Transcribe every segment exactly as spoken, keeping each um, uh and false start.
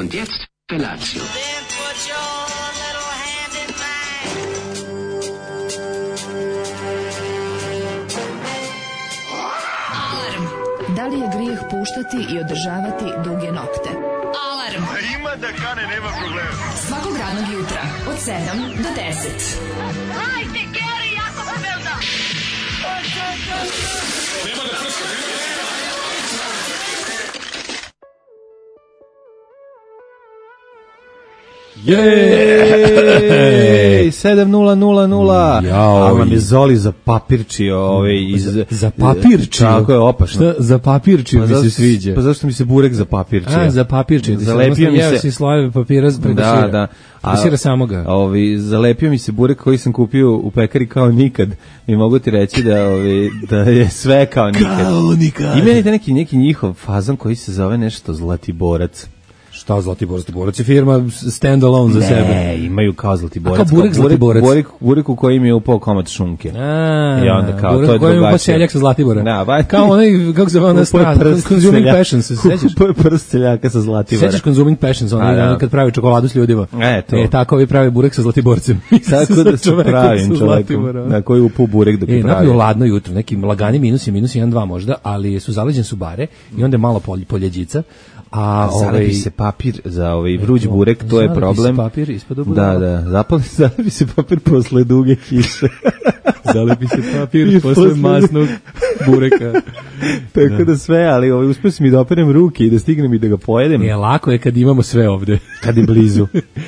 Und jetzt Felatio. Da li je grijeh puštati i održavati duge nokte? Alarm! A ima da kane, nema problema. Svakog radnog jutra, od sedam do deset. Hajde, Geri, jako se velda! Nema da prska, Jej, sedam nula nula nula. Jao, a vam je Zoli za papirčio ovaj iz za, za papirčio. Tako je opašno. Šta za papirčio pa mi zašto, se sviđa? Pa zašto mi se burek za papirčio? A, za papirčio. Zalepio mi se si slojeve papira preko da, sira. da. Preko sira samoga. Ovi zalepio mi se burek koji sam kupio u pekari kao nikad. I mogu ti reći da ovi da je sve kao nikad. Kao nikad. Ima neki neki njihov fazon koji se zove nešto Zlatiborac. Šta Zlatibor? Zlatiborac je firma stand alone za ne, sebe. Ne, imaju kao Zlatiborac. A kao burek Zlatiborac? Burek, burek u kojem je upao komad šunke. A, i onda kao, burek to je u kojem je upao drugačije. seljak sa Zlatibora. Da, ba, kao onaj, kako se zove ona strana, Consuming Passions, se sećaš? Upao je prst seljaka sa Zlatibora. Sećaš Consuming Passions, onaj da. Kad pravi čokoladu s ljudima. E, to. E, tako ovi pravi burek sa Zlatiborcem. Tako da se pravim čovekom, na koji upao burek dok je e, pravi. Napio ladno jutro, neki lagani minusi, minus jedan, dva možda, ali su zaleđen su bare i onda je malo polj, poljeđica. A zalepi ovaj se papir za ovaj vruć burek, to je problem. Zalepi se papir ispod obudala. Da, da, zapali zalepi se papir posle duge kiše. Zalepi se papir posle masnog bureka. Tako da. da sve, ali ovaj uspeo sam mi da operem ruke i da stignem i da ga pojedem. Je lako je kad imamo sve ovde. Kad je blizu.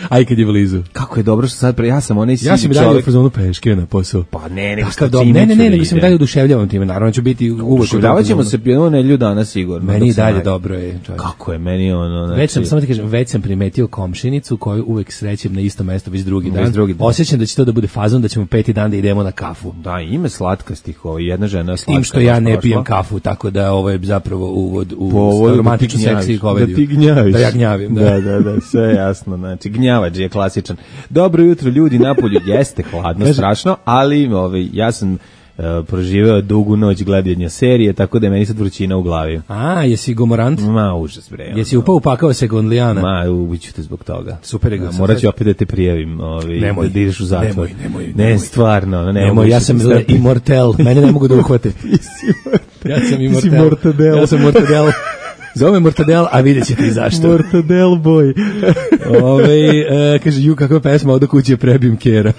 Aj kad je blizu. Kako je dobro što sad pre, ja sam onaj ja sam i dalje u fazonu peške na posao. Pa ne, nego što ti ne, ne, ne, nego sam dalje oduševljavam time. Naravno ću biti uvek. Oduševljavaćemo se jedno nedelju dana sigurno. Meni i dalje dobro je. Kako je meni ono, znači. Već sam samo ti kažem, već sam primetio komšinicu koju uvek srećem na isto mesto već drugi dan. Drugi dan. Osjećam da će to da bude fazon da ćemo peti dan da idemo na kafu. Da, ime slatkastih, ovo jedna žena slatka. S tim što ja ne pijem kafu, tako da ovo je zapravo uvod u po romantičnu seksiju komediju. Da ti gnjaviš. Da ja gnjavim, da. Da, da, da, sve jasno, znači gnjavač je klasičan. Dobro jutro ljudi, napolju jeste hladno, strašno, ali ovaj ja sam Uh, proživeo dugu noć gledanja serije, tako da je meni sad vrućina u glavi. A, jesi gomorant? Ma, užas bre. Jesi upao upakao se gondlijana? Ma, ubiću te zbog toga. Super je ga. Morat ću opet da te prijavim, ovaj, nemoj, da ideš u zatvor. Nemoj, nemoj, ne, nemoj. stvarno. Ne, nemoj, ja sam immortel, mene ne mogu da uhvate. Ja sam immortel. Mortadel. Ja sam mortadel. Zove Mortadel, a vidjet ćete i zašto. Mortadel boy. Ove, e, kaže, ju, kakva pesma, ovdje kuće prebim kjera.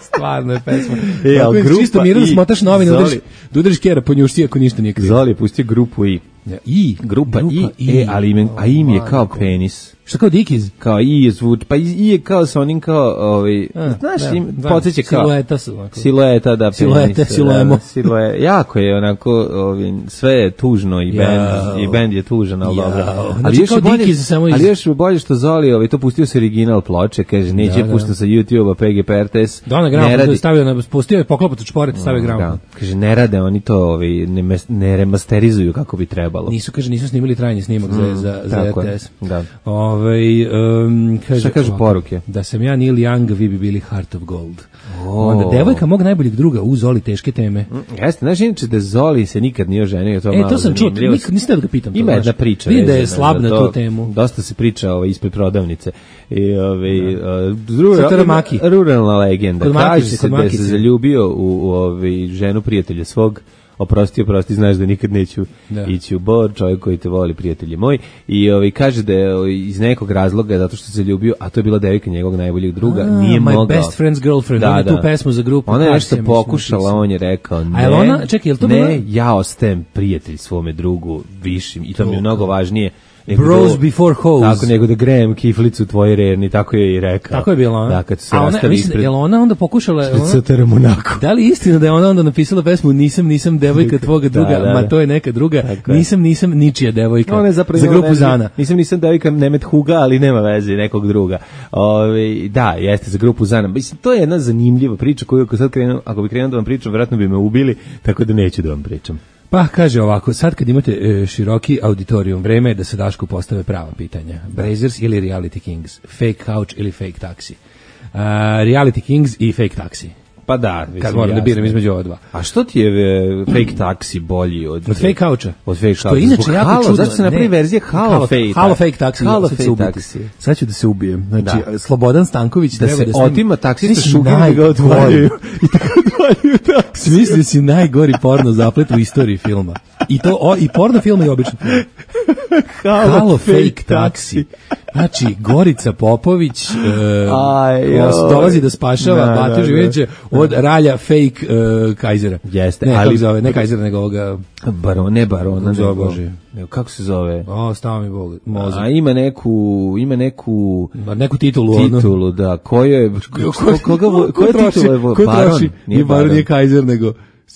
Stvarno je pesma. E, ali grupa čisto mirno I, smotaš novine, Zoli, udariš, da udariš kjera po njušti ako ništa nije krivo. Zoli je pustio grupu I. Ja, I, grupa, grupa I, I, e, ali im, a im je kao penis. Šta kao Dikiz? Kao I je zvuk, pa I je kao sa onim kao, ovaj, a, znaš, da, im, da, podsjeća kao... Silueta su. Ovako. Silueta, da, Siluete, penis. siluemo. Da, silue, jako je onako, ovaj, sve je tužno i bend, ja, i bend je tužan, ali dobro. Znači, ali još kao bolje, Dikiz, samo iz... ali još bolje što Zoli, ovaj, to pustio se original ploče, kaže, neće da, pušta da. Sa YouTube-a, P G P R T S. Da, na gram, stavio na, pustio je poklopac od šporeta, stavio gram. Da, kaže, ne rade oni to, ovaj, ne, ne remasterizuju kako bi trebalo. Nisu, kaže, nisu snimili trajni snimak mm, za, za, za R T S. Da. Ovaj um, kaže, šta kažu poruke? Da sam ja Neil Young, vi bi bili Heart of Gold. Oh. Onda devojka mog najboljeg druga, u Zoli teške teme. Mm, jeste, znaš inače da Zoli se nikad nije oženio, to e, malo to sam čuo, nik, nisam da ga pitam. Ima jedna priča. Vidim da je slab na tu temu. Dosta se priča ovaj, ispred prodavnice. I, ovaj, uh, ruralna, ruralna legenda. Kaže se da se zaljubio u, u ovaj, ženu prijatelja svog. Oprosti, oprosti, znaš da nikad neću da. ići u Bor, čovjek koji te voli, prijatelji moj. I ovaj, kaže da je iz nekog razloga, zato što se ljubio, a to je bila devojka njegovog najboljeg druga, a, nije my mogao. My best friend's girlfriend, da, on je da. tu pesmu za grupu. Ona je nešto pokušala, on je rekao, ne, a je ona, čekaj, je to ne, bila? ja ostajem prijatelj svome drugu višim i to, to mi je mnogo važnije. Bros do, before hoes. Tako, nego da grejem kiflicu u tvojoj rerni, tako je i rekao. Tako je bila ona. Da, kad su se a ona, rastali mislim, ispred... je li ona onda pokušala... Ona, Monaco. Da li istina da je ona onda napisala pesmu Nisam, nisam devojka tvoga druga, da, da, da. Ma to je neka druga, tako nisam, nisam ničija devojka, ona je za grupu ne, Zana. Nisam, nisam devojka Nemet Huga, ali nema veze, nekog druga. Ove, da, jeste, za grupu Zana. Mislim, to je jedna zanimljiva priča koju ako sad krenem, ako bi krenuo da vam pričam, vjerojatno bi me ubili, tako da neću da vam pričam. Pa kaže ovako, sad kad imate e, široki auditorijum, vreme je da se Dašku postave prava pitanja. Brazers ili Reality Kings? Fake couch ili fake taxi? Uh, reality Kings i fake taxi. Pa da, kad moram da biram između ova dva. A što ti je e, fake taksi bolji od... Od fake coucha? Od fake coucha. Što inače jako halo, čudno. Zašto se napravi verzija halo fake? Halo fake taksi. Halo fake taksi. Sad ću da se ubijem. Znači, da. Slobodan Stanković da treba se da se... otima taksista šugim da ga odvaljuju. I tako odvaljuju taksi. Smislio si najgori porno zaplet u istoriji filma. I to o, i porno film i obično film. Halo, Halo fake, fake taksi. Znači, Gorica Popović e, dolazi da spašava da, Batu Živinića od ralja fake e, Kajzera. Jeste, ne, ali... kako zove, ne Kajzera, nego ovoga... Baron, ne Barona, nego, Bože. Nego, kako se zove? O, stava mi Bog, mozak. A ima neku, ima neku... Neku titulu. Titulu, da. Ko je... Ko, koga, ko, ko je titula? Ko troši? Nije Baron, nije Kajzer, nego...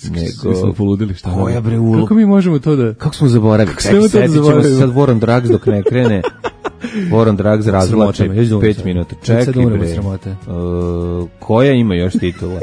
Nego, smo poludili, šta? Koja bre ulo? Kako mi možemo to da... Kako smo zaboravili? Kako smo to da zaboravili? Sad War on Drugs dok ne krene. War on Drugs razvlače pet minuta. Čekaj bre. Uh, koja ima još titula?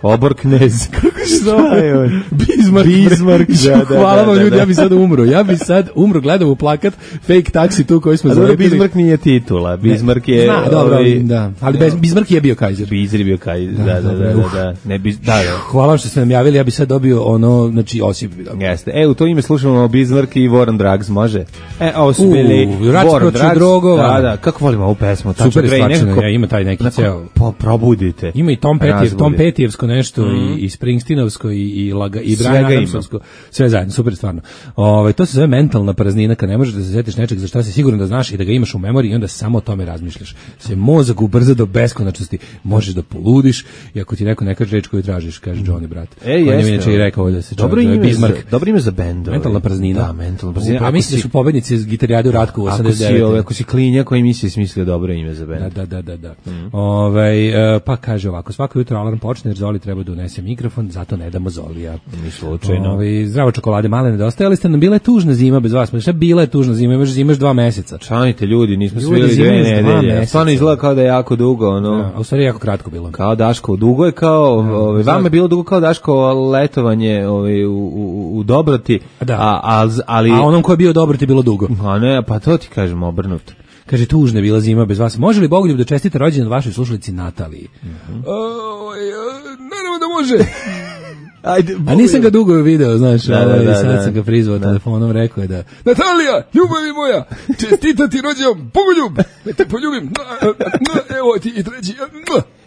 Obor knez. Kako se zove? Bismarck. Bismarck, da, da, hvala vam da, ljudi, da. ja bi sad umro. Ja bi sad umro, gledam u plakat fake taksi tu koji smo zalepili. Bismarck nije titula. Bismarck je... Zna, dobro, ovaj, da. Ali bez, Bismarck je bio Kajzer. Bismarck je bio Kajzer, da, da, da, da, da. Ne, bis, da, da. Hvala što ste nam javili, ja bi sad dobio ono, znači, Osip. Jeste. E, u to ime slušamo Bismarck i War on Drugs, može? E, ovo su bili War on Drugs. Drogova. Da, da, kako volimo ovu pesmu. Super je stvačeno, ja, ima taj neki ceo. Pa, probudite. Ima i Tom Petty, Tom Pettyjevsko nešto mm. i, i Springsteenovsko i i Laga i Brian Adamsovsko, sve zajedno, super stvarno. Ovaj to se zove mentalna praznina, kad ne možeš da se setiš nečeg za šta si siguran da znaš i da ga imaš u memoriji i onda samo o tome razmišljaš. Se mozak ubrza do beskonačnosti, možeš da poludiš i ako ti neko ne kaže reč koju tražiš, kaže Johnny brat. E, jeste. Inače i rekao da se dobro ime Bismarck. Dobro ime za bend. Mentalna praznina. Da, mentalna praznina. A mislim da su pobednici iz Gitarijade u Ratku osamdeset devet. Ako si, ovaj, ako si klinja koji misli smislio dobro ime za bend. Da, da, da, da. Mm. Ovaj pa kaže ovako, svako jutro alarm počne jer Zoli treba da unese mikrofon, zato ne damo Zolija. Ni slučajno. Ovi, zdravo čokolade male nedostajali ste nam, bila je tužna zima bez vas. Šta bila je tužna zima, imaš zimaš dva meseca. Čanite ljudi, nismo svili dve nedelje. Stvarno izgleda kao da je jako dugo, ono. Ja, a u stvari jako kratko bilo. Kao Daško, dugo je kao, ja, ovaj vama je bilo dugo kao Daško letovanje, ovaj u, u, u Dobroti, da. a, a ali a onom ko je bio Dobroti bilo dugo. A ne, pa to ti kažem obrnuto. Kaže, tužna je bila zima bez vas. Može li Bogoljub da čestite rođendan vašoj slušalici Nataliji? Mm-hmm. O, ja, naravno da može. Ajde, a nisam ga dugo video, znaš, da, ovaj, da, da, sad da. sam ga prizvao da. telefonom, rekao je da Natalija, ljubavi moja, čestitati rođendan, Bogoljub, da te poljubim, evo ti i treći.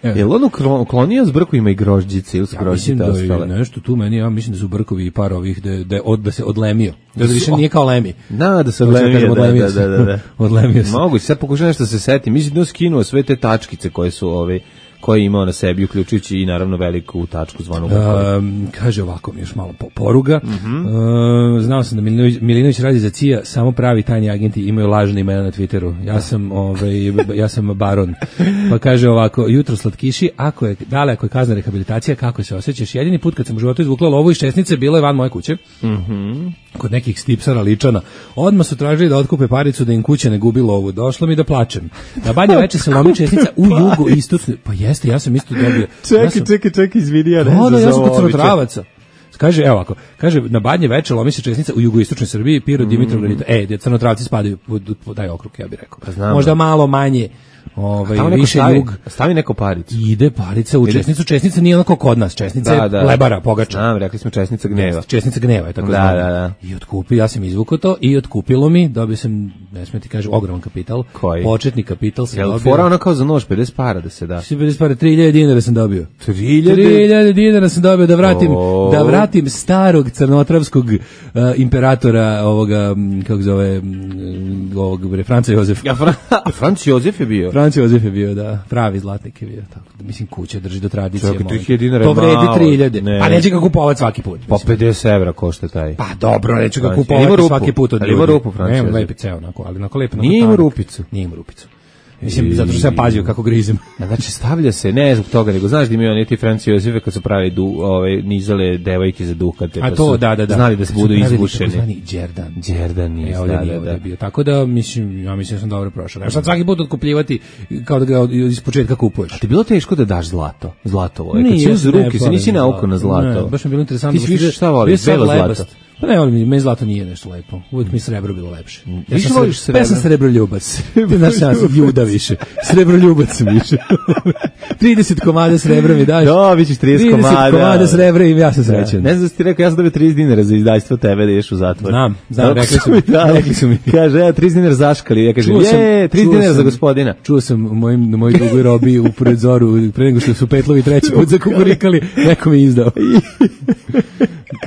Je li on uklonio s brkovima i grožđice ili su ja, grožđice ostale? Mislim da je nešto tu meni, ja mislim da su brkovi i par ovih, da, da, od, da se odlemio. Da, da više nije kao lemi. Da, da se odlemio, odlemio, da, da, da, da. odlemio se. Mogu, sad pokušam nešto se seti. Mislim da je skinuo sve te tačkice koje su ove koje je imao na sebi, uključujući i naravno veliku tačku zvanu um, kaže ovako mi još malo po, poruga. Mm-hmm. Uh, znao sam da Milinović, Milinović radi za C I A, samo pravi tajni agenti imaju lažne imena na Twitteru. Ja sam, ovaj, ja sam baron. Pa kaže ovako, jutro slatkiši, ako je, dale, ako je kazna rehabilitacija, kako se osjećaš? Jedini put kad sam u životu izvukla lovu iz šesnice, bilo je van moje kuće. Mhm. Kod nekih stipsara ličana. Odmah su tražili da otkupe paricu da im kuća ne gubi lovu. Došlo mi da plačem. Na Banja Veče se lomi čestica u jugu istočnoj. Pa jeste, ja sam isto dobio. Čekaj, ja sam, čekaj, čekaj, izvini, ja ne znam. Da, ja sam kod Crnotravaca. Kaže, evo ovako, kaže, na Banje Veče lomi se čestica u jugoistočnoj Srbiji, Pirot, mm. Dimitrov, Granita. E, gdje Crnotravci spadaju pod, pod taj okrug, ja bih rekao. Pa znam, možda malo manje. Ovaj više stavi, jug stavi neko paricu. Ide parica u česnicu, česnica nije onako kod nas, česnica da, da, je lebara, pogača. Znam, rekli smo česnica gneva. Česnica gneva je tako da, zvana. Da, da. I otkupi, ja sam izvukao to i otkupilo mi, dobio sam, ne smije ti kažem, ogroman kapital. Koji? Početni kapital sam Jel dobio. Fora ono kao za nož, pedeset para da se da. pedeset para, tri hiljade dinara sam dobio. tri hiljade? tri hiljade dinara sam dobio da vratim, oh. da vratim starog crnotravskog uh, imperatora ovoga, kako zove, ovog bre, Franca Jozef. Ja, Fra, Franc Jozef je bio. Franc Jozef je bio, da. Pravi zlatnik je bio, tako da mislim kuća drži do tradicije. Čekaj, tri hiljade dinara to vredi tri hiljade. Ne. Pa neće ga kupovati svaki put. Pa pedeset evra košta taj. Pa dobro, neće ga kupovati svaki put od ljudi. Ima rupu, Francija. Nema lepi ceo, onako, ali onako lepo. Nije ima rupicu. Nije ima rupicu. Mislim, zato što sam pazio kako grizem. Znači, stavlja se, ne zbog toga, nego znaš da imaju oni ti Franci Jozefe kad su pravi du, ove, nizale devojke za duhate, pa a to, su da, da, da. znali da se budu izbušeni. Zvani Đerdan. Đerdan nije, e, ovdje da, nije, da, da. Bio. Tako da, mislim, ja mislim da sam dobro prošao. Ja sad svaki put otkupljivati kao da ga iz početka kupuješ. A ti bilo teško da daš zlato? Zlatovo. Kad si uz ruke, se nisi naukao na zlato. Ne, baš mi bilo interesantno. Ti više šta voliš? Belo zlato. Pa ne, ali meni zlato nije nešto lepo. Uvijek mi srebro bilo lepše. Ja Više sam voliš srebro? Ja sam srebroljubac. Ti znaš, ja sam ljuda više. Srebroljubac sam više. trideset komada srebra mi daš. Da, vi ćeš trideset komada. trideset komada srebra i ja sam srećan. Ne znam da si ti rekao, ja sam dobio trideset dinara za izdajstvo tebe da ješ u zatvor. Znam, znam, rekli su mi. Rekli su mi. Kaže, ja trideset dinara zaškali. Ja kažem, je, trideset dinara za gospodina. Čuo sam u mojim, na mojoj dugoj robi u predzoru, pre nego što su Petlovi treći put zakukurikali, neko mi izdao.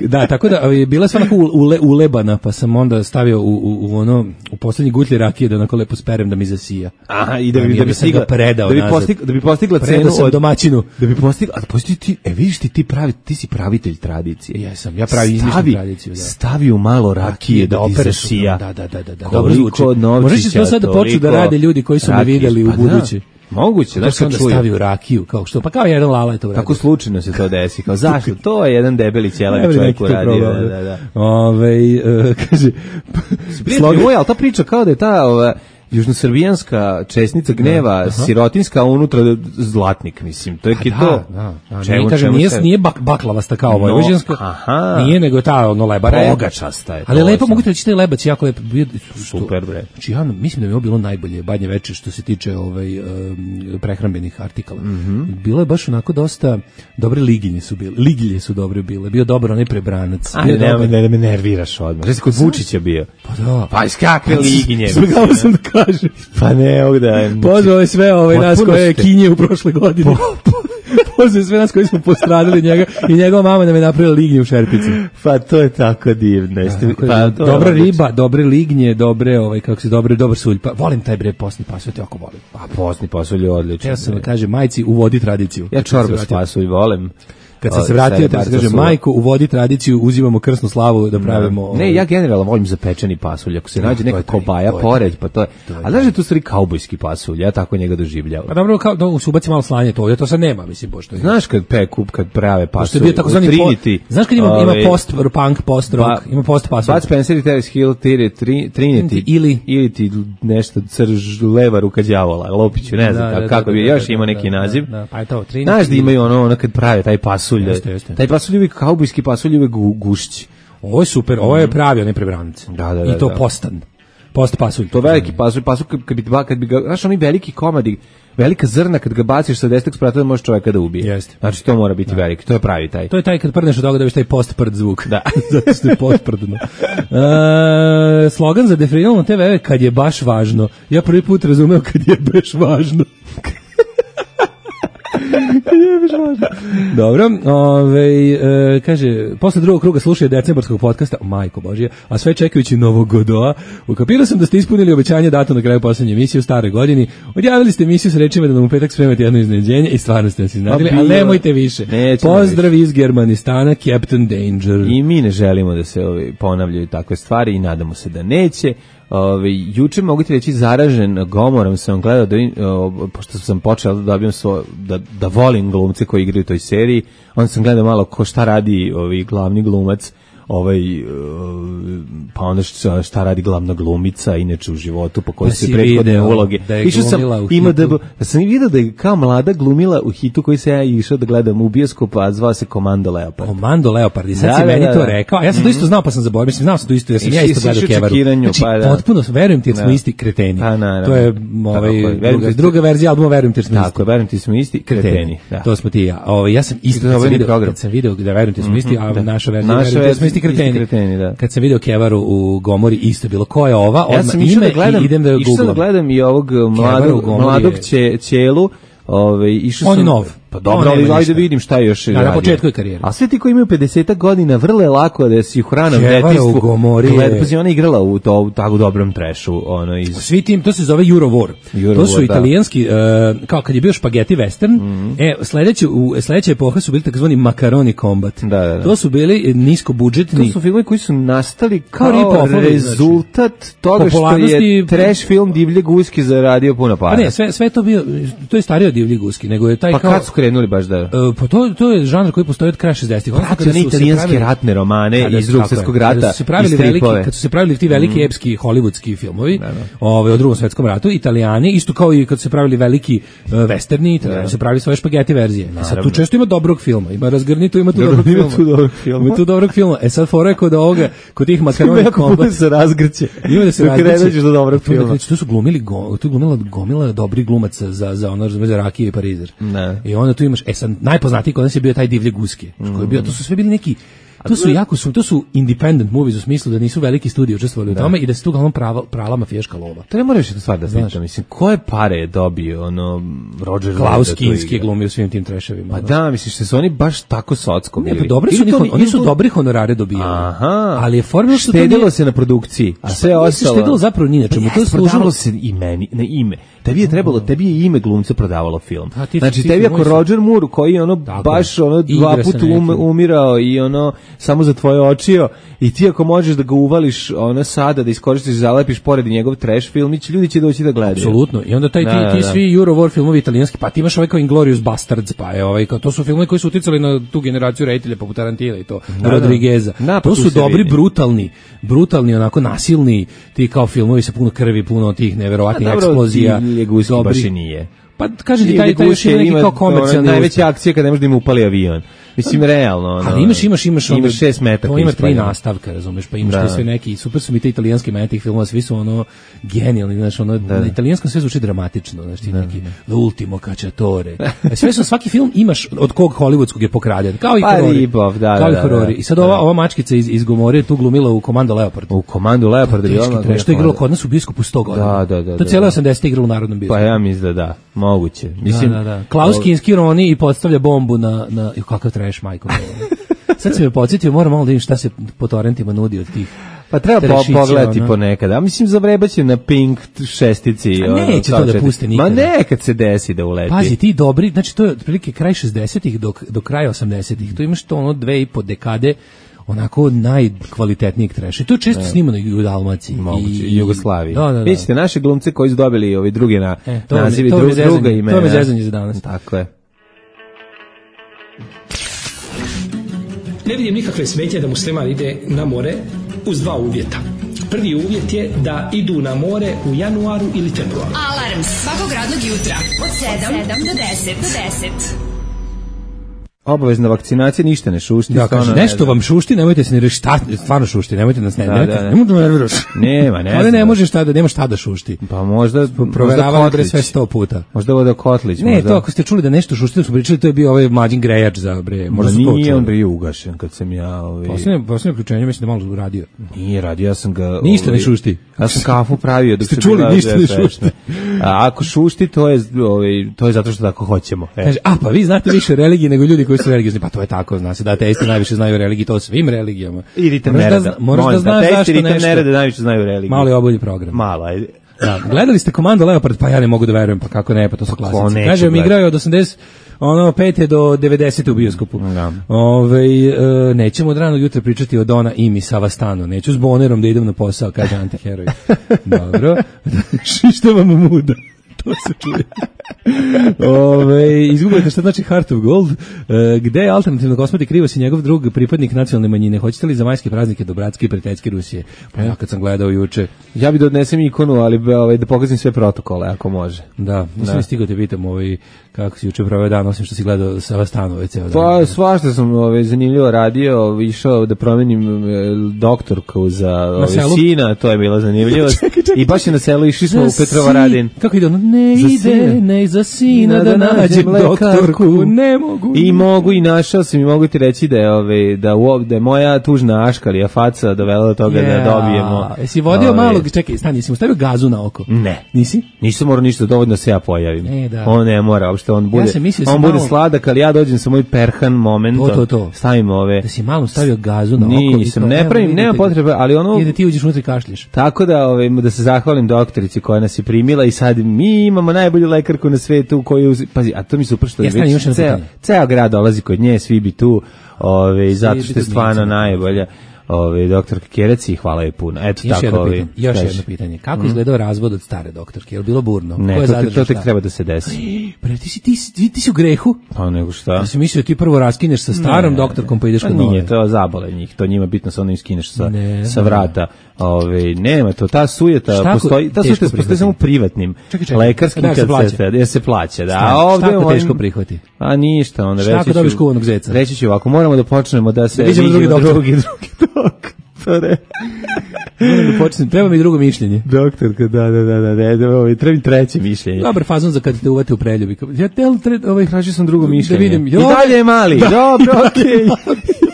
Da, tako da je bila sva onako ule, ulebana, pa sam onda stavio u, u, u ono u poslednji gutlji rakije da onako lepo sperem da mi zasija. Aha, i da bi da bi stigla predao da bi postigla da bi postigla cenu od domaćinu. Da bi postigla, a posti ti, e vidiš ti ti pravi, ti si pravitelj tradicije. Jesam, ja pravi izmišljam tradiciju, da. Stavi u malo rakije da, da ti zasija. Da, da, da, da, da. Dobro zvuči. Možeš to sad da počnu da rade ljudi koji su me videli u budući. Moguće, da se čuje. Stavi u rakiju, kao što, pa kao jedan lala je to uradio. Tako slučajno se to desi, kao zašto? To je jedan debeli ćelavi čovjek uradio. Da, da, da. Ove, uh, kaže... Slogan, oj, ali ta priča kao da je ta... Ova, južnosrbijanska česnica gneva, da, sirotinska, a unutra zlatnik, mislim. To je da, to. Da, da. Čemu, nije, kažem, nije, se... nije bak, baklavasta kao vojvođanska, no, nije nego ta ono lebara. Bogačasta je. Ali lepo, mogu ti reći, taj lebac jako lepo. Super, bre. Znači, ja mislim da mi je bilo najbolje badnje veče što se tiče ovaj, um, prehrambenih artikala. Mm -hmm. Bilo je baš onako dosta, dobre liginje su bile. Ligilje su dobre bile. Bio dobar onaj prebranac. Ajde, ne, ne, ne me nerviraš odmah. Znači, kod Vučića bio. Pa da. Pa iz kakve liginje? Zbogao sam da kaže. Pa ne, ovdje. Pozvao je sve ove nas koje je kinje u prošle godine. Pozvao je sve nas koji smo postradili njega i njegova mama nam je napravila lignje u šerpici. Pa to je tako divno. Da, pa, to dobra riba, dobre lignje, dobre, ovaj, kako se dobre, dobar sulj. Pa, volim taj bre posni pasulj, to jako volim. Pa posni pasulj je odličan. Ja sam da kažem, majci, uvodi tradiciju. Ja čorba s pasulj volim. Kad sam se vratio, da se kaže, majko, uvodi tradiciju, uzimamo krsnu slavu da pravimo... Ne, ja generalno volim zapečeni pasulj, ako se nađe neka kobaja pored, pa to je... A znaš da je tu stvari kaubojski pasulj, ja tako njega doživljavam. A dobro, kao, da se ubaci malo slanje to, ja to sad nema, mislim, pošto je... Znaš kad peku, kad prave pasulj, u Trinity... Znaš kad ima, ima post-punk, post-rock, ima post-pasulj? Bud Spencer i Terence Hill, Trinity, ili... Ili ti nešto crž, leva ruka đavola, Lopiću, ne znam kako bi, još ima neki naziv. Pa je to, Trinity. Znaš da imaju ono, kad prave taj pasulj, taj pasulj je uvijek kaubojski pasulj je uvijek gušći. Ovo je super, ovo je pravi onaj prebranac. Da, da, da. I to postan. Post pasulj. To veliki pasulj, pasulj kad bi, kad bi ga, znaš oni veliki komadi, velika zrna kad ga baciš sa desetog sprata može čovjeka da ubije. Jeste. Znači to mora biti da. Veliki, to je pravi taj. To je taj kad prdneš od toga da biš taj post-prd zvuk. Da. Zato što je post-prdno. Uh, slogan za definirano te ve kad je baš važno. Ja prvi put razumeo kad je baš važno. Dobro, ovaj e, kaže, posle drugog kruga slušaju decembarskog podcasta, majko božje, a sve čekajući Novog Godoa, ukapirao sam da ste ispunili obećanje dato na kraju poslednje emisije u staroj godini, odjavili ste emisiju s rečima da nam u petak spremate jedno iznenađenje i stvarno ste nas iznadili, ali nemojte više. Pozdrav iz Germanistana, Captain Danger. I mi ne želimo da se ovi ponavljaju takve stvari i nadamo se da neće. Ove, juče mogu ti reći zaražen gomorom sam gledao da, o, pošto sam počeo da dobijem svo, da, da volim glumce koji igraju u toj seriji, onda sam gledao malo ko šta radi ovi glavni glumac, ovaj pa onda šta, šta radi glavna glumica inače u životu po kojoj su prethodne uloge. Da išao sam ima da ja sam video da je kao mlada glumila u hitu koji se ja išao da gledam u bioskopu, a zvao se Komando Leopard. Komando Leopard, i sad da, si meni da, to rekao, a ja sam mm-hmm. to isto znao pa sam zaboravio, mislim znao sam to isto, ja sam I, ja isto gledao Kevaru. Znači, pa, da. Potpuno verujem ti jer smo isti kreteni. Pa, na, na, to je ovaj druga, druga verzija albuma Verujem ti jer smo isti. Tako, verujem ti smo isti kreteni. Da. To smo ti ja. Ovaj ja sam isto video, kad sam video da Verujem ti smo isti, a naša verzija smo isti kreteni. Da. Kad sam video Kevaru u Gomori isto bilo ko je ova, odmah ja ime da gledam, i idem da googlam. Išao da gledam i ovog mladog, mladog je... ćelu, ovaj, išao sam... On je nov. Pa dobro, ali ajde da vidim šta još radi. Na početku je karijere. A sve ti koji imaju pedeset godina vrlo je lako da si u hranom detinjstvu. Gled, pa si ona igrala u to u tako dobrom trešu, ono iz. Svi tim, to se zove Eurovor. Euro to su War, italijanski da. uh, kao kad je bio spaghetti western. Mm-hmm. E sledeće u sledeće epoha su bili takozvani macaroni combat. Da, da, da. To su bili nisko budžetni. To su filmovi koji su nastali kao, kao rezultat znači, toga što je trash film Divlje guske zaradio puno para. Pa ne, sve sve to bio to je stariji od Divlje guske, nego je taj pa kao kad su krenuli baš da... Uh, pa to, to je žanr koji postoji od kraja šezdesetih. Pratio one italijanske ratne romane kada, iz drugog svjetskog rata. Kada su se pravili, veliki, kad su se pravili ti veliki mm. epski hollywoodski filmovi, da, da. Ove, o drugom svjetskom ratu, Italijani, isto kao i kad su se pravili veliki uh, westerni, Italijani su pravili svoje špageti verzije. E sad tu često ima dobrog filma, ima razgrnito, ima tu dobrog filma. Tu dobrog filma. Ima tu dobrog filma. E sad fora je kod ovoga, kod tih makaroni kombat. se razgrće. Ima da se razgrće. do dobrog filma. Tu su glumili, go, tu glumila gomila dobrih glumaca za, za ono, za Rakije i Parizer. Ne. I onda tu imaš, e sad, najpoznatiji kod nas je bio taj Divlje guske, mm. koji je bio, to su sve bili neki, to su jako su, to su independent movies u smislu da nisu veliki studiji učestvovali da. u tome i da se tu uglavnom prava, prala mafijaška lova. To ne moraš jednu stvar da znaš, mislim, koje pare je dobio, ono, Roger Klaus Kinski je glumio svim tim treševima. Pa da, misliš, što su oni baš tako socko bili. Ne, pa dobri su, oni, oni, oni su dobri honorare dobijali. Aha. Ali je formula što štedilo nije, se na produkciji, a sve ostalo. Štedilo zapravo ni na čemu, to je služilo se imeni, na ime. Tebi je trebalo, tebi je ime glumca prodavalo film. Znači, tebi ako Roger Moore, koji je ono baš ono dva puta umirao i ono samo za tvoje očio, i ti ako možeš da ga uvališ ona sada, da iskoristiš, zalepiš pored njegov trash filmić, ljudi će doći da gledaju. Apsolutno. I onda taj ti, da, ti da, svi Euro War filmovi italijanski, pa ti imaš ovaj kao Inglourious Basterds, pa je ovaj kao, to su filmovi koji su uticali na tu generaciju reditelja poput Tarantina i to, da, Rodrigueza. Da, to su dobri, vidi. brutalni, brutalni, onako nasilni, ti kao filmovi sa puno krvi, puno tih neverovatnih eksplozija. Ljeguski baš i nije. Pa kažem ti, taj, taj još ima neki kao komercijalni. Najveća akcija kada ne može da im upali avion. Mislim, realno. Ono, ali imaš, imaš, imaš, imaš šest metaka. To ima tri nastavka, razumeš, pa imaš da. sve neki, super su mi te italijanski meni tih filmova, svi su ono genijalni, znaš, ono, da. na italijanskom sve zvuči dramatično, znaš, ti da. neki The Ultimo Cacciatore. Sve su, svaki film imaš od kog hollywoodskog je pokraden, kao i pa horori. Ribov, da, kao da, i horori. I sad ova, ova mačkica iz, iz Gomorije tu glumila u Komando Leopard. U Komando Leopard je ono. Što je igralo kod nas u bioskopu sto godina. Da, da, da. To je cijelo osamdesete igralo u Narodnom bioskopu. Pa ja mislim da da, moguće. Mislim, da, da, da. Klaus Kinski roni i podstavlja bombu na, na, kakav trash, majko. Sad se me podsjetio, moram malo da vidim šta se po torrentima nudi od tih. Pa treba po, pogledati ono. ponekad. A mislim, zavrebaće na Pink šestici. A neće ono, to da puste nikada. Ma nekad se desi da uleti. Pazi, ti dobri, znači to je otprilike kraj šezdesetih do, do kraja osamdesetih. Tu imaš to ono dve i po dekade onako najkvalitetnijeg treša. To je često ne. snimano i u Dalmaciji. Moguće, i Jugoslaviji. Da, da, da. Vidite, naše glumce koji su dobili ovi drugi na, e, to nazivi, to dru, zezanje, druga imena. To je zezanje za danas. Tako je. Ne vidim nikakve smetnje da musliman ide na more uz dva uvjeta. Prvi uvjet je da idu na more u januaru ili februaru. Alarm svakog radnog jutra od sedam do deset. Obavezna vakcinacija, ništa ne šušti. Da, kaže, nešto vam šušti, nemojte se ni reći šta, stvarno šušti, nemojte nas ne, da, nemojte, da, da. nemojte da nerviraš. Nema, ne. Ali ne može šta da, nema šta da šušti. Pa možda, proveravali bre sve sto puta. Možda voda Kotlić. Ne, možda... to ako ste čuli da nešto šušti, da su pričali, to je bio ovaj mlađin grejač za bre. Možda su to nije on bio ugašen kad sam ja... Ovaj... Poslednje, poslednje uključenje, mislim da malo radio. Nije radio, ja sam ga... Ništa ovaj... ne šušti. Ja sam kafu pravio dok ste čuli, ništa ne šušti. A ako šušti, to je, ovaj, to je zato što tako hoćemo. Kaže, a pa vi znate više religije nego ljudi koji su religiozni, pa to je tako, zna se da ateisti najviše znaju o religiji, to svim religijama. Idite nereda. Da, moraš da znaš zašto nešto. Nereda najviše znaju o religiji. Malo je obolji program. Malo, ajde. Da, gledali ste Komando Leopard, pa ja ne mogu da verujem, pa kako ne, pa to su klasici. Kaže, mi igraju od osamdeset ono pete do devedesete u bioskopu. Da. Ove, e, nećemo od ranog jutra pričati o Dona Imi Savastano. Neću s Bonerom da idem na posao, kaže antiheroj. Dobro. Šišta vam muda. To se čuje. Ove, izgubite šta znači Heart of Gold. E, gde je alternativno kosmeti Krivos i njegov drug pripadnik nacionalne manjine? Hoćete li za majske praznike do bratske i prijateljske Rusije? Pa ja kad sam gledao juče. Ja bih da odnesem ikonu, ali ovaj, da pokazim sve protokole, ako može. Da, nisam stigao te pitam ovaj, kako si juče proveo dan, osim što si gledao Savastanove ceo dan. Pa svašta sam ovaj, zanimljivo radio, išao da promenim doktorku za ovaj, sina, to je bila zanimljivost. čekaj, čekaj, I baš je na selu, išli smo u Petrovaradin. Kako ide ono? Ne za ide, sina. ne za sina da, da nađem doktorku, ne mogu. I mogu i našao sam i mogu ti reći da je, ove, da, u, da je moja tužna aškalija faca dovela do toga yeah. da dobijemo. Jesi vodio ove, malo, čekaj, stani, jesi mu stavio gazu na oko? Ne. Nisi? Nisam morao ništa dovoljno da se ja pojavim. Ne, da. On ne mora, uopšte on bude, ja mislio, on bude malo... sladak, ali ja dođem sa moj perhan moment, to, to, to. stavim ove. Da si malo stavio gazu na oko. Nisam, ne pravim, nema potrebe, ali ono... I da ti uđeš unutra i kašlješ. Tako da, ove, da se zahvalim doktorici koja nas je primila i sad mi imamo najbolju lekarku na svetu koju, pazi, a to mi super što je već ceo, ceo grad dolazi kod nje, svi bi tu, ove, zato što je stvarno najbolja. ovaj doktor Kerec i hvala je puno. Eto još tako jedno ovaj. Pitanje, još jedno pitanje. Kako mm. izgledao razvod od stare doktorke? Je li bilo burno? Ne, Ko to, to tek treba da se desi. Pre, ti si, ti, ti, ti si u grehu? Pa nego šta? Ja sam mislio da ti prvo raskineš sa starom ne, doktorkom pa ideš kod nove. Nije, to zabole njih. To njima bitno sa onim skineš sa, ne, sa vrata. Ove, nema to, ta sujeta šta postoji, ta sujeta postoji samo u privatnim čekaj, čekaj, lekarskim da, kad se, jer se plaća. Da, šta, ovdje šta ako teško prihvati? A ništa, onda šta ako dobiš kuvanog zeca? Reći ću ovako, moramo da počnemo da se... Da vidimo drugi doktor. Drugi, drugi doktore. Moram da počnem, treba mi drugo mišljenje. Doktorka, da, da, da, da, da, da treba mi treće mišljenje. Dobar fazon za kad te uvate u preljubi. Ja te, ovaj, tražio sam drugo mišljenje. Da vidim. I dalje je mali, da. Dobro, okej. Okay.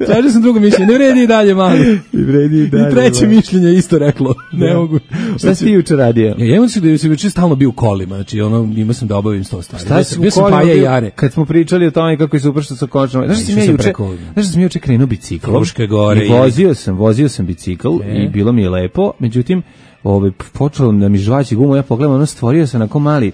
Tražio sam drugo mišljenje, ne vredi i dalje mali. I vredi i dalje. I treće mali. Mišljenje isto reklo. Ne da. mogu. Šta si ti juče radio? Ja imam se da sam juče stalno bio u kolima, znači ono imao sam da obavim sto stvari. Šta si bio sam Paja i Jare. Kad smo pričali o tome kako je super što sa konačno. Znaš šta sam juče? Znaš šta sam juče krenuo biciklom? Fruške gore. I vozio sam, vozio sam bicikl e. i bilo mi je lepo, međutim, ovaj počelo da mi žvaći gumu, ja pogledam, ono stvorio se onako mali.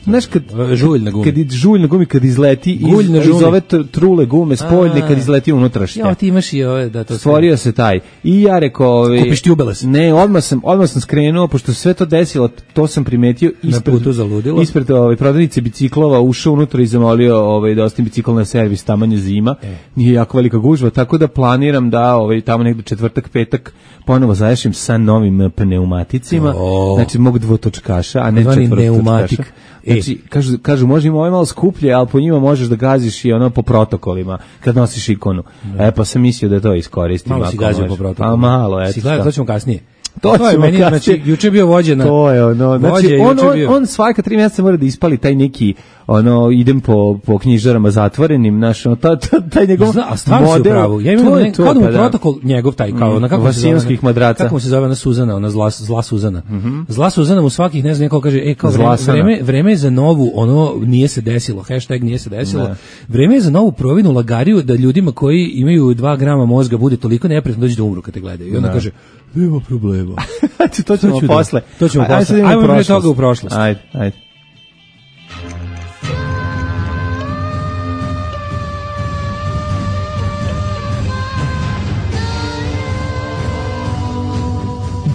Znaš kad žulj na gumi, kad žulj na gumi kad izleti iz, iz ove trule gume spoljne kad izleti unutrašnje. Ja ti imaš i ove da to stvorio se taj. I ja rekao, ovaj kupiš ti ubeles. Ne, odmah sam odmah sam skrenuo pošto sve to desilo, to sam primetio ispred putu zaludilo. Ispred ovaj prodavnice biciklova ušao unutra i zamolio ovaj da ostavim bicikl na servis, tamo je zima. E. Nije jako velika gužva, tako da planiram da ovaj tamo negde četvrtak, petak ponovo završim sa novim pneumaticima. Oh. Znači mog dvotočkaša, a ne četvrtočkaša. Znači, kažu, kažu može im ovo malo skuplje, ali po njima možeš da gaziš i ono po protokolima, kad nosiš ikonu. Ne. E, pa sam mislio da to iskoristim. Malo si gazio po protokolima. A malo, eto. Si gledao, to ćemo kasnije. To, to je meni, znači, juče je bio vođena. To je ono, znači, on, on, on svaka tri mjeseca mora da ispali taj neki, ono, idem po, po knjižarama zatvorenim, znaš, ono, ta, ta, taj njegov Zna, a model. Pravu. Ja imam ne, kao da mu pa protokol njegov taj, kao, mm, na kako se zove, madraca. Kako se zove ona Suzana, ona zla, zla Suzana. Mm -hmm. Zla Suzana mu svakih, ne znam, neko kaže, e, kao vreme, vreme, vreme je za novu, ono, nije se desilo, hashtag nije se desilo, ne. Vreme je za novu provinu lagariju da ljudima koji imaju dva grama mozga bude toliko neprijatno dođe da umru kad te gledaju. I onda ne. Kaže, nema problema. to ćemo posle. To ćemo posle. Ajmo prije toga u prošlost. Ajde, ajde.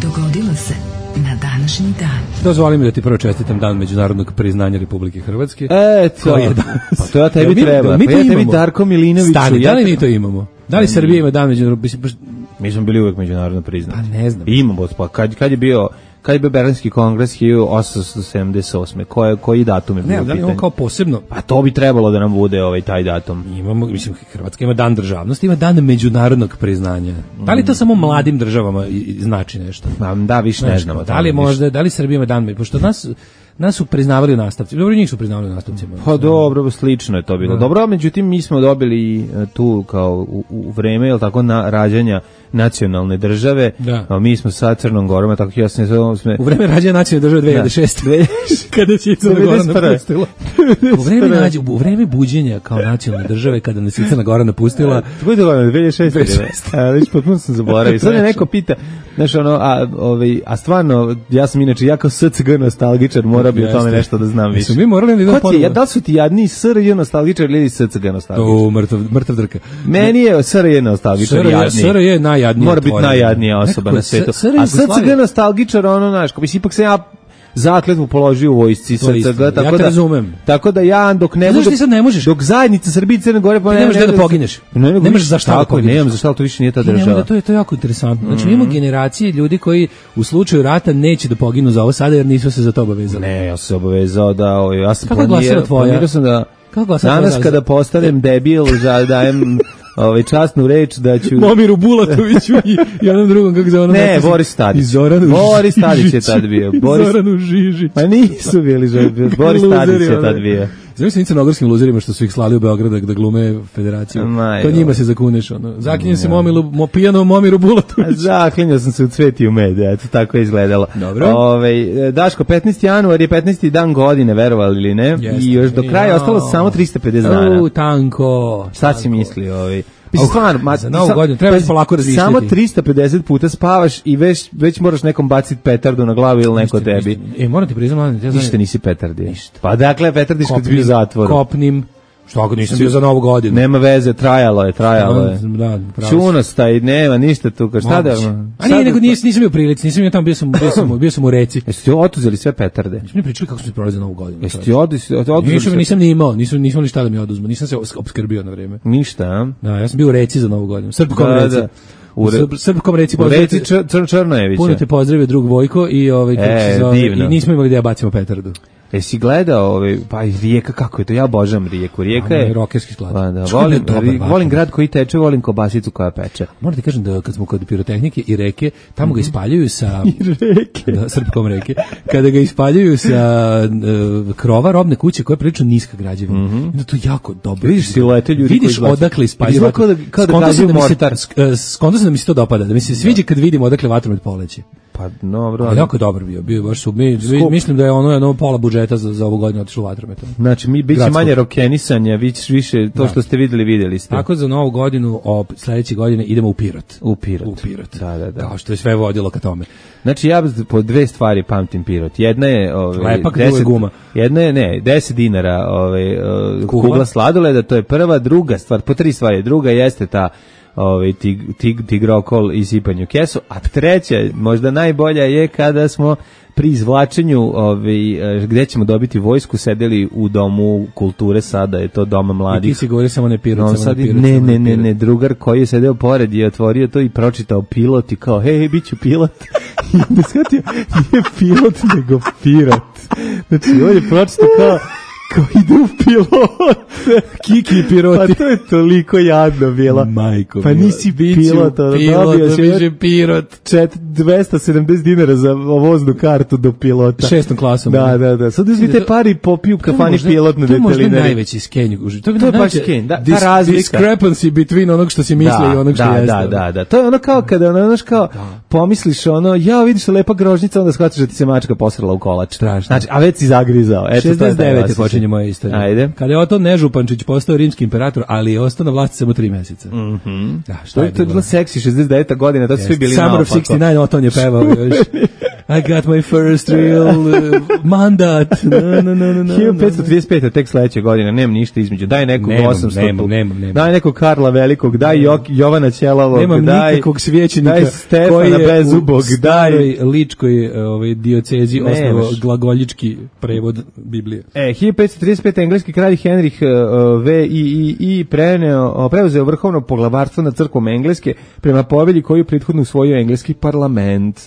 Dogodilo se na današnji dan. Dozvoli mi da ti prvo čestitam dan međunarodnog priznanja Republike Hrvatske. Eto, je pa to ja tebi ja, treba. Mi, mi pa ja tebi Darko Milinoviću. Stani, ja da li mi to imamo? Da li Srbija ima dan međunarodnog? Mi smo bili uvek međunarodno priznati. Pa ne znam. Imamo, pa kad, kad je bio kad je bio Berlinski kongres hiljadu osamsto sedamdeset osme Koji, koji datum je bio? Ne, da li imamo kao posebno? Pa to bi trebalo da nam bude ovaj taj datum. Imamo, mislim, Hrvatska ima dan državnosti, ima dan međunarodnog priznanja. Da li to samo mladim državama znači nešto? Da, više ne znamo. Da li možda, da li Srbija ima dan, pošto nas nas su priznavali u nastavci. Dobro, njih su priznavali u nastavcima. Pa dobro, slično je to bilo. Dobro, međutim, mi smo dobili tu kao u, u vreme, jel tako, na rađanja nacionalne države. Da. A mi smo sa Crnom Gorom, tako ja sam sme... U vreme rađanja nacionalne države dve hiljade šeste kada će Crna Gora napustila. U vreme nađe, u vreme buđenja kao nacionalne države kada nas je Crna Gora napustila. To je bilo dve hiljade šeste Ali već potpuno sam zaboravio. Sad me neko pita, znaš, ono, a, ovaj, a stvarno, ja sam inače jako S C G nostalgičar, mora bi o tome nešto da znam više. Mi morali da idemo ponovo. Ja, da li su ti jadni S R J nostalgičar ili S C G nostalgičar? O, mrtav, mrtav drka. Meni je S R J nostalgičar jadniji. S R J najjadniji. Mora biti najjadnija osoba na svetu. A S C G nostalgičar, ono, znaš, kao ipak sam ja zakletvu položio u vojsci S C G, tako ja da razumem. Tako da ja dok ne možeš, ti sad ne možeš. Dok zajednica Srbije i Crne Gore pa ne, ne možeš da pogineš. Ne, ne možeš za šta da pogineš. Nemam za šta, to više nije ta država. To je to je jako interesantno. Znači imamo generacije ljudi koji u slučaju rata neće da poginu za ovo sada jer nisu se za to obavezali. Ne, ja sam se obavezao da, ovaj, ja sam planirao, planirao sam da danas kada postanem debil, da dajem ovaj časnu reč da ću Momiru Bulatoviću i jednom drugom kako zove ono. Ne, Boris Tadić. Boris Tadić je tad bio. Boris Zoranu Žižić. Pa nisu bili, Boris Tadić je tad bio. Zamisli crnogorskim luzerima što su ih slali u Beograd da glume federaciju. Maj, to njima se zakuneš, ono. Zaklinjem se Momilu, mo, pijano Momiru Bulatoviću. Zaklinjao sam se u Cveti u med, eto, tako je izgledalo. Dobro. Ove, Daško, petnaesti januar je petnaesti dan godine, verovali ili ne? Jeste. I još do kraja je ostalo samo tristo pedeset dana. U, tanko. Šta si misli, ovaj? Mislim, stvarno, ma, za novu godinu treba se polako razmišljati. Samo tristo pedeset puta spavaš i već, već moraš nekom baciti petardu na glavu ili neko tebi. E, moram ti priznam, ja ništa nisi petardi. Ništa. Pa dakle, petardiš kad bi u zatvoru. Kopnim, Što ako nisam bio za Novu godinu? Nema veze, trajalo je, trajalo je. Da, Čunosta i nema ništa tu, ka šta da... A nije, nego nis, nisam bio prilici, nisam bio tamo, bio sam, bio sam, bio sam u reci. Jeste ti otuzeli sve petarde? Nisam mi pričali kako smo se proveli za Novu godinu. Jeste ti oduzeli? Nisam, nisam ni imao, nisam, nisam ni šta da mi oduzmu, nisam se opskrbio na vreme. Ništa, a? Da, ja sam bio u reci za Novu godinu, Srpkom da, reci. Da. U Srb, Srpkom reci pozdravite. U reci Čr, Črnojevića. Puno te pozdravio drug Vojko i ovaj kako e, se zove, i nismo imali da ja bacimo petardu. Jesi gledao ovaj pa i Rijeka kako je to? Ja obožavam Rijeku. Rijeka je rokerski sklad. Pa da, volim, volim grad koji teče, volim kobasicu koja peče. Moram ti kažem da kad smo kod pirotehnike i reke, tamo mm-hmm. ga ispaljuju sa I reke, da, Srpkom reke. Kada ga ispaljuju sa uh, krova robne kuće koja je prilično niska građevina. Mm-hmm. I da to jako dobro. Vidiš silete ljudi vidiš koji odakle ispaljuju. Kao da kao da gađaju mortar. Skonto se da mi se to dopada, da mi se sviđa kad vidimo odakle vatromet poleće. Pa dobro. Ali jako dobar bio, bio baš su mi, mislim da je ono jedno pola budžeta za, za ovu godinu otišlo u vatrometom. Znači mi biće manje rokenisanja, više više to da. Što ste videli, videli ste. Tako za Novu godinu, o sledeće godine idemo u Pirot. U Pirot. U Pirot. Da, da, da. Kao što je sve vodilo ka tome. Znači ja po dve stvari pamtim Pirot. Jedna je ovaj lepak deset guma. Jedna je ne, deset dinara, ovaj uh, kugla. kugla sladoleda, to je prva, druga stvar, po tri stvari. Druga jeste ta ovaj tig, tig, tigrokol i sipanje u kesu, a treća, možda najbolja je kada smo pri izvlačenju ovaj, gde ćemo dobiti vojsku sedeli u domu kulture, sada je to doma mladih. I ti si govori samo ne Pirot, no, samo ne Pirot. Ne, ne, ne, ne, drugar koji je sedeo pored je otvorio to i pročitao pilot i kao, hej, hej, bit ću pilot. I onda shvatio, nije pilot, nego Pirot. Znači, on je pročitao kao, kao ide u pilot. Kiki i piloti. Pa to je toliko jadno bilo. Majko. Pa nisi pilot, ono, pilot, dobio si više pirot. dvesta sedamdeset dinara za voznu kartu do pilota. Šestom klasom. Da, da, da. Sad uzmi te pari i popiju kafani pilot na detelinari. To je možda najveći skenj. To je, to je baš skenj, da, ta razlika. Discrepancy between onog što si mislio i onog što da, jeste. Da, da, da. To je ono kao kada ono, znaš kao, pomisliš ono, ja vidiš lepa grožnica, onda shvatiš da ti se mačka posrala u kolač. Strašno. Znači, a već si zagrizao. Eto, šezdeset devete počinje moja istorija. Ajde. Kada je Oton Nežupančić postao rimski imperator, ali je ostao na vlasti samo tri meseca. Mhm. Da, šta je, to je bilo seksi šezdeset deveta godina, to su svi bili naopako. Summer of šezdeset devet, Oton je pevao još. I got my first real uh, mandat. No, no, no, no, hiljadu petsto trideset pete tek sledeće godine, nemam ništa između. Daj nekog osamsto. Nemam, nemam, nemam. Daj nekog Karla Velikog, daj Jok, Jovana Ćelavog, nemam daj nikakvog svećenika daj Stefana Bezubog, daj ličkoj ovaj diocezi osnovo glagoljički prevod Biblije. E, hiljadu petsto trideset pete engleski kralj Henrih uh, V I I I preneo, preuzeo vrhovno poglavarstvo nad crkvom Engleske prema povelji koju prethodno usvojio engleski parlament.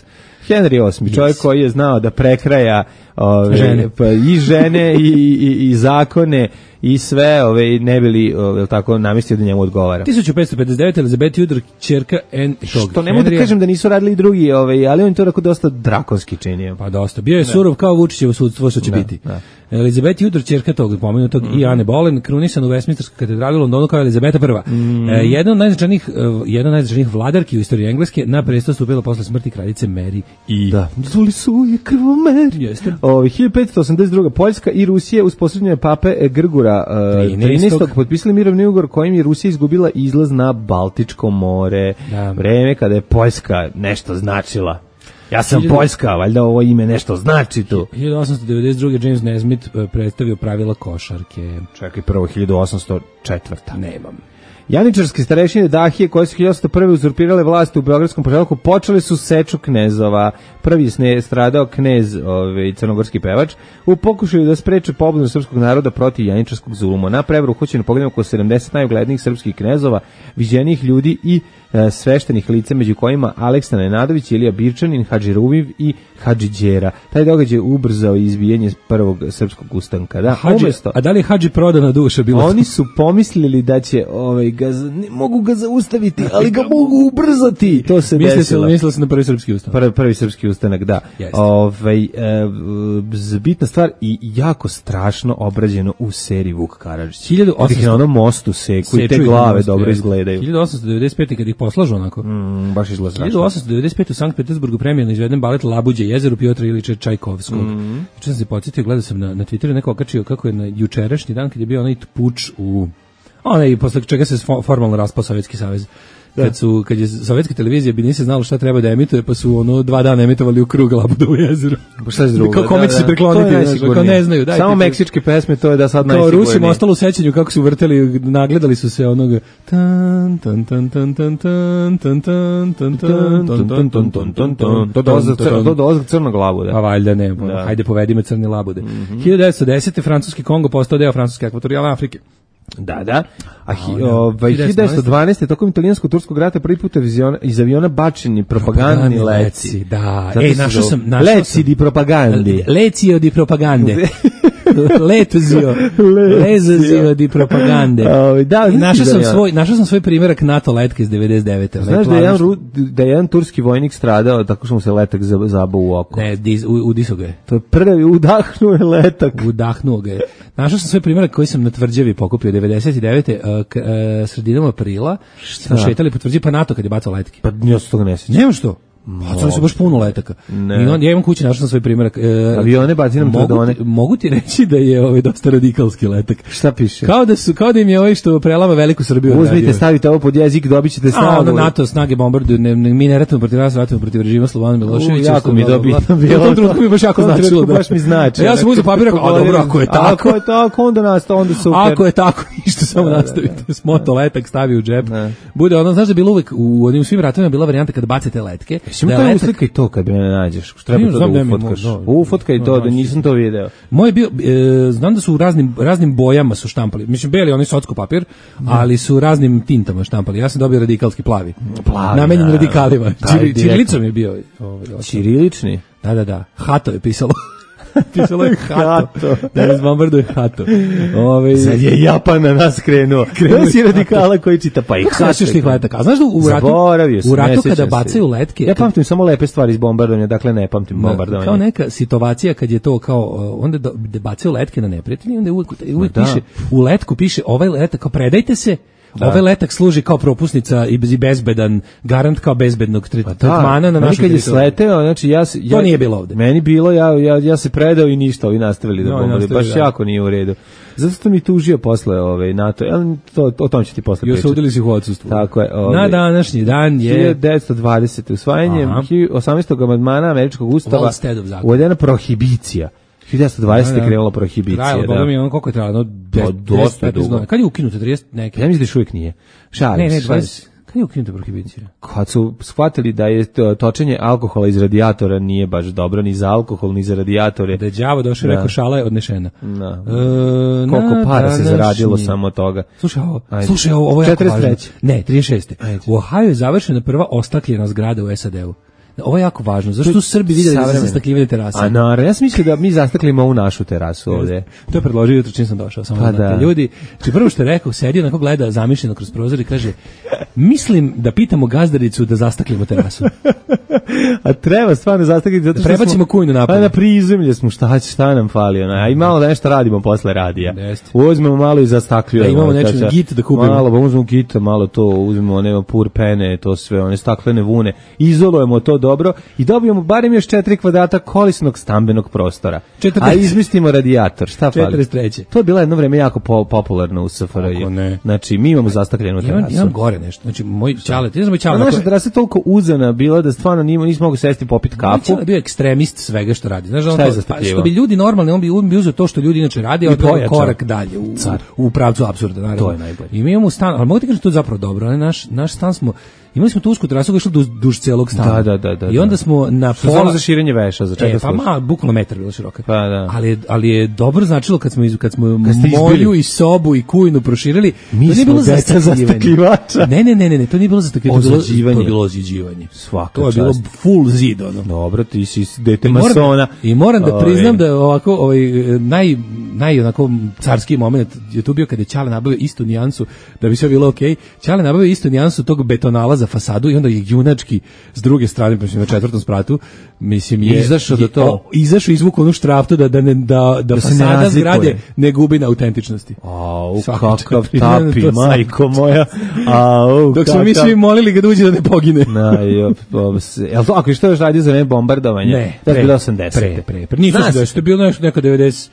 Henry osmi, čovjek yes. koji je znao da prekraja ove, žene. Pa, i žene i, i, i zakone i sve, ove, ne bili ove, tako namestio da njemu odgovara. hiljadu petsto pedeset devete Elizabeth Tudor, ćerka en tog što ne mogu da kažem da nisu radili i drugi, ove, ali on to tako dosta drakonski činio. Pa dosta. Bio je ne. surov kao Vučićevo sudstvo što će ne, biti. Ne. Elizabeth Tudor, ćerka tog pomenutog mm. i Ane Boleyn, krunisan u Westminsterskoj katedrali u Londonu kao Elizabeta prva. Mm. E, jedna od najznačajnijih jedna od najznačajnijih vladarki u istoriji Engleske, na presto stupila posle smrti kraljice Mary i da. Zuli su je krvomer. Jeste. Ovi hiljadu petsto osamdeset druga Poljska i Rusija uz posredovanje pape Grgura uh, trinaestog potpisali mirovni ugovor kojim je Rusija izgubila izlaz na Baltičko more. Da. Vreme kada je Poljska nešto značila. Ja sam hiljadu... Poljska, valjda ovo ime nešto znači tu. hiljadu osamsto devedeset druge James Nesmith predstavio pravila košarke. Čekaj, prvo hiljadu osamsto četvrta Nemam. Janičarske starešine Dahije, koje su hiljadu osamsto prve uzurpirale vlast u Beogradskom poželjku, počeli su seču knezova. Prvi je stradao knez, ovaj, crnogorski pevač, u pokušaju da spreče pobunu srpskog naroda protiv janičarskog zuluma. Na prevaru uhoćeno pogledamo oko sedamdeset najuglednijih srpskih knezova, viđenih ljudi i e, sveštenih lica, među kojima Aleksa Nenadović, Ilija Birčanin, Hadži Ruviv i Hadži Đera. Taj događaj ubrzao izbijanje prvog srpskog ustanka. Da, Hadži, umesto, a da li je Hadži prodana duša bila? Oni su pomislili da će ovaj, ga, ne mogu ga zaustaviti, ali ga mogu ubrzati. To se Misli desilo. Mislili se na prvi srpski ustanak. Prvi, prvi srpski ustanak, da. Ovaj, e, bitna stvar i jako strašno obrađeno u seriji Vuk Karadžić. hiljadu osamsto na onom mostu seku i te glave dobro izgledaju. hiljadu osamsto devedeset pete kad ih poslažu onako. Mm, baš izgleda strašno. hiljadu osamsto devedeset pete u Sankt Petersburgu premijerno izveden balet Labuđe jezeru Piotra Ilića Čajkovskog. Mm. Juče sam se podsjetio, gledao sam na, na Twitteru neko okačio kako je na jučerašnji dan kad je bio onaj puč u onaj posle čega se formalno raspao Sovjetski savez. kad su kad je sovjetska televizija bi nisi znalo šta treba da emituje, pa su ono dva dana emitovali u krug Labudovo jezero. Pa šta je drugo? Kako kome će se prikloniti, kako ne znaju. Dajte, samo meksičke pesme, to je da sad najsigurnije. Kao Rusima ostalo u sećanju kako su vrteli, nagledali su se onoga tan tan tan tan tan tan tan tan tan tan tan tan tan tan. To dolazi crnog labuda. Pa valjda ne, hajde povedi me crne labude. hiljadu devetsto desete francuski Kongo postao deo francuske ekvatorijalne Afrike. Da, da. A hi, ovaj, hiljadu devetsto dvanaeste. tokom italijansko-turskog rata prvi put iz aviona bačeni propagandni leci. Da. Ej, našao sam... Leci di propagandi. Lecio di propagande. Letozio. Lezozio di propagande. Da, našao sam svoj, našao sam svoj primjerak NATO letke iz devedeset devete. Znaš da je, jedan, da je jedan turski vojnik stradao tako što mu se letak zabao u oko. Ne, dis, u, udisao ga je. To je prvi, udahnuo je letak. Udahnuo ga je. Našao sam svoj primjerak koji sam na Tvrđavi pokupio devedeset devete. Uh, k, uh, sredinom aprila. Šta? Šetali po Tvrđavi, pa NATO kad je bacao letke. Pa ja se toga ne sjećam. Nema što? Bacali su baš puno letaka. Ne. I on, ja imam kući, našao sam svoj primjerak. E, Avione baci nam trodone. Mogu ti reći da je ovaj dosta radikalski letak. Šta piše? Kao da su, kao da im je ovaj što prelama veliku Srbiju. Uzmite, radio. Stavite ovo pod jezik, dobit ćete snagu. A, NATO snage bombarduju, ne, ne, mi ne ratujemo protiv nas, ratujemo protiv režima Slobodana Miloševića. Jako mi dobitno bilo. U tom trenutku mi baš jako značilo. Da. Baš mi znači. Ja sam uzeo papir, a dobro, ako je tako. Ako je tako, onda nastavi, onda super. Ako je tako, ništa, samo nastavite. Smoto letak stavi u džep. Bude ono, znaš da bilo uvek u onim svim ratovima bila varijanta kad bacite letke. To kad me nađeš, treba to da ufotkaš. Ufotkaj to, da nisam to video. Moj bio, e, znam da su u raznim, raznim bojama su štampali. Mislim, beli, oni socko papir, ali su raznim tintama štampali. Ja sam dobio radikalski plavi. Plavi, namenjen radikalima. Čirilicom je bio. Ovaj, Čirilični? Da, da, da. Hato je pisalo. Pisalo je Hato. Da nas bombarduje Hato. Ove, sad je Japan na nas krenuo. Krenuo si radikala koji čita pa i Hato. Tih letaka. A znaš da u ratu, u ratu kada bacaju letke... Ja pamtim samo lepe stvari iz bombardovanja, dakle ne pamtim bombardovanje. Kao neka situacija kad je to kao... Onda da bacaju letke na neprijatelje, onda uvijek, uvijek piše, u letku piše ovaj letak, kao predajte se. Da. Ovaj letak služi kao propusnica i bezbedan, garant kao bezbednog tretmana na našoj teritoriji. Kad je sleteo, znači ja, ja... To nije bilo ovde. Meni bilo, ja, ja, ja se predao i ništa, ovi nastavili da no, bombarduju. Baš da. Jako nije u redu. Zato što mi tužio posle ove, NATO, to, o tom ću ti posle pričati. I osudili si u odsustvu. Tako je. Ove, na današnji dan je... hiljadu devetsto dvadesete. usvajanjem osamnaestog amandmana američkog ustava uvedena prohibicija. hiljadu devetsto dvadesete. krenula prohibicija. Trajalo, da. mi ono koliko je trajalo? Dosta dugo. Kad je ukinuto trideset neke? Ja mislim da još uvijek nije. Šalim, ne, ne, dvadeset. Kad je ukinuta prohibicija? Kad su shvatili da je točenje alkohola iz radijatora nije baš dobro ni za alkohol, ni za radijatore. Da je đavo došao i rekao šala je odnešena. Da. E, Koliko para se zaradilo samo od toga. Slušaj ovo, slušaj ovo, ovo je jako važno. Ne, trideset šeste. Ajde. U Ohio je završena prva ostakljena zgrada u S A D-u. Ovo je jako važno. Zašto su Srbi vidjeli da se zastakljivane terase? A naravno, ja sam mislio da mi zastaklimo ovu našu terasu ovdje. To je predložio jutro čim sam došao. Samo pa da. Ljudi, či prvo što je rekao, sedi onako gleda zamišljeno kroz prozor i kaže, mislim da pitamo gazdaricu da zastaklimo terasu. A treba stvarno zastakliti zato što prebacimo kujnu napolje. Pa na prizemlje smo, šta, šta nam fali? Ona? A i malo da nešto radimo posle radija. Uzmemo malo i zastakljujemo. Da imamo nešto git da kupimo. Malo, pa uzmemo gita, malo to, uzmemo nema pur pene, to sve, one staklene vune. Izolujemo to dobro i dobijemo barem još četiri kvadrata kolisnog stambenog prostora. četrdeset A izmislimo radijator. Šta fali? četrdeset treće. To je bilo jedno vreme jako po, popularno u S F R J. Znači, mi imamo zastakljenu terasu. Imam, imam gore nešto. Znači, moj čale, ti znaš moj čale. Naša terasa je toliko uzana bila da stvarno nismo, nismo mogli sesti popiti kafu. Moj čale je bio ekstremist svega što radi. Znaš, on to, pa, što bi ljudi normalni, on bi, on bi uzeo to što ljudi inače radi, a odbio korak dalje u, u pravcu apsurda. Naravno. To je najbolje. I mi imamo stan, ali mogu ti kažem to je zapravo dobro. Naš, naš stan smo imali smo tu usku terasu koja je išla duž, duž celog stana. Da, da, da, I onda smo na pola... Samo za širenje veša, za čega e, pa ma, bukvalno metar bila široka. Pa, da. Ali, ali je dobro značilo kad smo, iz, kad smo moju i sobu i kujnu proširili. Mi smo deca zastakljivača. Ne, ne, ne, ne, to nije bilo zastakljivača. To je bilo ozidživanje. Svaka to je bilo full zid, ono. Dobro, ti si dete masona. I moram da priznam da ovako, ovaj, naj, naj onako carski moment je tu bio kada je Ćale nabavio istu nijansu, da bi sve bilo okej. Okay. Ćale nabavio istu nijansu tog betonala za fasadu i onda je junački s druge strane, mislim na četvrtom spratu, mislim je izašao do to, izašao izvukao onu štraftu da da ne, da da, da fasada zgrade ne gubi na autentičnosti. Au, kakav tapi, majko moja. Au, dok smo mi svi molili ga da uđe da ne pogine. Na, jo, jel to ako što još radio za ne bombardovanje? Ne, to je bilo osamdeset. Pre, pre, pre. Nije to je bilo nešto neka devedeset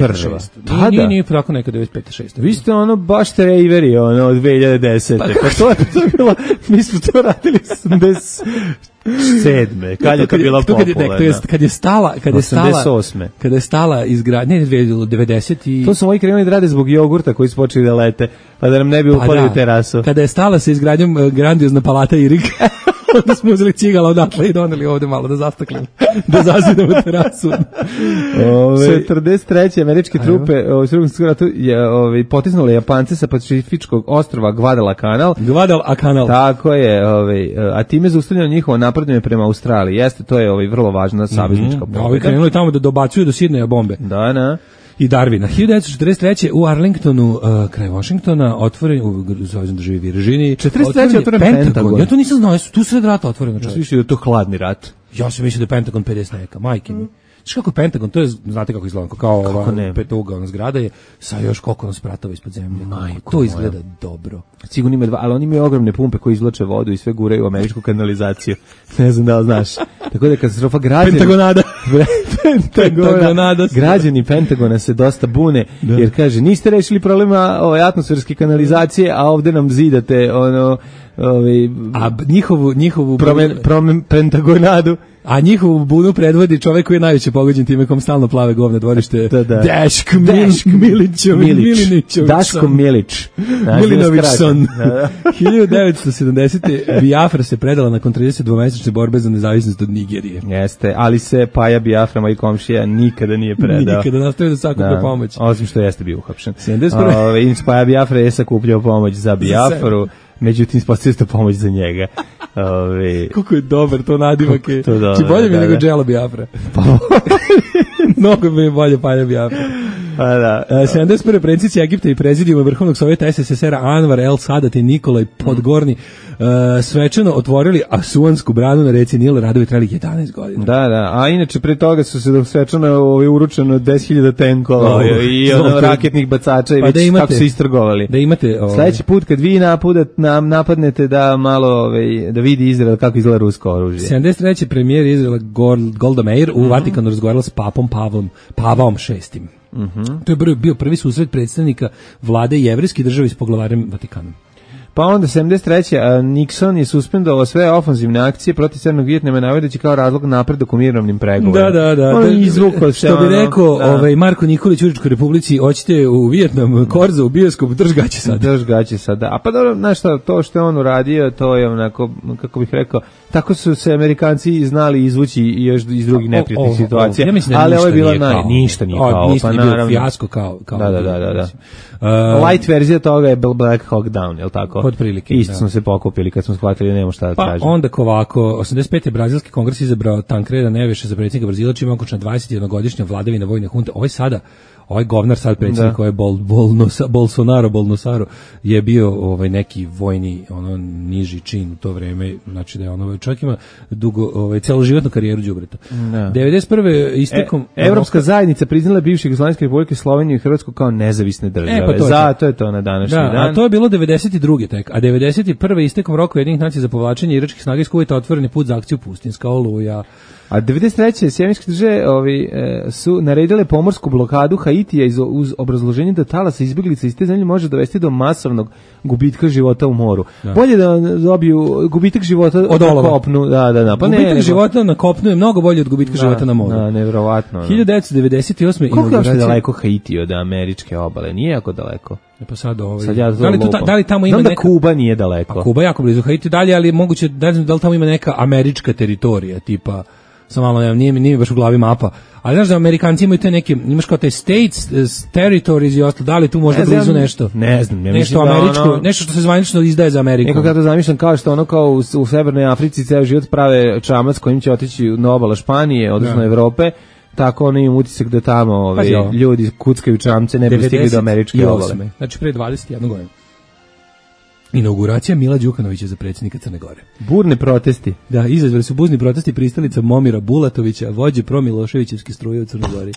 pet šest. Da, da. Nije, nije tako neka devedeset pet šest. Vi ste ono baš trejveri, ono, od dve hiljade desete. Pa, pa to je to bilo, mi smo to radili osamdeset sedme. Kad je to bila popularna? To je kad je stala, kad je stala, osamdeset osme. Kada je stala izgradnja, ne, devedeset i to su moji krenuli da rade zbog jogurta koji su počeli da lete, pa da nam ne bi upali pa da, u terasu. Kada je stala sa izgradnjom uh, grandiozna palata Irig, onda smo uzeli cigala odatle i doneli ovde malo da zastaklimo, da zazidamo terasu. Ove, četrdeset treće američke trupe u Drugom svetskom ratu je ovaj potisnule Japance sa pacifičkog ostrva Guadalcanal. Guadalcanal. Tako je, ovaj a time zaustavljeno njihovo napredovanje prema Australiji. Jeste, to je ovaj vrlo važna saveznička pobeda. Mm-hmm. Ovi krenuli tamo da dobacuju do Sidneja bombe. Da, da. I Darwina. hiljadu devetsto četrdeset treće u Arlingtonu, uh, kraj Washingtona, otvoren u Saveznoj državi Virginiji. četrdeset treće otvoren Pentagon. Pentagon. Ja to nisam znao, tu sred rata otvoreno. Ja sam mislio da je to hladni rat. Ja sam mislio da je Pentagon pedeset neka, majke mi. Znaš kako je Pentagon, to je, znate kako izgleda, kao ova petougaona zgrada je sa još koliko nam spratova ispod zemlje. Majko to izgleda moja. Dobro. Sigurno ima dva, ali oni imaju ogromne pumpe koji izvlače vodu i sve guraju u američku kanalizaciju. Ne znam da li znaš. Tako da katastrofa građani... Pentagonada. Pentagonada. Građani Pentagona se dosta bune, da. Jer kaže, niste rešili problema ove atmosferske kanalizacije, a ovde nam zidate ono... Ovaj, a njihovu njihovu promen, promen, pentagonadu, a njihovu bunu predvodi čovjek koji je najveće pogođen time kom stalno plave govna dvorište. Da, da. Daško Milić, Milić, Milinić, Daško Milić, Milinovićson. hiljadu devetsto sedamdesete Biafra se predala nakon tridesetdvomesečne borbe za nezavisnost od Nigerije. Jeste, ali se Paja Biafra, moj komšija, nikada nije predao. Nikada nastavio da sakuplja pomoć. Osim što jeste bio uhapšen. Inače, Paja Biafra je sakupljao pomoć za Biafru. Međutim, ispostavio se pomoć za njega. Ove... Kako je dobar to nadimak je. Ti bolje mi da, nego Džela Biafra. Pa mnogo mi je bolje Palja Biafra. Pa da. Uh, sedamdeset prve predsjednici Egipta i prezidijuma Vrhovnog sovjeta S S S R-a Anvar El Sadat i Nikolaj Podgorni uh, svečano otvorili Asuansku branu na reci Nil, radovi trajali jedanaest godina. Da, da, a inače pre toga su se svečano ovaj, uručeno deset hiljada tenkova oh, i ono, raketnih bacača i pa već da imate, kako su istrgovali. Da imate, ovaj. Sledeći put kad vi napudat, nam, napadnete da malo ovaj, da vidi Izrael kako izgleda rusko oružje. sedamdeset treće premijer Izraela Golda Meir u mm-hmm. Vatikanu razgovarala s papom Pavlom, Pavom šestim. Mm-hmm. To je bio prvi susret predstavnika vlade jevrejske države s poglavarem Vatikanom. Pa onda sedamdeset treće Nixon je suspendovao sve ofanzivne akcije protiv Severnog Vijetnama navodeći kao razlog napredak u mirovnim pregovorima. Da, da, da. On izvukao što bi rekao da. ovaj Marko Nikolić u Užičkoj Republici, hoćete u Vijetnam, Korza u bioskop, drž gaće sad. Drž gaće sad, da. A pa dobro, znaš šta, to što je on uradio, to je onako, kako bih rekao, tako su se Amerikanci znali izvući i još iz drugih neprijatnih situacija. Ja mislim da ali ovo je bila naj... ništa nije kao, o, pa naravno. Fijasko kao, kao. Da, da, da, da. da. Uh, Light verzija toga je Black Hawk Down, je li tako? Pod prilike. Isto da. Smo se pokupili kad smo shvatili da nemamo šta da pa tražimo. Pa onda ovako, osamdeset pete brazilski kongres izabrao Tancreda Neveša za predsjednika Brazila, čime okončana dvadesetjednogodišnja vladavina vojne hunte. Ovaj sada ovaj govnar sad predsjednik koji je Bol, Bolnosa, Bolsonaro, Bolnosaro je bio ovaj neki vojni ono niži čin u to vreme, znači da je ono čovjek ima dugo ovaj celoživotnu karijeru đubreta. devedeset prve istekom e, Evropska zajednica priznala bivše Jugoslavijske republike Sloveniju i Hrvatsku kao nezavisne države. E, pa to zato je to na današnji da, dan. A to je bilo devedeset druge tek, a devedeset prve istekom roka Ujedinjenih nacija za povlačenje iračkih snaga iz Kuvajta otvoreni put za akciju Pustinska oluja. A devedeset treće Sjedinjene države ovi e, su naredile pomorsku blokadu Haitija iz, uz obrazloženje da talas izbjeglica iz te zemlje može dovesti do masovnog gubitka života u moru. Da. Bolje da dobiju gubitak života od na kopnu, da, da, da. Pa gubitak ne, života na kopnu je mnogo bolje od gubitka da, života na moru. Da, nevjerovatno. hiljadu devetsto devedeset osme Koliko je daleko Haiti od američke obale? Nije jako daleko. E pa sad ovaj. Sad ja da, li ta, da li tamo ima Znam neka da Kuba nije daleko. A Kuba je jako blizu Haiti dalje, ali moguće da znam da li tamo ima neka američka teritorija tipa samo malo ne, nije, nije baš u glavi mapa. Ali znaš da Amerikanci imaju te neke, imaš kao te states, territories i ostalo, da li tu možda blizu znam, nešto? Ne znam, ne nešto američko, ono, nešto što se zvanično izdaje za Ameriku. Nekako ja to zamišljam kao što ono kao u, u Severnoj Africi ceo život prave čamac kojim će otići na obala Španije, odnosno ja. Evrope, tako ono imam utisak da tamo ove, ljudi kuckaju čamce, ne bi stigli do američke obale. Znači pre dvadeset jedne godine. Inauguracija Mila Đukanovića za predsjednika Crne Gore. Burne protesti. Da, izazvali su buzni protesti pristalica Momira Bulatovića, vođe promiloševićevske struje u Crnoj Gori.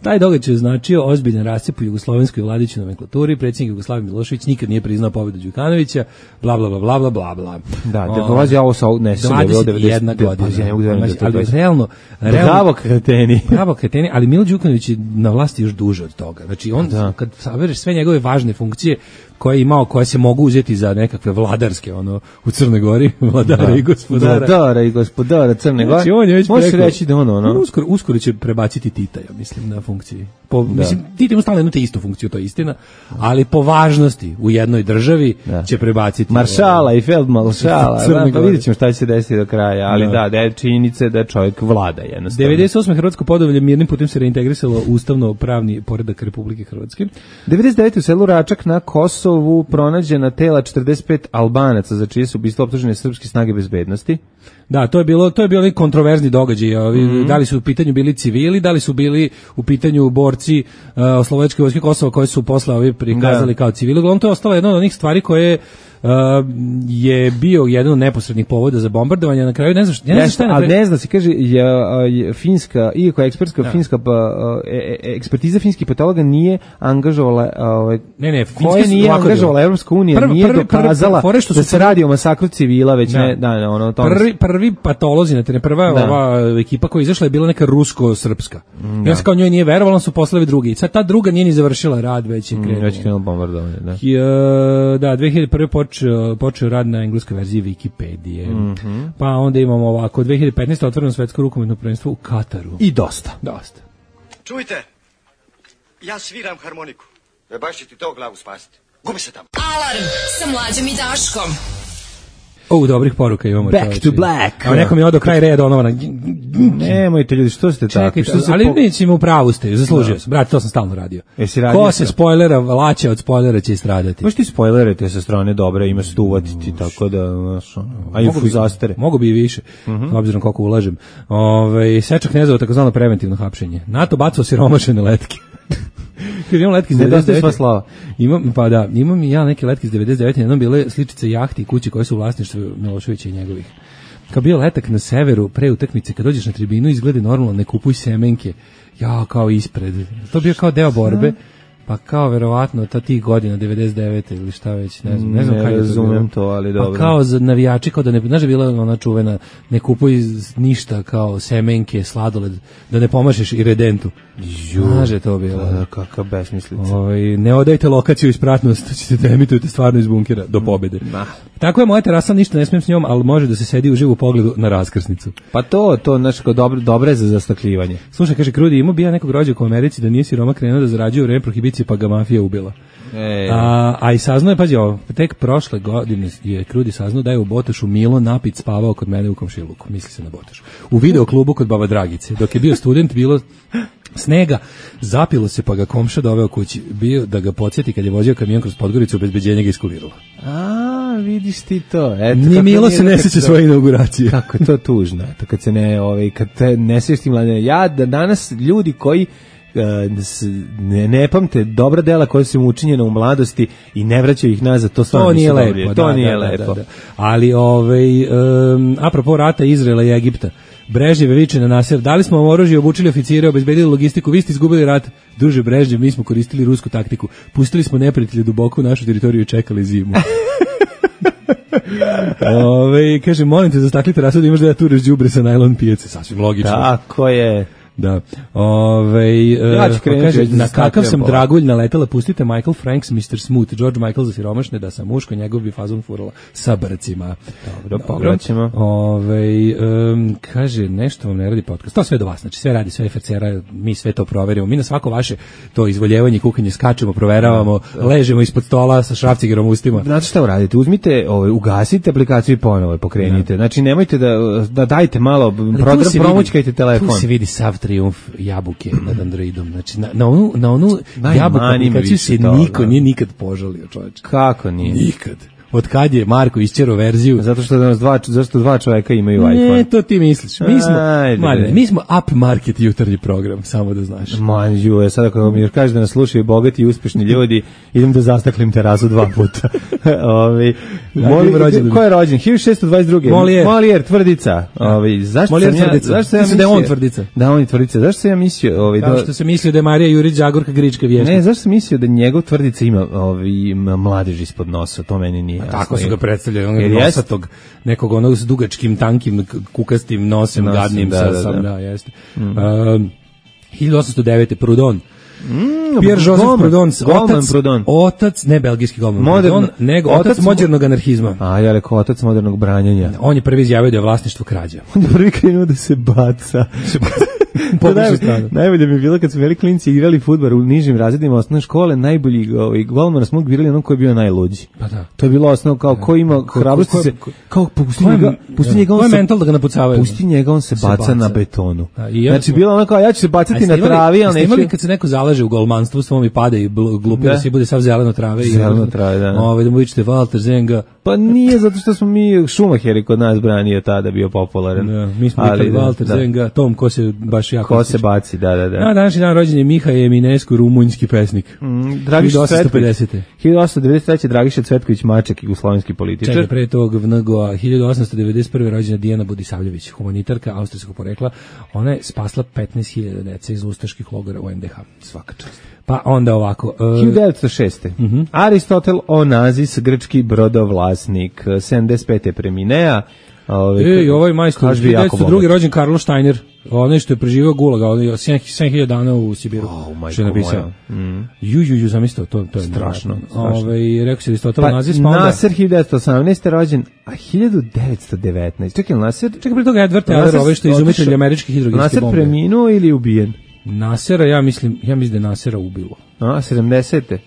Taj događaj je značio ozbiljan rascep u jugoslovenskoj vladajućoj nomenklaturi. Predsjednik Jugoslavije Milošević nikad nije priznao pobedu Đukanovića, bla bla bla bla bla bla. Da, da dolazi ovo sa ne se dvadeset jedna godina. Ali realno, bravo kreteni. Bravo kreteni, ali Milo Đukanović je na vlasti još duže od toga. Znači on da. Kad sabereš sve njegove važne funkcije koje je imao, koje se mogu uzeti za nekakve vladarske, ono, u Crnoj Gori, vladara da. I gospodara. Vladara i gospodara Crne Gore. Znači, on je već može reći da ono, ono. Uskoro, uskoro će prebaciti Tita, ja mislim, na funkciji. Po, da. Mislim, Tita ima stalno jednu te istu funkciju, to je istina, ali po važnosti u jednoj državi da. Će prebaciti. Maršala i feldmaršala, da, pa vidjet ćemo šta će se desiti do kraja, ali da, da, da je činjenica da čovjek vlada jednostavno. devedeset osme Hrvatsko Podolje mirnim putem se reintegrisalo ustavno pravni poredak Republike Hrvatske. devedeset devete u selu Račak na Kosovu pronađena tela četrdeset pet Albanaca za čije su ubistvo optužene srpske snage bezbednosti. Da, to je bilo to je bio kontroverzni događaj. Mm-hmm. Da li su u pitanju bili civili, da li su bili u pitanju borci uh, Oslobođenske vojske Kosova koji su posle ovi prikazali da. Kao civili. Uglavnom to je ostalo jedna od onih stvari koje Uh, je bio jedan od neposrednih povoda za bombardovanje. Na kraju ne znam šta, ja ne znam šta je na kraju. A ne zna se, kaže, je, je finska, iako je ekspertska da. finska pa, e, ekspertiza finskih patologa nije angažovala ovaj, ne, ne, koja nije angažovala Evropska unija, nije prvi, dokazala prvi, prvi, da se radi o masakru civila, već da. ne, da, ne, ono, tome. Prvi, prvi patolozi, na terenu, prva da. ova ekipa koja je izašla je bila neka rusko-srpska. Da. I on se kao njoj nije verovalo, su poslali drugi. I sad ta druga nije ni završila rad, već je krenula. Već krenula bombardovanje, da. I, da, dve hiljade prve počeo, počeo rad na engleskoj verziji Wikipedije. Mm-hmm. Pa onda imamo ovako, dve hiljade petnaeste otvoreno svetsko rukometno prvenstvo u Kataru. I dosta. Dosta. Čujte, ja sviram harmoniku. E baš će ti to glavu spasiti. Gubi se tamo. Alarm sa Mlađom i Daškom. O, dobrih poruka imamo. Back to black. Evo nekom je odo kraj reda onovana. Nemojte ljudi, što ste tako? Što se ali po... mi ćemo u pravu ste, zaslužio sam. Brate, to sam stalno radio. radio Ko se spoilera laće od spoilera će stradati. Možeš ti spoilerate sa strane dobre, ima se tu uvatiti, tako da, znaš, a i u zastere. Mogu bi i više, uh-huh. obzirom koliko ulažem. Ove, Seča Knezova, takozvano preventivno hapšenje. NATO bacao siromašene letke. Imam letke iz devedeset devete. Imam, pa da, imam i ja neke letke iz devedeset devete. Jednom bile sličice jahti i kuće koje su u vlasništvu Miloševića i njegovih. Kao bio letak na severu, pre utakmice, kad dođeš na tribinu, izgleda normalno, ne kupuj semenke. Ja, kao ispred. To bio kao deo borbe. Pa kao verovatno ta tih godina devedeset devete ili šta već, ne znam, ne znam kako razumem to, ali dobro. Pa kao za navijači, kao da ne, znaš, bila ona čuvena, ne kupuj ništa kao semenke, sladoled, da ne pomašeš i redentu. Znaš je to bilo. Da, kakav besmislica. Ovaj, ne odajte lokaciju ispratnost, ćete da emitujete stvarno iz bunkera do pobede. Nah. Tako je moja terasa, ništa ne smijem s njom, ali može da se sedi u živu pogledu na raskrsnicu. Pa to, to, znaš, kao dobro, dobro je za zastakljivanje. Slušaj, kaže Krudi, imao bi ja nekog rođaka u Americi da nije siroma krenuo da zarađuje u vreme prohibicije, pa ga mafija ubila. E. A, a i saznao je, pazi ovo, tek prošle godine je Krudi saznao da je u Botošu Milo Napit spavao kod mene u komšiluku, misli se na Botošu. U video klubu kod Baba Dragice. Dok je bio student, bilo snega, zapilo se pa ga komša doveo kući. Bio da ga podsjeti kad je vozio kamion kroz Podgoricu, obezbeđenje ga iskuliralo. A, vidiš ti to. Eto, ni Milo se ne sjeća svoje inauguracije. Kako je to tužno. Eto, kad se ne, ovaj, kad te ne sjećaš ti mladine. Ja, da danas ljudi koji ne, ne pamte dobra dela koja su im učinjena u mladosti i ne vraćaju ih nazad, to stvarno to nije lepo, to da, nije da, lepo. Da, da. Ali ovaj um, apropo rata Izraela i Egipta, Brežnjev viče na Nasser, dali smo vam oružje, obučili oficire, obezbedili logistiku, vi ste izgubili rat. Druže Brežnjev, mi smo koristili rusku taktiku, pustili smo neprijatelje duboko u našu teritoriju i čekali zimu. Ove, kaže, molim te, zastaklite rasad, imaš da ja tureš đubre sa najlon pijace, sasvim logično. Tako je. Da. Ove, ja ću krenuti, kaže, na kakav sam dragulj naletela, pustite Michael Franks, mister Smooth, George Michael za siromašne, da sam muško, njegov bi fazon furala sa brcima. Dobro, pogledat ćemo. Ove, um, kaže, nešto vam ne radi podcast. To sve do vas, znači sve radi, sve F C R, mi sve to proverimo. Mi na svako vaše to izvoljevanje, kukanje skačemo, proveravamo, da, da. Ležemo ispod stola sa šrafcigerom ustima. Znate šta uradite? Uzmite, ovaj, ugasite aplikaciju i ponovo pokrenite. Da. Znači, nemojte da, da dajte malo, program, promućkajte telefon. Tu se vidi sav trijumf jabuke nad Androidom. Znači, na, na onu, na onu jabuku aplikaciju se niko nije nikad požalio, čovječe. Kako nije? Nikad. od kad je Marko isčero verziju. Zato što danas dva, zašto dva čovjeka imaju ne, iPhone. Ne, to ti misliš. Mi smo, Marine, mi smo up market jutarnji program, samo da znaš. Man, ju, sad ako mi još kažeš da nas slušaju bogati i uspješni ljudi, idem da zastaklim terasu dva puta. Ovi, moli, ko je rođen? hiljadu šessto dvadeset druge. Molijer. Molijer, tvrdica. Ovi, zašto Molijer sam ja, tvrdica. zašto ja mislio da je on tvrdica. Da, on je tvrdica. Zašto sam ja mislio... Ovi, Kao što se mislio da je Marija Jurić Zagorka Grička vješnica. Ne, zašto sam mislio da njegov tvrdica ima ovi, mladež ispod nosa, to meni nije jasno. Tako su ga predstavljali, onog nosatog, nekog onog s dugačkim, tankim, kukastim nosem, Nosim, gadnim, da, sa, da, sam, da, da jeste. Mm. Uh, hiljadu osamsto devete. Proudhon. Mm, Pierre Joseph Proudhon, otac, Proudhon. otac, ne belgijski golman Proudhon, nego otac, otac modernog anarhizma. A, ja rekao otac modernog branjenja. On je prvi izjavio da je vlasništvo krađa. On je prvi krenuo da se baca. Naj, najbolje mi je bilo kad su veli klinci igrali fudbal u nižim razredima osnovne škole, najbolji ovaj, golmana smo birali onom koji je bio najluđi. Pa da. To je bilo osnovno kao ko ima hrabrosti se, kao pusti njega, pusti njega on se mental da ga napucavaju. Pusti njega on se baca na betonu. Znači bilo ono kao ja ću se bacati na travi, al neću. Kad se neko zalaže u golmanstvu, svom i pada i glupi da se bude sav zeleno trave i zeleno trave, da. Ovaj da mu vičete Walter Zenga. Pa nije zato što smo mi Šumaheri kod nas branio tada bio popularan. Da, mi smo vikali Walter Zenga, Tom ko se baš jako ko se baci, da, da, da. Na današnji dan rođen je Miha Eminescu, rumunjski pesnik. Mm, Dragiša Cvetković. hiljadu osamsto devedeset treće. Dragiša Cvetković, Maček, jugoslovenski političar. Čekaj, pre tog V N G O-a hiljadu osamsto devedeset prve. rođena Dijana Budisavljević, humanitarka austrijskog porekla. Ona je spasla petnaest hiljada dece iz ustaških logora u N D H. Svaka čast. Pa onda ovako. Uh, hiljadu devetsto šeste. Uh-huh. Aristotel Onazis, grčki brodovlasnik, sedamdeset pete. preminea. Ove, Ej, ovaj majstor, hiljadu devetsto druge. rođen Karlo Steiner, onaj što je preživao gulaga, onaj sedam hiljada dana u Sibiru. Oh, što je napisao. Mm. Ju, ju, ju, zamislio, to, to je strašno. Ove, rekao se Aristotel pa, Nazis, pa onda... Nasser hiljadu devetsto osamnaeste. rođen, a hiljadu devetsto devetnaeste. Čekaj, Nasser... Čekaj, pre toga Edward Teller, ovaj što je izumitelj američkih hidrogenske bombe. Nasser preminuo ili ubijen? Nasera, ja mislim, ja mislim da je Nasera ubilo. A, sedamdesete.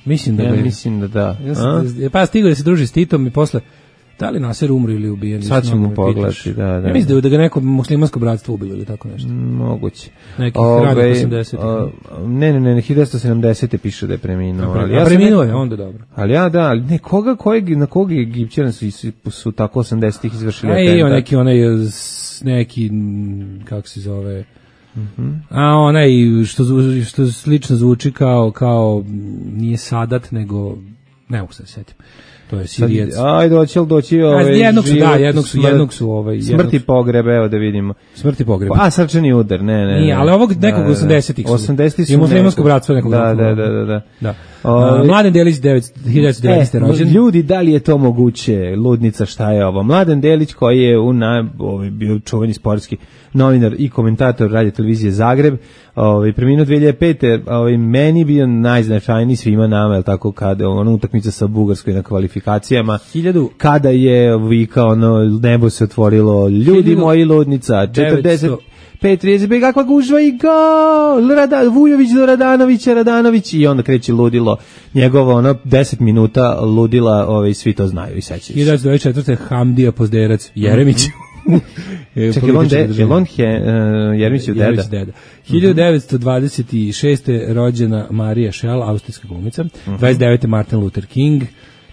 Mislim da ja je. mislim da da. Ja sam, pa stigao da se druži s Titom i posle da li Naser umro ili ubijen? Sad ćemo pogledati, da, da. Ja mislim da ga neko muslimansko bratstvo ubilo ili tako nešto. Moguće. Neki radi osamdeset. Ne, ne, ne, hiljadu devetsto sedamdesete. piše da je preminuo. Ali ja preminuo je, onda dobro. Ali ja da, ali ne, koga, kojeg, na kog je Egipćani su, su, su tako osamdesetih izvršili atentat? A i neki, onaj, neki, kako se zove... Mm-hmm. A onaj što, što slično zvuči kao, kao nije Sadat, nego ne mogu se da setim. To je Sirijac. Ajde, hoće li doći ovaj jednog su, da, jednog su, jednog su ovaj smrti pogreb, evo da vidimo. Smrti pogreb. A srčani udar, ne, ne. Nije, ali ovog nekog osamdesetih. osamdesetih su. I muslimansko bratstvo nekog. Da, da, da, da, da. Da. Uh, Mladen Delić hiljadu devetsto devetnaeste. rođen. Ljudi, da li je to moguće? Ludnica, šta je ovo? Mladen Delić koji je u na, ovaj bio čuveni sportski novinar i komentator radio televizije Zagreb, ovaj preminuo dve hiljade pete. ovaj meni bio najznačajniji svima nama, el tako, kada ona utakmica sa Bugarskoj na kvalifikacijama, hiljadu kada je vikao ono nebo se otvorilo, ljudi moji, Ludnica, četrdeset pet trideset pet, kakva gužva i gol, Rada, Vujović do Radanovića, Radanović, i onda kreće ludilo, njegovo ono deset minuta ludila, ovaj, svi to znaju i sećaju se. hiljadu devetsto dvadeset četvrte. Hamdija Pozderac, Jeremić. Čekaj, je on, de, je on he, uh, Jeremić je deda? Jeremić deda. hiljadu devetsto dvadeset šeste. rođena Marija Šel, austrijska glumica. Uh-huh. dvadeset devete. Martin Luther King.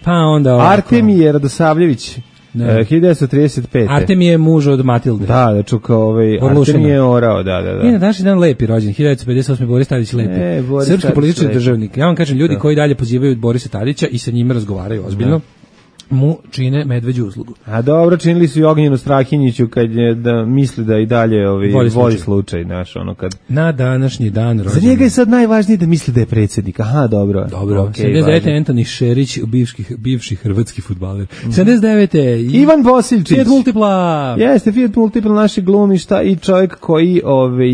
Pa onda... Artemije Radosavljević. Uh, hiljadu devetsto trideset pete. Artem je muž od Matilde. Da, da čuka ovaj Artem je orao, da, da, da. I na današnji dan lepi rođen, hiljadu devetsto pedeset osme. Boris Tadić lepi. E, srpski politički državnik. Ja vam kažem, ljudi da. koji dalje pozivaju Borisa Tadića i sa njime razgovaraju ozbiljno, da. mu čine medveđu uslugu. A dobro, činili su i Ognjenu Strahinjiću kad je da misli da i dalje ovi voli slučaj, slučaj naš, ono kad na današnji dan rođen. Za njega je sad najvažnije da misli da je predsjednik. Aha, dobro. Dobro. Okay, sedamdeset devete. Antoni Šerić, bivši bivši hrvatski fudbaler. Mm. sedamdeset devete. Ivan Bosiljčić. Fiat Multipla. Jeste Fiat Multipla, naši glumišta i čovjek koji ovaj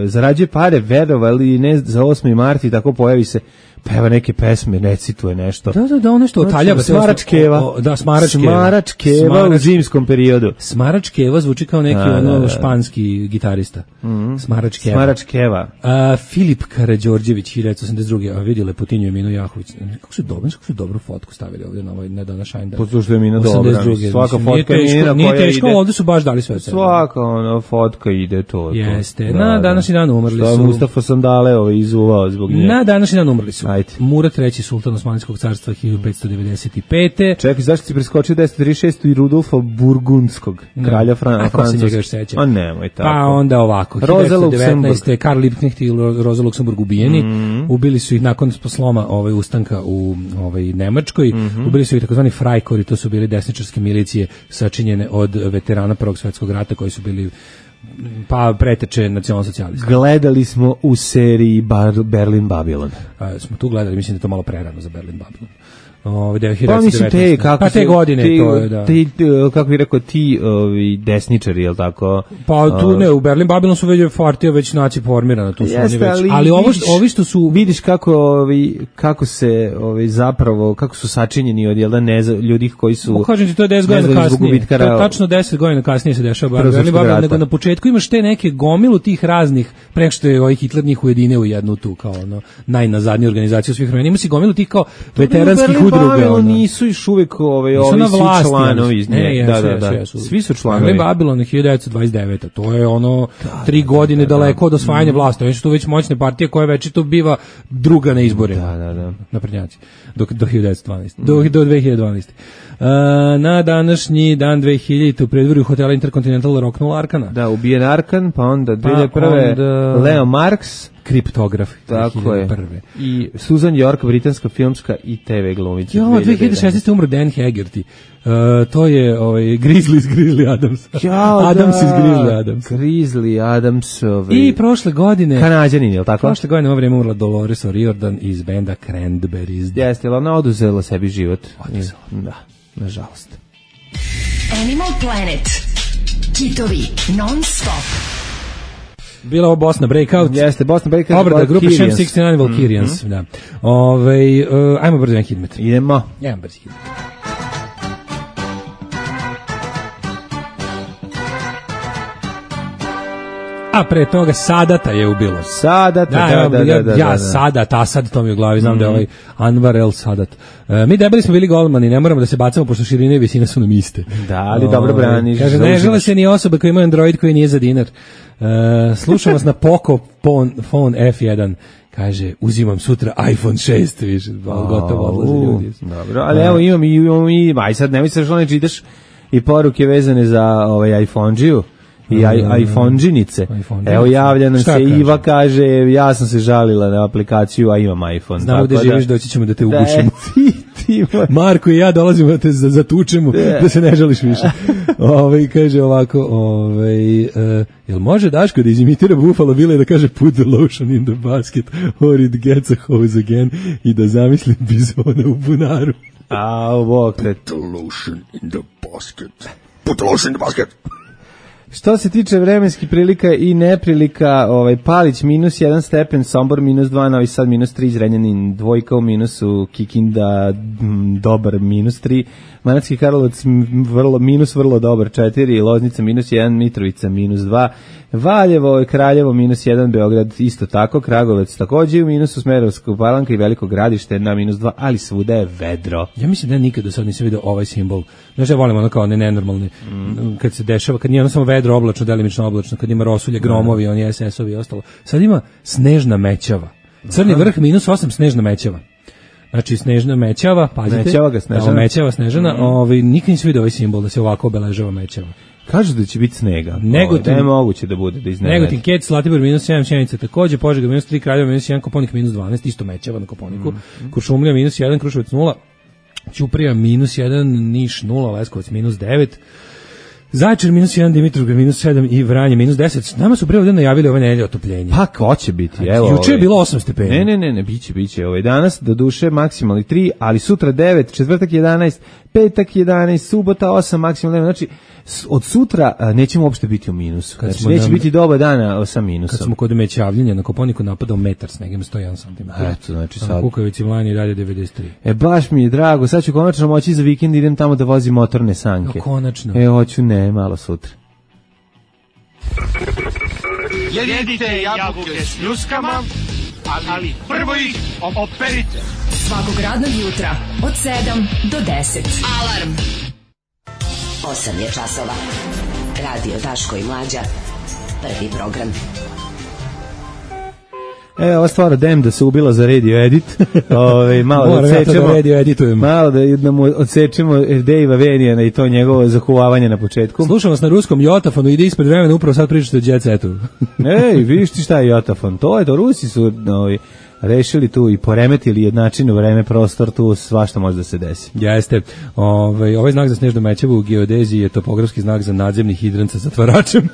zarađuje pare, verovali ne, za osmi mart i tako pojavi se, peva neke pesme, recituje nešto. Da, da, da, ono što otaljava. Smaračkeva. Da, Smaračkeva. Smaračkeva Smarač... u zimskom periodu. Smaračkeva zvuči kao neki a, ono da, da. španski gitarista. Mm-hmm. Smaračkeva. Smaračkeva. A, Filip Karađorđević, hiljadu devetsto osamdeset druge. A vidi Lepotinju i Minu Jahović. Kako su dobro, kako su dobru fotku stavili ovdje na ovaj nedanašaj dan. Pošto je Mina dobra. Svaka fotka je Mina koja ide. Nije teško, ovdje su baš dali sve. Svaka ona fotka ide to. Jeste. Na današnji dan umrli su. Mustafa Sandale ovaj izuvao zbog nje. Na današnji dan umrli su. Ajde. Murat treći sultan Osmanskog carstva hiljadu petsto devedeset pete. Čekaj, zašto si preskočio deset trideset šest i Rudolfa Burgundskog, kralja Fran- Francuske. A nemoj tako. Pa onda ovako, Roza Luksemburg. Karl Liebknecht i Roza Luksemburg ubijeni, mm-hmm. ubili su ih nakon sloma ovaj, ustanka u ovaj, Nemačkoj, mm-hmm. ubili su ih takozvani Freikorps, to su bili desničarske milicije sačinjene od veterana Prvog svjetskog rata koji su bili pa preteče nacionalsocijalisti. Gledali smo u seriji Bar- Berlin Babylon. A, smo tu gledali, mislim da je to malo prerano za Berlin Babylon. Ove, pa mislim te, kako pa te se, godine ti, to je, da. Ti, kako bih rekao, ti ovi desničari, je li tako? Pa tu ne, u Berlin Babylon su već partija već naci formirana, tu su Jeste, oni već. Ali, ali ovo vidiš, što, ovi što su... Vidiš kako, ovi, kako se ovi, zapravo, kako su sačinjeni od jelda ne, ljudi koji su... Kažem ti, to je deset godina kasnije. To je tačno deset godina kasnije se dešava Berlin Babylon, nego na početku imaš te neke gomilu tih raznih, preko što je ovaj Hitler njih ujedinio u jednu tu, kao ono, najnazadniju organizaciju svih vremena. Ima si gomilu tih kao veteranskih udruga. Nisu još uvek ovaj, ovi svi članovi. Ne, ne, da, da, da, da. Su, svi su članovi. Babylon hiljadu devetsto dvadeset deveta. To je ono da, tri godine da, da, daleko od osvajanja mm. vlasti. Oni su tu već moćne partije koje već to biva druga na izborima. Da, da, da. Naprednjaci. Do, do hiljadu devetsto dvanaeste. Mm. Do, do dve hiljade dvanaeste. Uh, na današnji dan dve hiljadite u predvorju hotela Intercontinental roknula Arkana. Da, ubijen Arkan, pa onda dve hiljade prve onda... Leo Marx, kriptograf. Tako je. I Susan York, britanska filmska i te ve glumica. Jo, dve hiljade šesnaeste umro Dan Haggerty. Uh, to je ovaj Grizzly iz Grizzly Adams. Ja, Adams da, iz Grizzly Adams. Grizzly Adams. Ovaj. I prošle godine Kanađanin, je li tako? Prošle godine u ovo vrijeme umrla Dolores O'Riordan iz benda Cranberries. Jeste, ali ona oduzela sebi život. Oduzela. Da, nažalost. Animal Planet. Kitovi non stop. Bila ovo Bosna Breakout. Jeste, Bosna Breakout. Obrada grupe Shem šezdeset devet Valkyrians. Mm-hmm. Da. Ove, uh, ajmo brzo jedan hidmet. Idemo. Jedan brzi hidmet. A pre toga Sadata je ubilo. Sadata, da, da, da. Ja, da, ja da. Sadat, Asad, to mi u glavi, znam mm. da je ovaj Anwar el Sadat. E, mi debeli smo bili golmani, ne moramo da se bacamo, pošto širine i visine su nam iste. Da, ali o, dobro braniš. Kaže, ne žele se ni osobe koji imaju Android koji nije za dinar. E, slušam vas na Poco phone, phone F jedan. Kaže, uzimam sutra iPhone šest, više, gotovo odlaze ljudi. Dobro, ali evo imam i, imam i, aj sad nemoj se što ne čitaš i poruke vezane za ovaj iPhone-điju. I mm, iPhone-đinice. Evo javlja nam se kaže? Iva kaže, ja sam se žalila na aplikaciju, a imam iPhone. Znamo da živiš, doći ćemo da te ugušimo. Ti, ti, Marko i ja dolazimo da te zatučemo, da. da se ne žališ više. Ove, kaže ovako, ove, uh, jel može Daško da izimitira Buffalo Bill i da kaže put the lotion in the basket or it gets a hose again i da zamisli bizona u bunaru. A, bok te. Put the lotion in the basket. Put the lotion in the basket. Što se tiče vremenskih prilika i neprilika, ovaj Palić minus jedan stepen, Sombor minus dva, Novi Sad minus tri, Zrenjanin dvojka u minusu, Kikinda m, dobar minus tri, Manatski Karlovac vrlo, minus vrlo dobar četiri, Loznica minus jedan, Mitrovica minus dva, Valjevo i Kraljevo minus jedan, Beograd isto tako, Kragovec takođe u minusu, Smerovska Palanka i Veliko Gradište na minus dva, ali svuda je vedro. Ja mislim da ja nikad do sad nisam vidio ovaj simbol. Znaš, ja volim ono kao ne nenormalni, mm. kad se dešava, kad nije ono samo vedro, oblačno, delimično oblačno, kad ima rosulje, gromovi, oni es es ovi i ostalo. Sad ima snežna mećava. Crni vrh minus osam, snežna mećava. Znači snežna mećava, pazite. Mećava ga snežana. Da, mećava snežana, mm. ovaj, nikad nisam vidio ovaj simbol da se ovako obeležava mećava. Kažu da će biti snega. Negotin, da je moguće da bude da iznenadi. Negotin, Kec, Zlatibor minus sedam, Sjenica takođe, Požega minus tri, Kraljevo minus jedan, Koponik minus dvanaest, isto mećava na Koponiku, mm. Kuršumlija minus jedan, Kruševac nula, Ćuprija minus jedan, Niš nula, Leskovac minus devet, Zaječar minus jedan, Dimitrovgrad minus sedam i Vranje minus deset. Nama su pre ovdje najavili ove nedelje otopljenje. Pa ko će biti? Evo, juče je bilo osam stepeni. Ne, ne, ne, ne, biće, biće. Ovaj danas do duše maksimalni tri, ali sutra devet, četvrtak jedanaest, petak jedanaest, subota osam, maksimalno. Znači od sutra nećemo uopšte biti u minusu. Kad znači, neće nam, biti doba dana sa minusom. Kad smo kod mećavljenja na Koponiku napadao metar snegem sto jedan santimetar. Eto, znači sad. Kukavici Vlani dalje devedeset tri. E baš mi je drago, sad ću konačno moći za vikend idem tamo da vozim motorne sanke. No, konačno. E hoću ne, malo sutra. Jedite jabuke s ljuskama, ali prvo ih operite. Svakog radnog jutra od sedam do deset. Alarm. osam je časova. Radio Daško i Mlađa. Prvi program. E, ova stvar Dem da se ubila za radio edit. Ove, malo da odsečemo, radio editujem. Malo da, da mu odsečemo Dejva Venijana i to njegovo zakuvavanje na početku. Slušam vas na ruskom Jotafonu, ide ispred vremena, upravo sad pričate o Jet Setu. Ej, vidiš ti šta je Jotafon? To je to, Rusi su ovi, rešili tu i poremetili jednačinu vreme, prostor, tu svašta može da se desi. Jeste. Ovaj, ovaj znak za snežnu mećavu u geodeziji je topografski znak za nadzemni hidrant sa zatvaračem.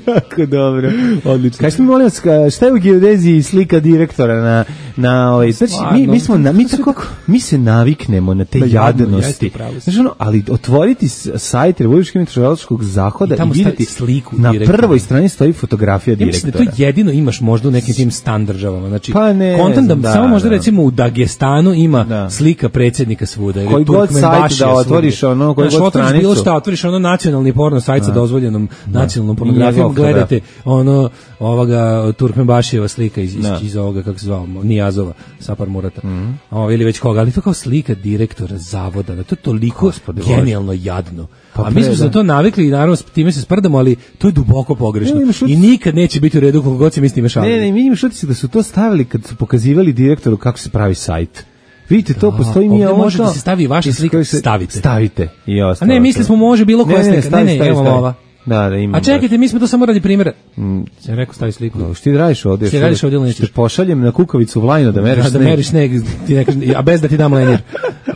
Jako dobro. Odlično. Kažete mi, molim vas, šta je u geodeziji slika direktora na, na ovaj, znači, mi, mi, smo, na, mi, tako, mi se naviknemo na te da, jadnosti. Znači, ono, ali otvoriti sajt Republičkog meteorološkog zahoda i, i vidjeti sliku na direktora. Prvoj strani stoji fotografija ja direktora. Mislim da to jedino imaš možda u nekim tim stan državama. Znači, pa ne, kontent da, da, samo možda da. recimo u Dagestanu ima da. slika predsjednika svuda. Koji god sajt da otvoriš, ono, koji god stranicu. Bilo šta, otvoriš ono nacionalni porno sajt sa dozvoljenom da. nacionalnom pornografijom, gledate ono ovoga Turkmenbašijeva slika iz, iz, iz ovoga, kako se zvao, Nijazova, Sapar Murata. Mm. O, ili već koga, ali to kao slika direktora zavoda, da to je toliko Gospode genijalno jadno. Pa a mi smo se na to navikli i naravno s time se sprdamo, ali to je duboko pogrešno. Ne, i nikad neće biti u redu koliko god se mi s time šalimo. Ne, ne, mi imaš utisak da su to stavili kad su pokazivali direktoru kako se pravi sajt. Vidite, to postoji mi ovdje može da se stavi vaša slika, stavite. Stavite. I ostalo. A ne, misli smo može bilo koja slika. Ne, ne, ne, evo ova. Da, da, imam. A čekajte, mi smo to samo radi primjera. Mm. Sam rekao stavi sliku. No, što ti radiš ovdje? Što ti radiš ovdje ili nećeš? Što pošaljem na kukavicu u Vlajno da meriš da, sneg. Da meriš sneg, ti neka, a bez da ti dam lenjer.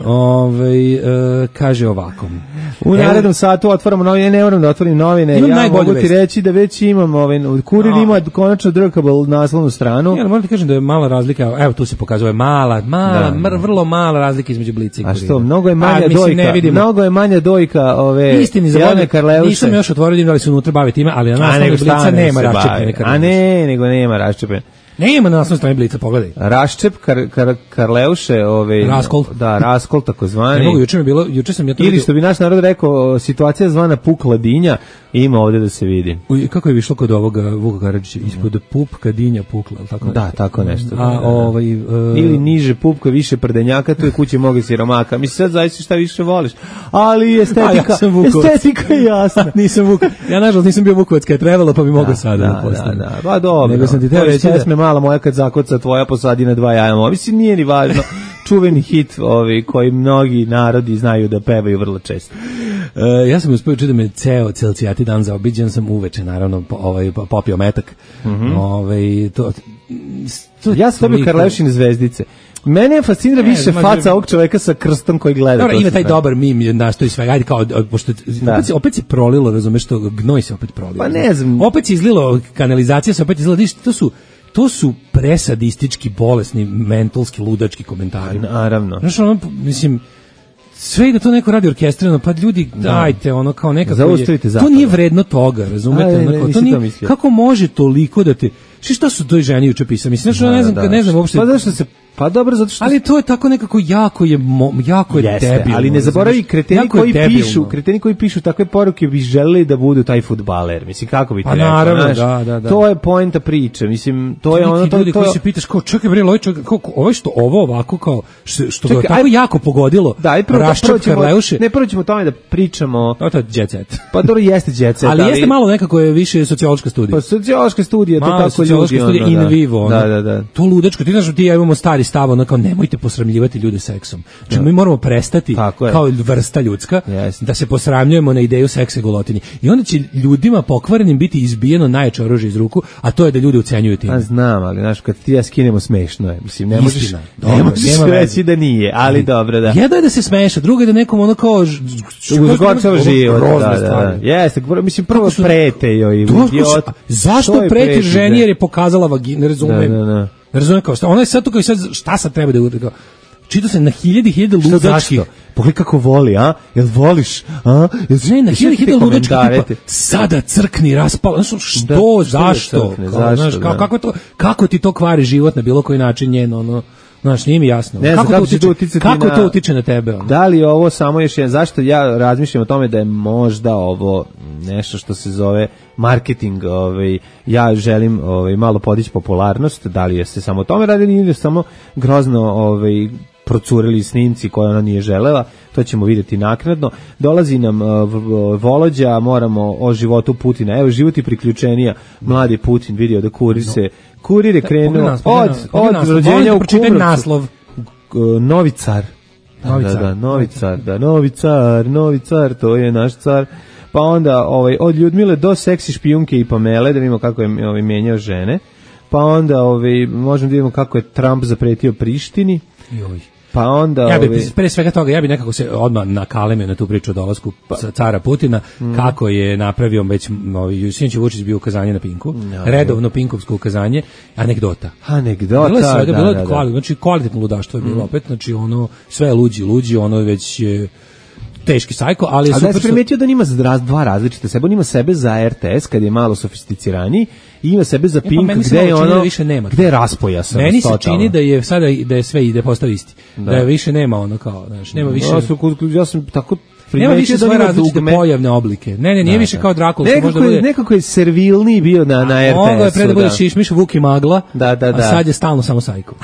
Ove, e, kaže ovako. U narednom satu otvaramo novine, ne moram da otvorim novine. Imam ja mogu ti vest. reći da već imam ovaj, Kurir no. ima konačno drkable naslovnu stranu. Ja, moram ti kažem da je mala razlika, evo tu se pokazuje mala, mala, da, mr, vrlo mala razlika između Blica i Kurira. A što, mnogo je manja a, dojka, mislim, mnogo je manja dojka ove Istini za Jelene Karleuše. Nisam još otvorio da li se unutra bavi time, ali na naslovnoj Blica nema raščepljene Karleuše. A ne, nego nema raščepljene. Nema na naslovnoj strani Blica, pogledaj. Raščep kar, kar, Karleuše, ove Raskol. Da, Raskol takozvani. Ne mogu, juče mi bilo, juče sam ja to ili vidio. Što bi naš narod rekao, situacija zvana pukla dinja, ima ovdje da se vidi. Uj, kako je višlo kod ovoga Vuka Karadžića, ispod pupka dinja pukla, al tako nešto. Da, tako nešto. A da, ovaj uh, ili niže pupka, više prdenjaka, tu je kuće moga siromaka. Mislim sad zaista šta više voliš. Ali estetika, ja estetika je jasna. Nisam Vuk. Ja nažalost nisam bio Vukovac kad je trebalo, pa bi mogao sada da, da postanem. Da, da, pa dobro. Nego sam ti te reći da mala moja kad zakoca tvoja posadi na dva jaja. Mislim nije ni važno. Čuveni hit ovi koji mnogi narodi znaju da pevaju vrlo često. Uh, ja sam uspio čuti da me ceo celcijati dan zaobiđen sam uveče, naravno, po, ovaj, popio metak. Mm -hmm. ovaj, to, to, ja sam dobio Karleušine zvezdice. Mene je fascinira ne, više faca bi... ovog čoveka sa krstom koji gleda. Dobro, ima taj sve. Dobar mim, je naš to i sve. Ajde kao, pošto opet se, opet se prolilo, razumeš, to gnoj se opet prolilo. Pa ne znam. Opet se izlilo, kanalizacija se opet izlila, to su to su presadistički, bolesni, mentalski, ludački komentari. Naravno. Znaš, ono, mislim, sve i da to neko radi orkestrirano, pa ljudi, dajte, ono, kao nekako zaustavite je, zapad. To nije vredno toga, razumete? A, ne, ne, ono, to nije, to kako može toliko da te, što šta su toj ženi juče pisali? Mislim, znači, da, ne znam, da, ne znam uopšte. Pa zašto se Pa dobro, zato što... Ali to je tako nekako jako je, jako je Jeste, debilno. ali ne zaboravi, kreteni koji pišu, kreteni koji pišu takve poruke bi želeli da budu taj fudbaler. Mislim, kako bi ti pa rekao, naravno, znaš, da, da, da. To je poenta priče, mislim, to, to je ono... To, ljudi to, koji se pitaš, kao, čekaj bre, ovaj čovjek, kao, ovo što ovo ovako, kao, što, što čekaj, ga tako aj, jako pogodilo, da, Raščep Karleuše... Ne, prvo ćemo o tome da pričamo... No, to je jet set. Pa dobro, jeste jet set, ali... ali jeste malo nekako je više sociološka studija. Pa sociološka studija, to kako ljudi... studija in vivo, da, da, da. To ludačko, ti znaš, ti ja imamo stari stav, ono kao, nemojte posramljivati ljude seksom. Znači, mi moramo prestati kao vrsta ljudska yes. da se posramljujemo na ideju seksa i golotinje. I onda će ljudima pokvarenim biti izbijeno najjače oružje iz ruku, a to je da ljudi ucenjuju time. A znam, ali znaš, kad ti ja skinemo smešno je. Mislim, ne možeš, Istina, ne dobro, možeš reći da nije, ali dobro, da. Jedno je da se smeša, drugo je da nekom ono kao... Uzgorčava život. Da, da, da. Jeste, mislim, prvo prete joj. Zašto prete ženi jer je pokazala vaginu? Ne razumem. Ne razumem kao šta. Ona je sad tu kao sad, šta sad treba da uradi? Čito se na hiljadi hiljade ludačkih. Pogledaj kako voli, a? Jel voliš? A? Jel ne, na hiljadi hiljade ludačkih tipa, sada crkni, raspala. Znaš, što, da, zašto? Crkne, kao, zašto znaš, da. Kako, kako, to, kako ti to kvari život na bilo koji način njeno, ono... Znaš, nije mi jasno. Ne, kako, kako, to utiče, kako na, to utiče na tebe? Ono? Da li ovo samo još jedan... Zašto ja razmišljam o tome da je možda ovo nešto što se zove marketing, ovaj, ja želim ovaj, malo podići popularnost, da li je se samo o tome radili ili samo grozno ovaj, procurili snimci koje ona nije želela, to ćemo vidjeti naknadno. Dolazi nam uh, Volođa, moramo o životu Putina. Evo, život i priključenija. Mladi Putin vidio da Kurir se Kurir je krenuo od, od rođenja u Kumrovcu. Naslov. Novi car. Novi car. Da, da, novi car, da, novi car, novi car, to je naš car. Pa onda ovaj, od Ljudmile do seksi špijunke i Pamele, da vidimo kako je ovaj, menjao žene. Pa onda ovaj, možemo da vidimo kako je Trump zapretio Prištini. Joj. Pa onda ja bi ovaj... pre svega toga ja bi nekako se odmah nakalemio na tu priču o dolasku pa. cara Putina, mm. kako je napravio već novi Sinić Vučić bio ukazanje na Pinku, no, redovno pinkovsko ukazanje, anegdota. Anegdota, bilo je svega, da, bilo da, da. Kvali, znači kvalitetno ludaštvo je bilo mm. opet, znači ono sve luđi, luđi, ono već je teški sajko, ali je super. A da se primetio da nima dva različite sebe, on ima sebe za R T S kad je malo sofisticiraniji i ima sebe za Pink, e, pa gde je ono, da više nema, gde je raspojasan. Meni se čini da je sada da je sve ide postao isti. Da, da je više nema ono kao, znači nema više. Ja sam, ja sam tako nema više svoje različite dugme. Pojavne oblike. Ne, ne, nije da, više kao Drakula. Nekako, bude... nekako je servilniji bio na, na R T S-u. Ovo je pre da bude Šišmiš, Vuk i Magla, da, da, da. A sad je stalno samo sajko.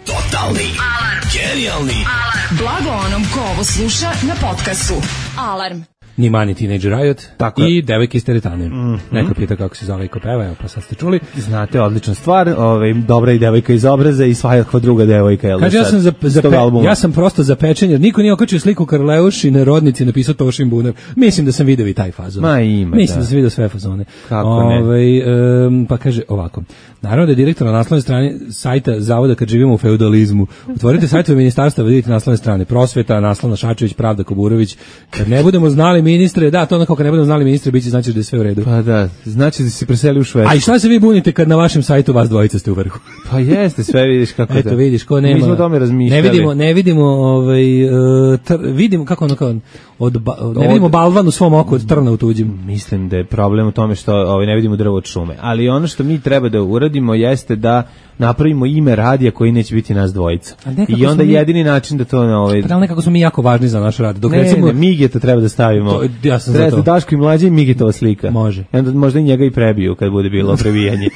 Totalni alarm. Genijalni alarm. Blago onom ko ovo sluša na podcastu. Alarm. Ni Mani Teenage Riot tako i Devojke iz teretane. Mm-hmm. Neko pita kako se zove i ko peva, evo pa sad ste čuli. Znate, odlična stvar, ovaj, dobra i devojka iz obraza i svakakva druga devojka. Jel kaže, ja sam, za, za pe, ja sam prosto za pečenje, jer niko nije okačio sliku Karleušine rodnici, napisao Tošin Bunev. Mislim da sam video i taj fazon. Ma ima, Mislim da. da sam video sve fazone. Kako Ove, ne? Um, pa kaže ovako, naravno da je direktor na naslovnoj strani sajta Zavoda kad živimo u feudalizmu. Otvorite sajtove ministarstva, vidite naslovne strane Prosveta, naslovna Šačević, Pravda, Koburović. Kad ne budemo znali ministre, da, to onako kad ne budemo znali ministre, biće znači da je sve u redu. Pa da, znači da se preseli u Švedsku. A i šta se vi bunite kad na vašem sajtu vas dvojica ste u vrhu? Pa jeste, sve vidiš kako Eto, da. vidiš, ko nema. Mi smo o tome razmišljali. Ne vidimo, ne vidimo, ovaj, uh, tr, vidimo, kako ono kao, od, ba, ne od, vidimo balvan u svom oku od trna u tuđim. Mislim da je problem u tome što ovaj, ne vidimo drvo od šume. Ali ono što mi treba da uradimo jeste da napravimo ime radija koji neće biti nas dvojica. I onda mi, jedini način da to... Ovaj, pa nekako smo mi jako važni za naš rad. Dok ne, recimo, ne, Migeta treba da stavimo. To, ja sam treba za to. Da Daško i Mlađe i Migetova slika. Može. I onda možda i njega i prebiju kad bude bilo prebijanje.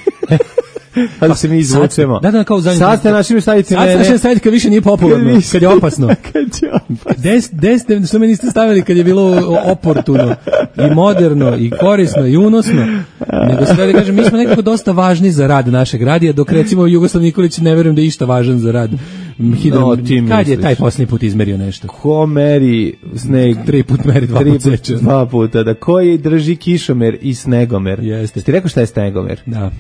Ali pa, se mi izvučemo. Da, da, kao zadnji. Sad ste našli stavite mene. Sad ste našli stavite kad više nije popularno, kad, kad je opasno. Kad je opasno. Des, des, što me niste stavili kad je bilo oportuno i moderno i korisno i unosno. Nego sve da kažem, mi smo nekako dosta važni za rad našeg radija, dok recimo Jugoslav Nikolić ne verujem da je išta važan za rad. Hidro, no, kad misliš? Je taj posljednji put izmerio nešto? Ko meri sneg? Tri put meri, dva put seče. Dva puta, da koji drži kišomer i snegomer? Jeste. Ti rekao šta je snegomer? Da.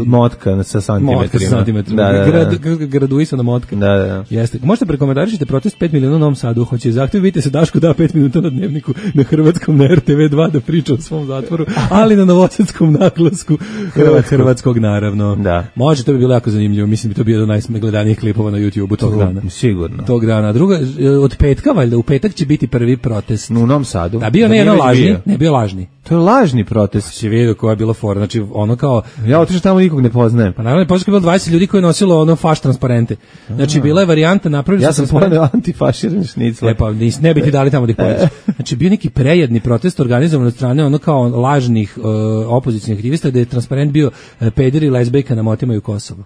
Motka sa santimetrima. Motka sa santimetrima. Da, da, da. Grad, graduisana motka. Da, da, da. Jeste. Možete prekomentarišite protest pet miliona u Novom Sadu. Hoće zahtjev, vidite se Daško da pet minuta na Dnevniku na hrvatskom, na R T V dva da priča o svom zatvoru, ali na novosadskom naglasku Hrvatskog, hrvatskog naravno. Da. Može, to bi bilo jako zanimljivo. Mislim bi to bio jedan od najgledanijih klipova na YouTubeu tog dana. Sigurno. Tog dana. Druga, od petka, valjda, u petak će biti prvi protest. U Novom Sadu. Da, bio ne jedan lažni, bio. ne bio lažni. To je lažni protest. Si vidio koja je bila fora, znači ono kao... Ja otišao tamo nikog ne poznajem. Pa naravno, poslije je bilo dvadeset ljudi koji je nosilo ono faš transparente. Znači, a. bila je varijanta, napravili ja sam poneo antifaširan šnicl. E pa, nis, ne bi ti dali tamo da ih pođeš. Znači, bio neki prejedni protest organizovan od strane ono kao lažnih uh, opozicijnih aktivista, gde je transparent bio uh, pederi i lezbejka na motimaju Kosovo.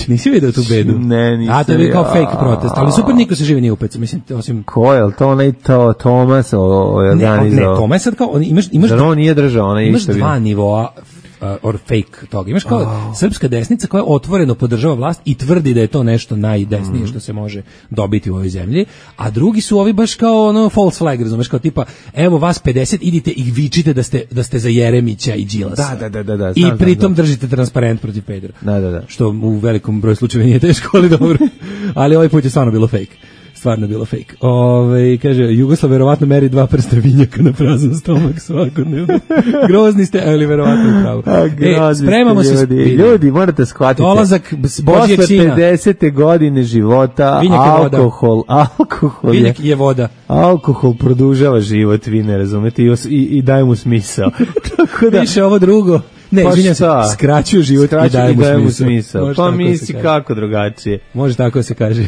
Nisi vidio tu bedu? Ne, nisam. A to je bio kao fake protest, ali super, niko se živi nije upec, mislim, osim... Ko je, to onaj to, Tomas organizao? Ne, ne, Tomas sad kao, on, imaš... imaš Zar on nije držao, onaj imaš dva nivoa uh, or fake toga. Imaš kao oh. srpska desnica koja otvoreno podržava vlast i tvrdi da je to nešto najdesnije mm. što se može dobiti u ovoj zemlji, a drugi su ovi baš kao ono false flag, razumeš, kao tipa, evo vas pedeset, idite i vičite da ste, da ste za Jeremića i Đilasa. Da, da, da, da, I pritom držite transparent protiv pedera. Da, da, da. Što u velikom broju slučajeva nije teško, ali dobro. Ali ovaj put je stvarno bilo fake. Stvarno bilo fake. Ove, kaže, Jugoslav verovatno meri dva prsta vinjaka na prazan stomak svakodnevno. Grozni ste, ali verovatno upravo. E, spremamo se. Ljudi, ljudi, morate shvatiti. Dolazak Božijeg sina. Posle pedesete godine života, Vinjak alkohol, alkohol je, Vinjak je voda. Alkohol produžava život, vi ne razumete, i, i, i daje mu smisao. Tako da, više ovo drugo. Ne, pa izvinjam se, skraćuju život Skraću i daje mu smisao. smisao. Pa misli kako drugačije. Može tako se kaže.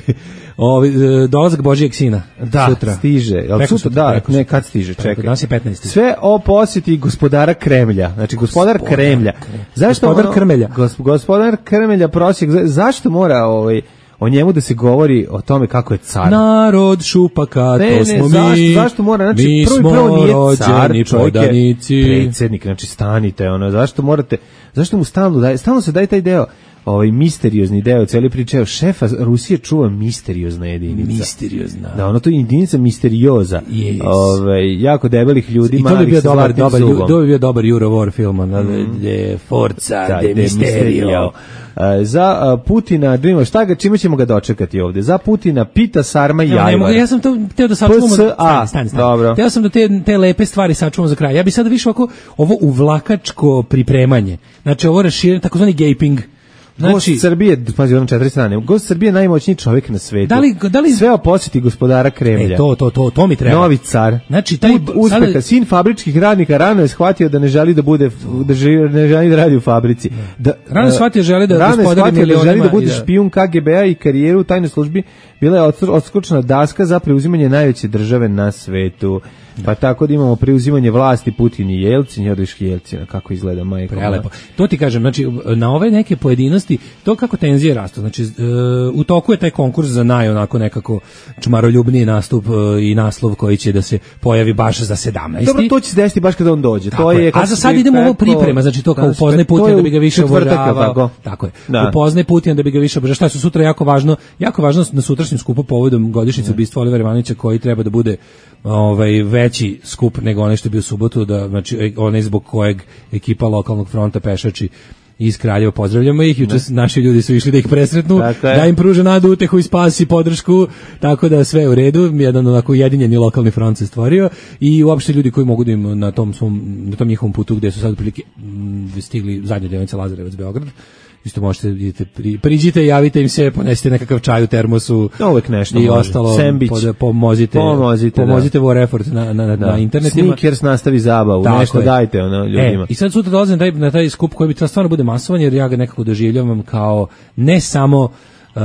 Ovi, dolazak Božijeg sina. Da, sutra. stiže. Jel preko sutra, da, preko ne, kad stiže, čekaj. Danas je petnaesti. Sve o posjeti gospodara Kremlja. Znači, gospodar, gospodar Kremlja. Zašto gospodar ono, Krmelja. Gosp, gospodar Krmelja prosjek, zašto mora ovaj, o njemu da se govori o tome kako je car? Narod šupaka, ne, to ne, smo zašto, mi. Zašto mora? Znači, mi prvo, prvo nije car, rođeni čovjek podanici. je predsjednik, znači stanite, ono, zašto morate, Zašto mu stalno daje, stalno se daje taj deo, ovaj misteriozni deo cele priče, šefa Rusije čuva misteriozna jedinica. Misteriozna. Da, ono to je jedinica misterioza. Yes. Ovaj jako debelih ljudi, malih. I to bi bio dobar, dobar, to bi bio dobar Eurowar film, onda mm. de Forza da, de, de Misterio. Uh, za uh, Putina, Dream, šta ga, čime ćemo ga dočekati ovde? Za Putina pita sarma i jajvar. Ja sam to teo da sačuvamo. Stani, stani, stani. Teo sam da te, te lepe stvari sačuvamo za kraj. Ja bih sada više ovako, ovo uvlakačko pripremanje. Znači ovo raširenje, takozvani gaping. Znači, Gost Srbije, pazi, ono četiri strane. Gost Srbije je najmoćniji čovjek na svetu. Da li, da li sve o posjeti gospodara Kremlja. E, to, to, to, to mi treba. Novi car. Znači, taj uspeha, sada... sin fabričkih radnika rano je shvatio da ne želi da bude, da želi, ne želi da radi u fabrici. Da, rano je shvatio želi da rano gospodari milionima. Da želi da bude špijun K G B-a i karijeru u tajnoj službi bila je odskočna daska za preuzimanje najveće države na svetu. Pa tako da imamo preuzimanje vlasti Putin i Jelcin, Jordiški Jelcina, kako izgleda majka. Prelepo. To ti kažem, znači na ove neke pojedinosti, to kako tenzije rastu, znači uh, u toku je taj konkurs za naj onako nekako čmaroljubniji nastup uh, i naslov koji će da se pojavi baš za sedamnaesti. Dobro, to će se desiti baš kada on dođe. Tako to je. A za sad idemo ovo priprema, znači to kao upoznaj Putin da bi ga više obožavao. Tako je. Da. Upoznaj Putin da bi ga više obožavao. Šta je sutra jako važno, jako važno na sutrašnjem skupu povodom godišnjice ubistva Olivera Ivanovića koji treba da bude ovaj veći skup nego onaj što je bio u subotu, da znači onaj zbog kojeg ekipa lokalnog fronta pešači iz Kraljeva, pozdravljamo ih, juče naši ljudi su išli da ih presretnu, da im pruže nadu, utehu i spas i podršku, tako da sve u redu, jedan onako ujedinjeni lokalni front se stvorio i uopšte ljudi koji mogu da im na tom svom, na tom njihovom putu gde su sad prilike stigli zadnja deonica Lazarevac Beograd, isto možete idete pri, priđite, javite im se, ponesite nekakav čaj u termosu. Uvek nešto i može. ostalo pod, pomozite, pomozite, pomozite da. War effort na, na, da. na internetima. Snickers nastavi zabavu, tako nešto je. Dajte ono ljudima. E, i sad sutra dolazim na taj, na taj skup koji bi trebalo stvarno bude masovan, jer ja ga nekako doživljavam kao ne samo Uh,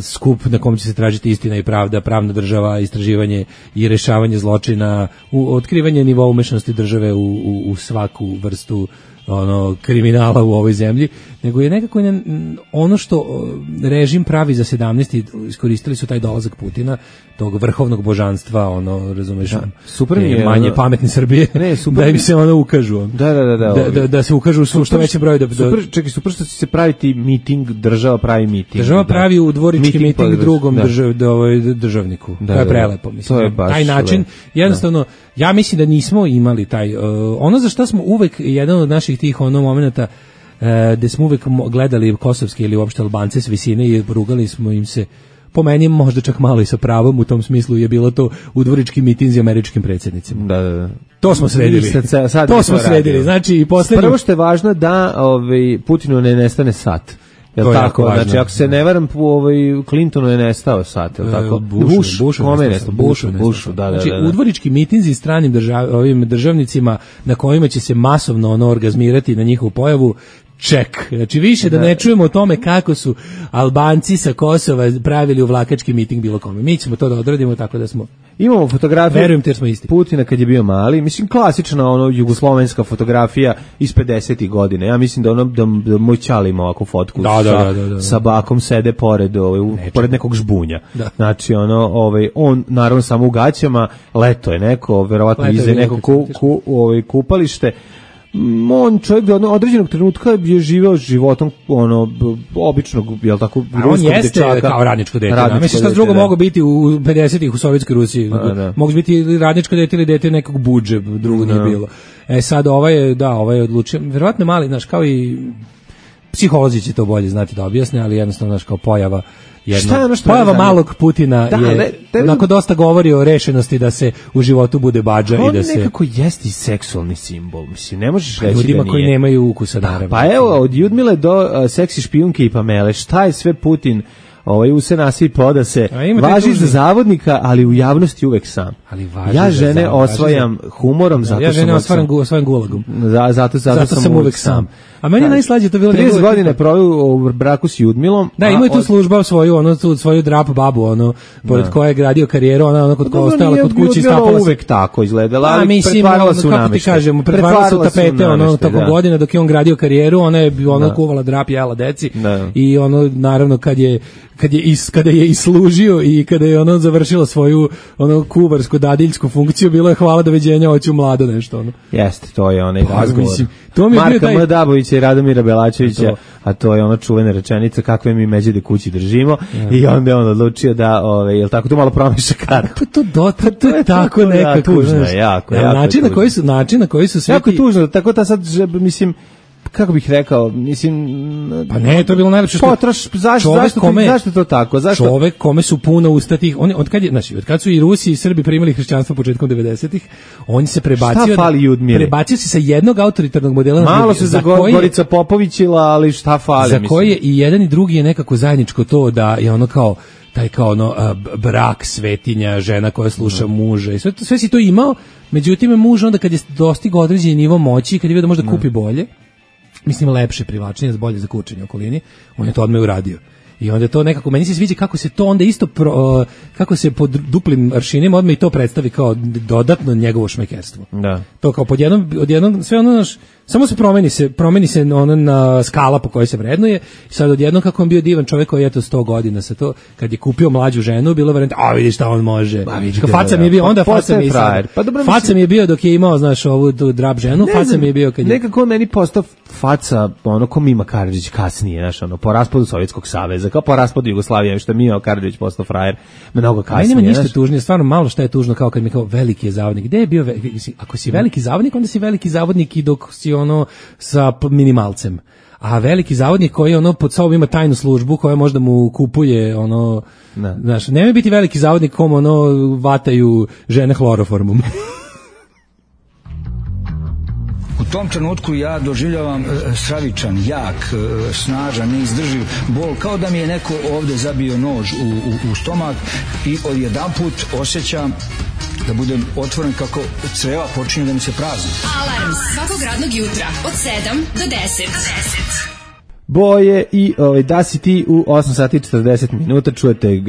skup na kom će se tražiti istina i pravda, pravna država, istraživanje i rešavanje zločina, u, otkrivanje nivoa umešanosti države u, u, u svaku vrstu ono kriminala u ovoj zemlji, nego je nekako ono što režim pravi za sedamnaesti iskoristili su taj dolazak Putina, tog vrhovnog božanstva, ono, razumeš, da, super mi je, manje ono, pametne Srbije, ne, super da im se ono ukažu. On. Da, da, da, da, da, da, da se ukažu u što većem broju. Da, da, super, čekaj, super što će se praviti miting, država pravi miting. Država pravi u dvorički miting, miting drugom da. Držav, da, ovaj, državniku. Da, to je prelepo, mislim. To je baš taj način, le. jednostavno, da. ja mislim da nismo imali taj, uh, ono za što smo uvek, jedan od naših tih ono momenata, uh, gde smo uvek gledali kosovske ili uopšte Albance s visine i rugali smo im se, po meni možda čak malo i sa pravom u tom smislu je bilo to u dvoričkim mitinzi američkim predsjednicima. Da, da, da. To smo sredili. Sad, sad to smo sredili. Znači i poslednje. Prvo što je važno da ovaj Putinu ne nestane sat. Jel to tako? Znači ako se ne varam, ovaj Clintonu je nestao sat, jel tako? Bush, Bush, Bush, kome je nestao? Bush, Bush, da, da, znači, da. U dvorički mitinzi stranim držav, ovim državnicima na kojima će se masovno ono orgazmirati na njihovu pojavu, ček. Znači više da ne čujemo o tome kako su Albanci sa Kosova pravili uvlakački miting bilo kome. Mi ćemo to da odradimo tako da smo. Imamo fotografiju. Verujem te smo isti. Putina kad je bio mali, mislim klasična ono jugoslovenska fotografija iz pedesetih godina. Ja mislim da ono da, da moj ćali ima ovakvu fotku da, sa, da, da, da, da. sa bakom sede pored ovaj u, pored nekog žbunja. Da. Znači ono ovaj on naravno samo u gaćama, leto je neko, verovatno iza neko ku, ku, ovaj kupalište. On čovjek do određenog trenutka je živeo životom ono običnog, jel tako, ruskog dečaka. On jeste dečaka, kao radničko dete. Radničko mislim šta drugo da. Mogu biti u pedesetih u Sovjetskoj Rusiji. Mogu biti radničko dete ili dete nekog budže, drugo nije bilo. E sad ovaj je, da, ovaj je odlučio, verovatno mali, znaš, kao i psiholozi će to bolje znati da objasne, ali jednostavno, znaš, kao pojava Jedno, je ono što pojava malog Putina da, je, ne, onako dosta govori o rešenosti da se u životu bude badža i da se... On nekako jeste i seksualni simbol, mislim, ne možeš reći ljudima da nije. Koji nemaju ukusa, naravno. Pa evo, od Ljudmile do uh, seksi špijunke i Pamele, šta je sve Putin ovaj u se nasipa da se važi za zavodnika, ali u javnosti uvek sam. Ali važi ja žene za osvajam za... humorom, da, zato ja žene osvajam gu, osvajam gulagom. Za, zato, zato, zato sam, sam uvek sam. sam. A meni je najslađe to bilo trideset godine proveo u braku s Ljudmilom. Da, ima i tu služba svoju, ono tu svoju drap babu, ono pored koje je gradio karijeru, ona ono kod koja ostala kod kuće i stapala uvek se. Tako izgledala, ali mislim, pretvarala se u nameštaj. Kako ti kažemo, pretvarala se u tapete, ono tako godina dok je on gradio karijeru, ona je ono kuvala drap, jela deci i ono naravno kad je kad je is, kada je islužio i kada je ono završilo svoju ono kuvarsku dadiljsku funkciju, bilo je hvala doviđenja, hoću mlado nešto ono. Jeste, to je onaj razgovor. Mislim, To mi je Marka taj... M. Dabovića i Radomira Belačevića, to. A to je ona čuvena rečenica kakve mi međede kući držimo ja. I onda je on odlučio da, ove, jel tako, to malo promiša kartu. Kako to dota, to je tako to, nekako. Tužno je, jako, jako. Način na koji su, način na koji su sve jako ti... tužno, tako da sad, mislim, kako bih rekao, mislim, pa ne, to je bilo najlepše što potroš, zašto, zašto, kome, zašto to tako? Zašto? Čovek kome su puna usta tih, oni od kad je, znači, od kad su i Rusi i Srbi primili hrišćanstvo početkom devedesetih, on se prebacio, šta fali Ljudmile? Prebacio se sa jednog autoritarnog modela malo na drugi, se za koje, Gorica Popovićila, ali šta fali? Za mislim. koje i jedan i drugi je nekako zajedničko to da je ono kao taj kao ono a, brak, svetinja, žena koja sluša no. muža i sve, sve si to imao, međutim muž onda kad je dostigao određeni nivo moći, kad je vidio da može da kupi bolje, mislim lepše, privlačnije, bolje za kurčenje u okolini, on je to odmah uradio. I onda to nekako, meni se sviđa kako se to onda isto, pro, uh, kako se pod duplim aršinima odmah i to predstavi kao dodatno njegovo šmekerstvo. Da. To kao pod jednom, od jednom, sve ono naš, samo se promeni se, promeni se ono na skala po kojoj se vrednuje. I sad odjednom kako on bio divan čovjek koji je to sto godina sa to, kad je kupio mlađu ženu, bilo varijanta, a vidi šta on može. Ba, vidi, faca mi je bio, onda pa, faca mi je sad. Pa dobro, faca mislim, mi je bio dok je imao, znaš, ovu tu drab ženu, faca znam, mi je bio kad je... Nekako meni postao faca, ono ko Mima Karadžić kasnije, znaš, ono, po raspadu Sovjetskog saveza, kao po raspadu Jugoslavije, što je Mima Karadžić postao frajer, mnogo kasnije. Nema ništa znaš, tužnije, stvarno malo šta je tužno, kao kad mi kao veliki je zavodnik. Gde je bio, ako si veliki zavodnik, onda si veliki zavodnik i dok si ono sa minimalcem. A veliki zavodnik koji ono pod sobom ima tajnu službu koja možda mu kupuje ono, ne. Znaš, nemoj biti veliki zavodnik kom ono vataju žene hloroformom. U tom trenutku ja doživljavam stravičan, jak, snažan, neizdrživ bol, kao da mi je neko ovde zabio nož u, u, u stomak i odjedanput osjećam da budem otvoren kako creva počinju da mi se prazni. Alarm svakog radnog jutra od sedam do deset. Boje i ovaj, da si ti u osam sati i četrdeset minuta, čujete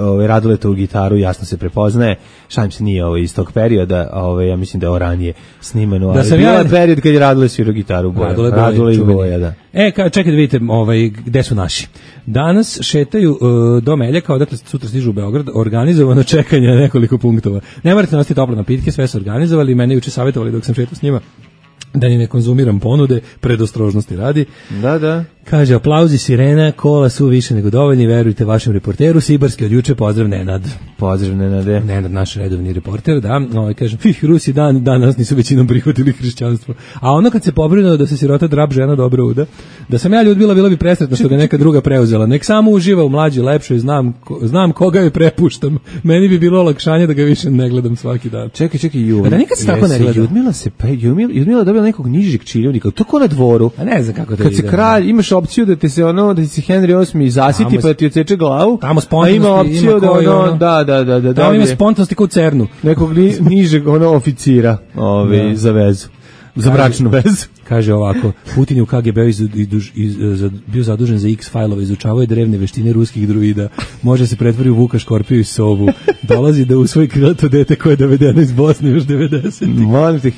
ovaj, Raduletovu gitaru, jasno se prepoznaje, šalim se nije ovaj, iz tog perioda, ovaj, ja mislim da je ovo ranije snimano, da ali bio je period kad je Radule svirao gitaru Boja, Radule, Radule i Boja, da. E, ka, čekaj da vidite ovaj, gde su naši. Danas šetaju uh, do Meljaka, odakle sutra stižu u Beograd, organizovano čekanje na nekoliko punktova. Ne morate nositi tople napitke, sve su organizovali, mene juče savjetovali dok sam šetao s njima da ni ne konzumiram ponude, predostrožnosti radi. Da, da. Kaže, aplauzi, sirena, kola su više nego dovoljni, verujte vašem reporteru, Sibarski od juče, pozdrav Nenad. Pozdrav Nenade. Nenad, naš redovni reporter, da. Ovaj, kažem, fih, Rusi dan, danas nisu većinom prihvatili hrišćanstvo. A ono kad se pobrinuo da se sirota drab žena dobro uda, da sam ja Ljudmila, bila bi presretna što ga neka druga preuzela. Nek samo uživa u mlađi, lepšoj, znam, ko, znam koga je prepuštam. Meni bi bilo olakšanje da ga više ne gledam svaki dan. Čekaj, čekaj, Ljudmila. Da nikad se tako ne gleda. Ljudmila se, pa Ljudmila, Ljudmila dobila nekog nižeg činovnika, to ko na dvoru. A ne znam kako to kad ide. Kad se kralj, imaš opciju da te se ono, da ti se Henry osmi zasiti tamo, pa da ti odseče glavu. Tamo spontanosti ima opciju ima da koji, ono, ono, da, da, da, da. Tamo ima spontanosti kao u Cernu. Nekog ni, nižeg ono oficira, ovaj, da. Za vezu. Za bračnu vezu. Kaže ovako, Putin je u K G B iz, iz, iz, iz, bio zadužen za X-fajlove, izučavao je drevne veštine ruskih druida, može se pretvori u Vuka Škorpiju i sovu, dolazi da usvoji krilato dete koje je dovedeno iz Bosne još devedesetih. Molim te,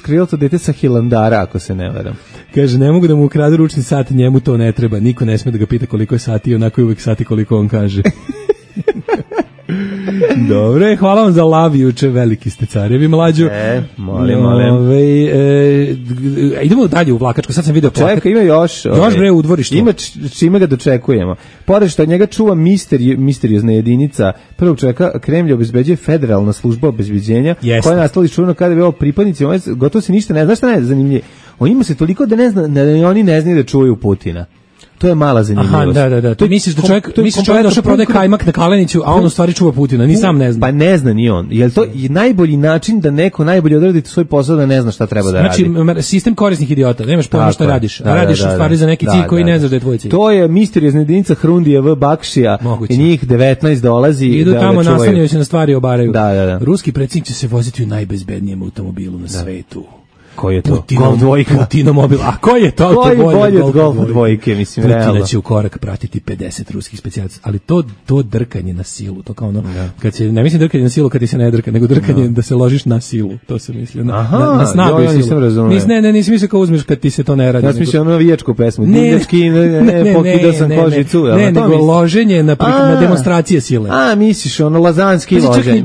krilato dete sa Hilandara, ako se ne varam. Kaže, ne mogu da mu ukradu ručni sat, njemu to ne treba, niko ne sme da ga pita koliko je sati, onako je uvek sati koliko on kaže. Dobre, hvala vam za lav juče, veliki ste carevi mlađu. E, molim, molim. Ove, e, idemo dalje u Vlakačko, sad sam video plakat. Čeka, ima još. Još ove, bre u dvorištu. Ima čime ga dočekujemo. Pored što njega čuva misteri, misteriozna jedinica, prvog čovjeka Kremlja obezbeđuje federalna služba obezbeđenja, yes, koja je nastala čuveno kada je bio pripadnici, on gotovo se ništa ne zna, šta ne zanimljivo. On ima se toliko da ne zna, da oni ne znaju da čuvaju Putina. To je mala zanimljivost. Aha, da, da, da. To misliš da čovjek, misliš čovjek došao prodaje kajmak na Kaleniću, a on u stvari čuva Putina, ni sam ne zna. Pa ne zna ni on. Jel to je najbolji način da neko najbolje odradi svoj posao da ne zna šta treba da radi? Znači, sistem korisnih idiota, nemaš pojma šta radiš, a radiš u stvari za neki cilj koji ne znaš da je tvoj cilj. To je misteriozna jedinica Hrundija V. Bakšija i njih devetnaest dolazi. Idu tamo, nastanjaju se na stvari, obaraju. Da, da, da. Ruski predsjednik će se voziti u najbezbednijem automobilu na svetu. Koji je to? Golf dvojka. Putino mobil. A koji je to? Koji je bolje od Golf dvojke, mislim, Putina realno. će u korak pratiti pedeset ruskih specijalaca, ali to, to drkanje na silu, to kao ono, ja. Kad se, ne mislim drkanje na silu kad ti se ne drka, nego drkanje ja. Da se ložiš na silu, to se misli. Na, Aha, na, na snagu ja nisam razumio. Nis, ne, ne, nisi mislio kao uzmeš kad ti se to ne radi. Ja sam mislio ono navijačku pesmu. Ne, Divljački, ne, ne, ne, ne, pokidao sam kožicu. Ne, ne, nego loženje na, na demonstracije sile. A, misliš, ono, lazanski loženje.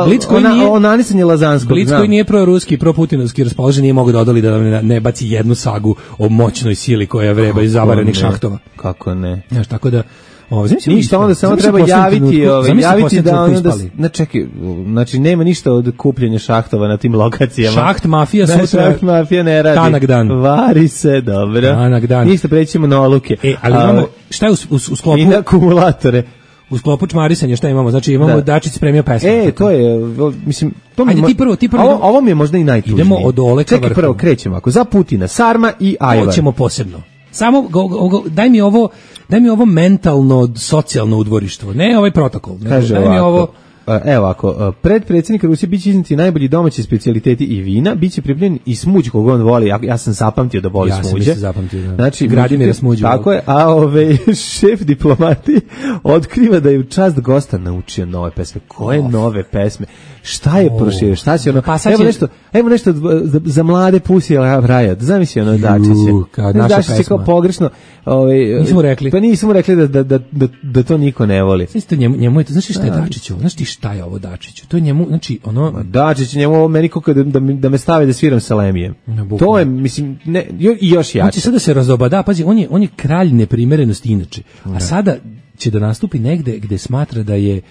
Blic koji nije, onanisanje lazanskog. Blic koji nije proruski, proputinovski raspoložen, nije mogu da odoli da ne, ne baci jednu sagu o moćnoj sili koja vreba iz zavarenih šahtova. Kako ne? Znaš, tako da Ovo, ništa, onda samo treba javiti, ovaj, javiti da ono da, ne čekaj, znači nema ništa od kupljenja šahtova na tim lokacijama. Šaht mafija sutra. Šaht mafija ne radi. Tanak dan. Vari se, dobro. Tanak dan. Ništa, prećemo na oluke. E, ali imamo, šta je u, u, u sklopu? I na akumulatore. U sklopu čmarisanja šta imamo? Znači imamo da. Dačić spremio pesmu. E, to je, mislim, to mi Ajde, ti prvo, ti prvo. Ovo, ovo mi je možda i najtužnije. Idemo od dole ka vrhu. Čekaj, prvo krećemo ako za Putina, Sarma i Ajvar. Hoćemo posebno. Samo go, go, go, daj mi ovo, daj mi ovo mentalno socijalno udvorištvo, ne ovaj protokol. Ne, Kaže daj ovako, mi ovo. Evo ako pred predsjednika Rusije biće izneti najbolji domaći specijaliteti i vina, biće pripremljen i smuđ kog on voli. Ja, ja sam zapamtio da voli ja smuđe. Ja sam zapamtio. Da. Znači, Gradimir smuđe. Tako je, a ove šef diplomati otkriva da je u čast gosta naučio nove pesme. Koje of. nove pesme? Šta je oh. proširio? Šta će ono? Pa evo će... nešto, evo nešto za, za mlade Pussy Riot. Zamisli ono Dačiće. Dačić je kao pogrešno. Ovaj nismo rekli. Pa nismo rekli da da da da, da to niko ne voli. Isto njemu, njemu je to, znači šta je Dačiću? Znaš ti šta je ovo Dačiću? To je njemu, znači ono Dačić njemu meni kako da, da, da me stave da sviram sa Lemije. To je mislim ne i još jače. Hoće sada da se razobada, pazi, on je on je kralj neprimerenosti inače. A sada će da nastupi negde gde smatra da je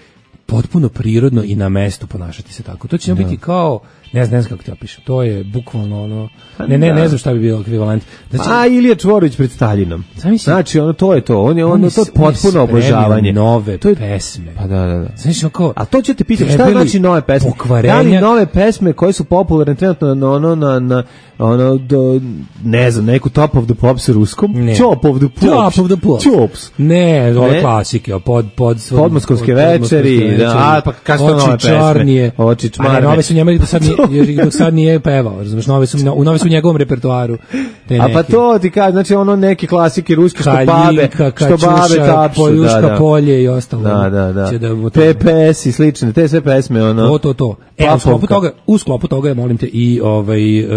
potpuno prirodno i na mestu ponašati se tako. To će biti kao, ne znam, ne znam kako ti opišem, to je bukvalno ono, ne, ne, ne znam šta bi bio ekvivalent. Znači, a Ilija Čvorović pred Staljinom. Znači, ono, to je to, on je, on, on to potpuno obožavanje. Nove to je, pesme. Pa da, da, da. Znači, kao, a to ću te pitati, šta znači nove pesme? Pokvarenja. Da li nove pesme koje su popularne trenutno na ono, na, na, ono, do, ne znam, neku Top of the Pops ruskom? Ne. Top of the Pops. Top of the Pops. Chops. Ne, ove klasike, pod, pod, pod, Podmoskovske večeri, da, a, pa kako su nove pesme? Oči čmarne. A ne, nove su njema do sad nije, dok sad nije pevao, razumeš, nove su, u nove su u njegovom repertoaru. A pa to ti kaže, znači ono neke klasike ruske što babe, što babe tapšu, Poljuška, da, da. Polje i ostalo. Da, da, da. da P P S i slične, te sve pesme, ono. To, to, to. E, u sklopu toga, u sklopu toga je, molim te, i ovaj, uh,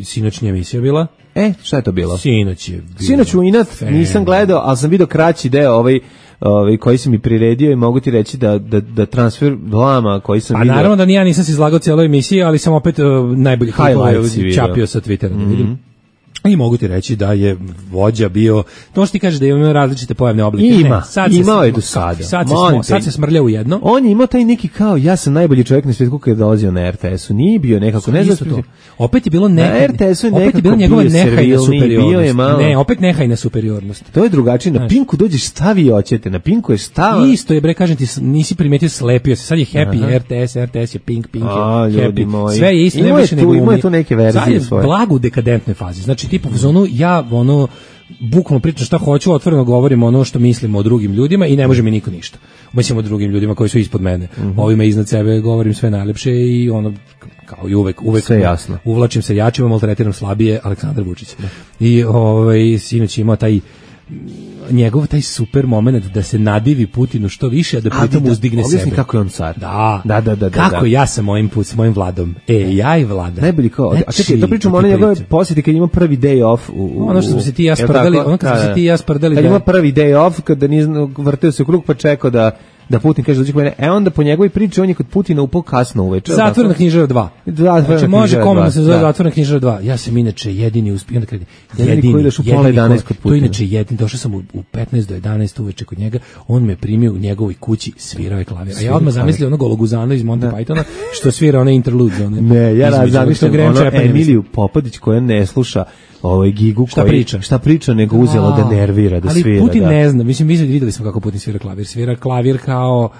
sinoćnja emisija bila. E, šta je to bilo? Sinoć je bilo. Sinoć u inat nisam gledao, ali sam vidio kraći deo ovaj, ovaj koji sam mi priredio i mogu ti reći da, da, da transfer Lama koji sam A vidio... A naravno da ni ja nisam se izlagao cijeloj emisiji, ali sam opet uh, najbolji čapio sa Twittera. Mm -hmm. Vidim. I mogu ti reći da je vođa bio, to što ti kažeš da ima različite pojavne oblike. Ima, ne, sad imao se, je do sada. Sad se, smo, sad se smrlja u jedno. On je imao taj neki kao, ja sam najbolji čovjek na svijetu kada je dolazio na R T S-u. Nije bio nekako, ne znam to. Opet je bilo nehaj, na R T S-u je opet je bilo njegova nehajna superiornost. Malo... Ne, opet nehajna superiornost. To je drugačije. Na Pinku dođeš stavi oćete, na Pinku je stava. Isto je, bre, kažem ti, nisi primetio, slepio se. Sad je happy, aha. R T S, R T S je Pink, Pink je A, happy. Moji. Sve je isto, nema više nego Ima je tu neke verzije svoje. Sad je blago u dekadentnoj fazi. Znači, tipu, u zonu, ja, ono, bukvalno pričam šta hoću, otvoreno govorim ono što mislimo o drugim ljudima i ne može mi niko ništa. Mislim o drugim ljudima koji su ispod mene. Mm -hmm. Ovima iznad sebe govorim sve najlepše i ono, kao i uvek, uvek sve jasno. Uvlačim se jačima, maltretiram slabije, Aleksandar Vučić. Da. I ovaj, sinoć ima taj njegov taj super moment da se nadivi Putinu što više, a da pritom da, uzdigne sebe. Objasni kako je on car. Da, da, da, da. Kako da. ja sam mojim put, s mojim Vladom. E, ja i Vlada. Najbolji kao, znači, a čekaj, to pričamo ono njegove posjeti kad ima prvi day off. U, u, ono što smo se ti ja sprdali, ono kad smo se ti ja sprdali. Kad ima prvi day off, kada nije vrteo se u krug pa čekao da da Putin kaže dođe kod mene, e onda po njegovoj priči on je kod Putina upao kasno uveče. Zatvorena knjižara dva. Znači može komotno se zove Zatvorena knjižara dva. Ja sam inače jedini uspio, onda kredi. Jedini koji ideš u pola jedanaest kod Putina. To inače jedini, došao sam u, u petnaest do jedanaest uveče kod njega, on me primio u njegovoj kući, svirao je klavir. A ja odmah zamislio onog Gologuzana iz Monty Pythona što svira one interlude one. Ne, ja zamišljam ono Emiliju Popadić koja ne sluša ovaj gigu šta koji priča? šta priča nego uzelo da nervira da ali svira. Ali Putin da. ne zna, mislim videli smo kako Putin svira klavir, svira klavir kao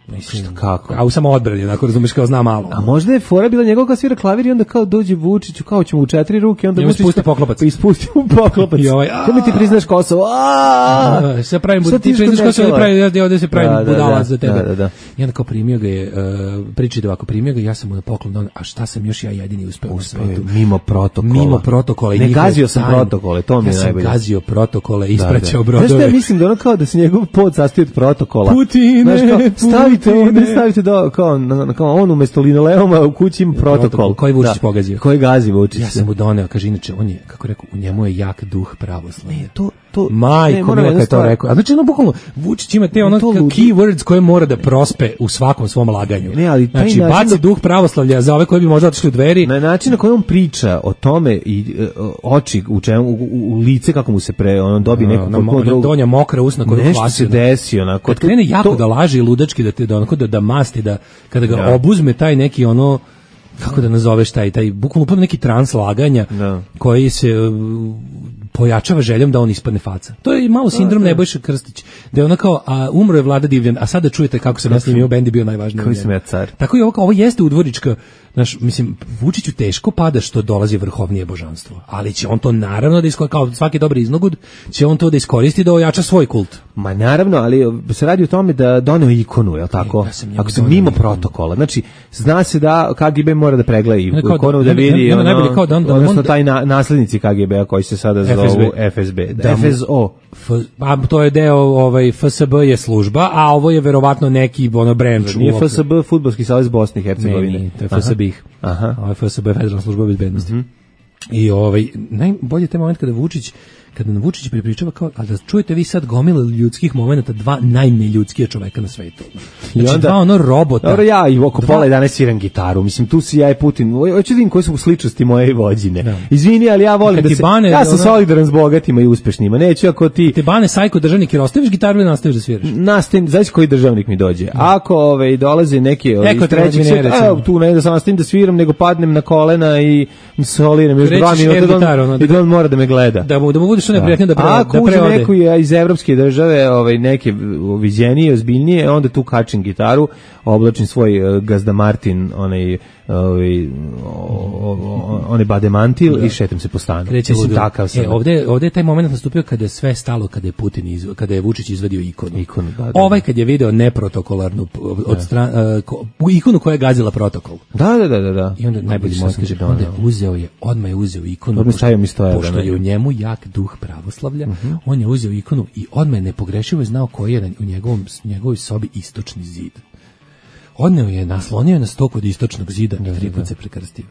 mislim šta, kako? A u samo odbrani, onako razumeš kao zna malo. A možda je fora bila njegov kao svira klavir i onda kao dođe Vučiću, kao ćemo u četiri ruke, onda Vučić ispusti poklopac. Pa ispusti mu poklopac. I ovaj, ko mi ti priznaš Kosovo? A! Se pravim bud, ti priznaš Kosovo, ja pravi ja ovde se pravim da, budalac za tebe. Da, da, da. I onda kao primio ga je, uh, priči da ovako primio ga, ja sam mu na poklon dao, a šta sam još ja jedini uspeo u svetu? Mimo protokola. Mimo protokola. Ne gazio sam protokole, to mi je najbolje. Ja sam gazio protokole, ispraćao brodove. Znaš šta ja mislim da ono kao da se njegov pod sastoji od protokola. Putine, stavite ovde, stavite do, kao, kao on umesto linoleuma u kući ima protokol. protokol koji Vučić pogazio. Koji gazi Vučić. Ja sam mu doneo, kaže, inače, on je, kako rekao, u njemu je jak duh pravoslavlja. Ne, to, to majko mila kad to rekao. A znači ono bukvalno Vučić ima te ono keywords koje mora da prospe u svakom svom laganju. Ne, ali znači baci da... duh pravoslavlja za ove koji bi možda otišli u dveri. Na način na koji on priča o tome i uh, oči u čemu u, u, u lice kako mu se pre on dobi neko na, na, na donja mokra usna koju nešto se desi onako. Kad krene jako to... da laže i ludački da te da onako da, da masti da kada ga ja. obuzme taj neki ono kako da nazoveš taj taj bukvalno neki trans laganja no. koji se uh, pojačava željom da on ispadne faca. To je malo sindrom Nebojša Krstić. Da je ona kao, a umro je Vlada Divljan, a sada čujete kako sam ja snimio bend i bio najvažniji. Koji sam ja car. Tako i ovo, ovo jeste udvorička, znaš, mislim, Vučiću teško pada što dolazi vrhovnije božanstvo, ali će on to naravno da iskoristi, kao svaki dobri iznogud, će on to da iskoristi da ojača svoj kult. Ma naravno, ali se radi o tome da doneo ikonu, je li tako? E, ja ako se mimo protokola, znači, zna se da K G B mora da pregleda ikonu da vidi, ono, kao da on, da odnosno taj na, naslednici K G B-a koji se sada zovu F S B. Da, F S O. F, a to je deo, ovaj, F S B je služba, a ovo je verovatno neki ono branch. Nije F S B Fudbalski savez Bosne i Hercegovine. Ne, to je F S B. Aha. Ovo je F S B, Federalna služba bezbednosti. Mm-hmm. I ovaj, najbolje te moment kada Vučić kada nam Vučić pripričava kao, a da čujete vi sad gomile ljudskih momenata, dva najneljudskija čoveka na svetu. Znači, I onda, dva ono robota. Dobro, ja i oko dva... pola jedanaest sviram gitaru, mislim, tu si ja i Putin, hoću da vidim koje su sličnosti moje vođine. Da. Izvini, ali ja volim da se, bane, ja sam ona... solidaran s bogatima i uspešnima, neću ako ti... Te bane sajko državnik, jer ostaviš gitaru ili nastaviš da sviraš? Nastavim, znaš koji državnik mi dođe. Da. Ako ove, dolaze neke ove, iz trećeg svijeta, tu ne da sam nastavim da sviram, nego padnem na kolena i soliram još dva minuta i da on mora da me gleda. Da mu, da mu budeš što neprijatnije da pre ako uđe neku iz evropske države, ovaj, neke viđenije, ozbiljnije, onda tu kačim gitaru, oblačim svoj uh, Gazda Martin, onaj ovaj onaj bademantil da. I šetam se po stanu. Mislim takav sam. E, ovde, ovde je taj moment nastupio kada je sve stalo, kada je Putin iz, kada je Vučić izvadio ikonu. ikonu da, da, ovaj kad je video neprotokolarnu od da. strane uh, ikonu koja je gazila protokol. Da, da, da, da. I onda najbolji moment kaže, onda je uzeo je, odmah je uzeo ikonu. Pošto, pošto, pošto je u njemu jak duh pravoslavlja, uh-huh. on je uzeo ikonu i odmah je nepogrešivo znao koji je u njegovom njegovoj sobi istočni zid. Odneo je, naslonio je na sto kod istočnog zida i tri put se prekrstio.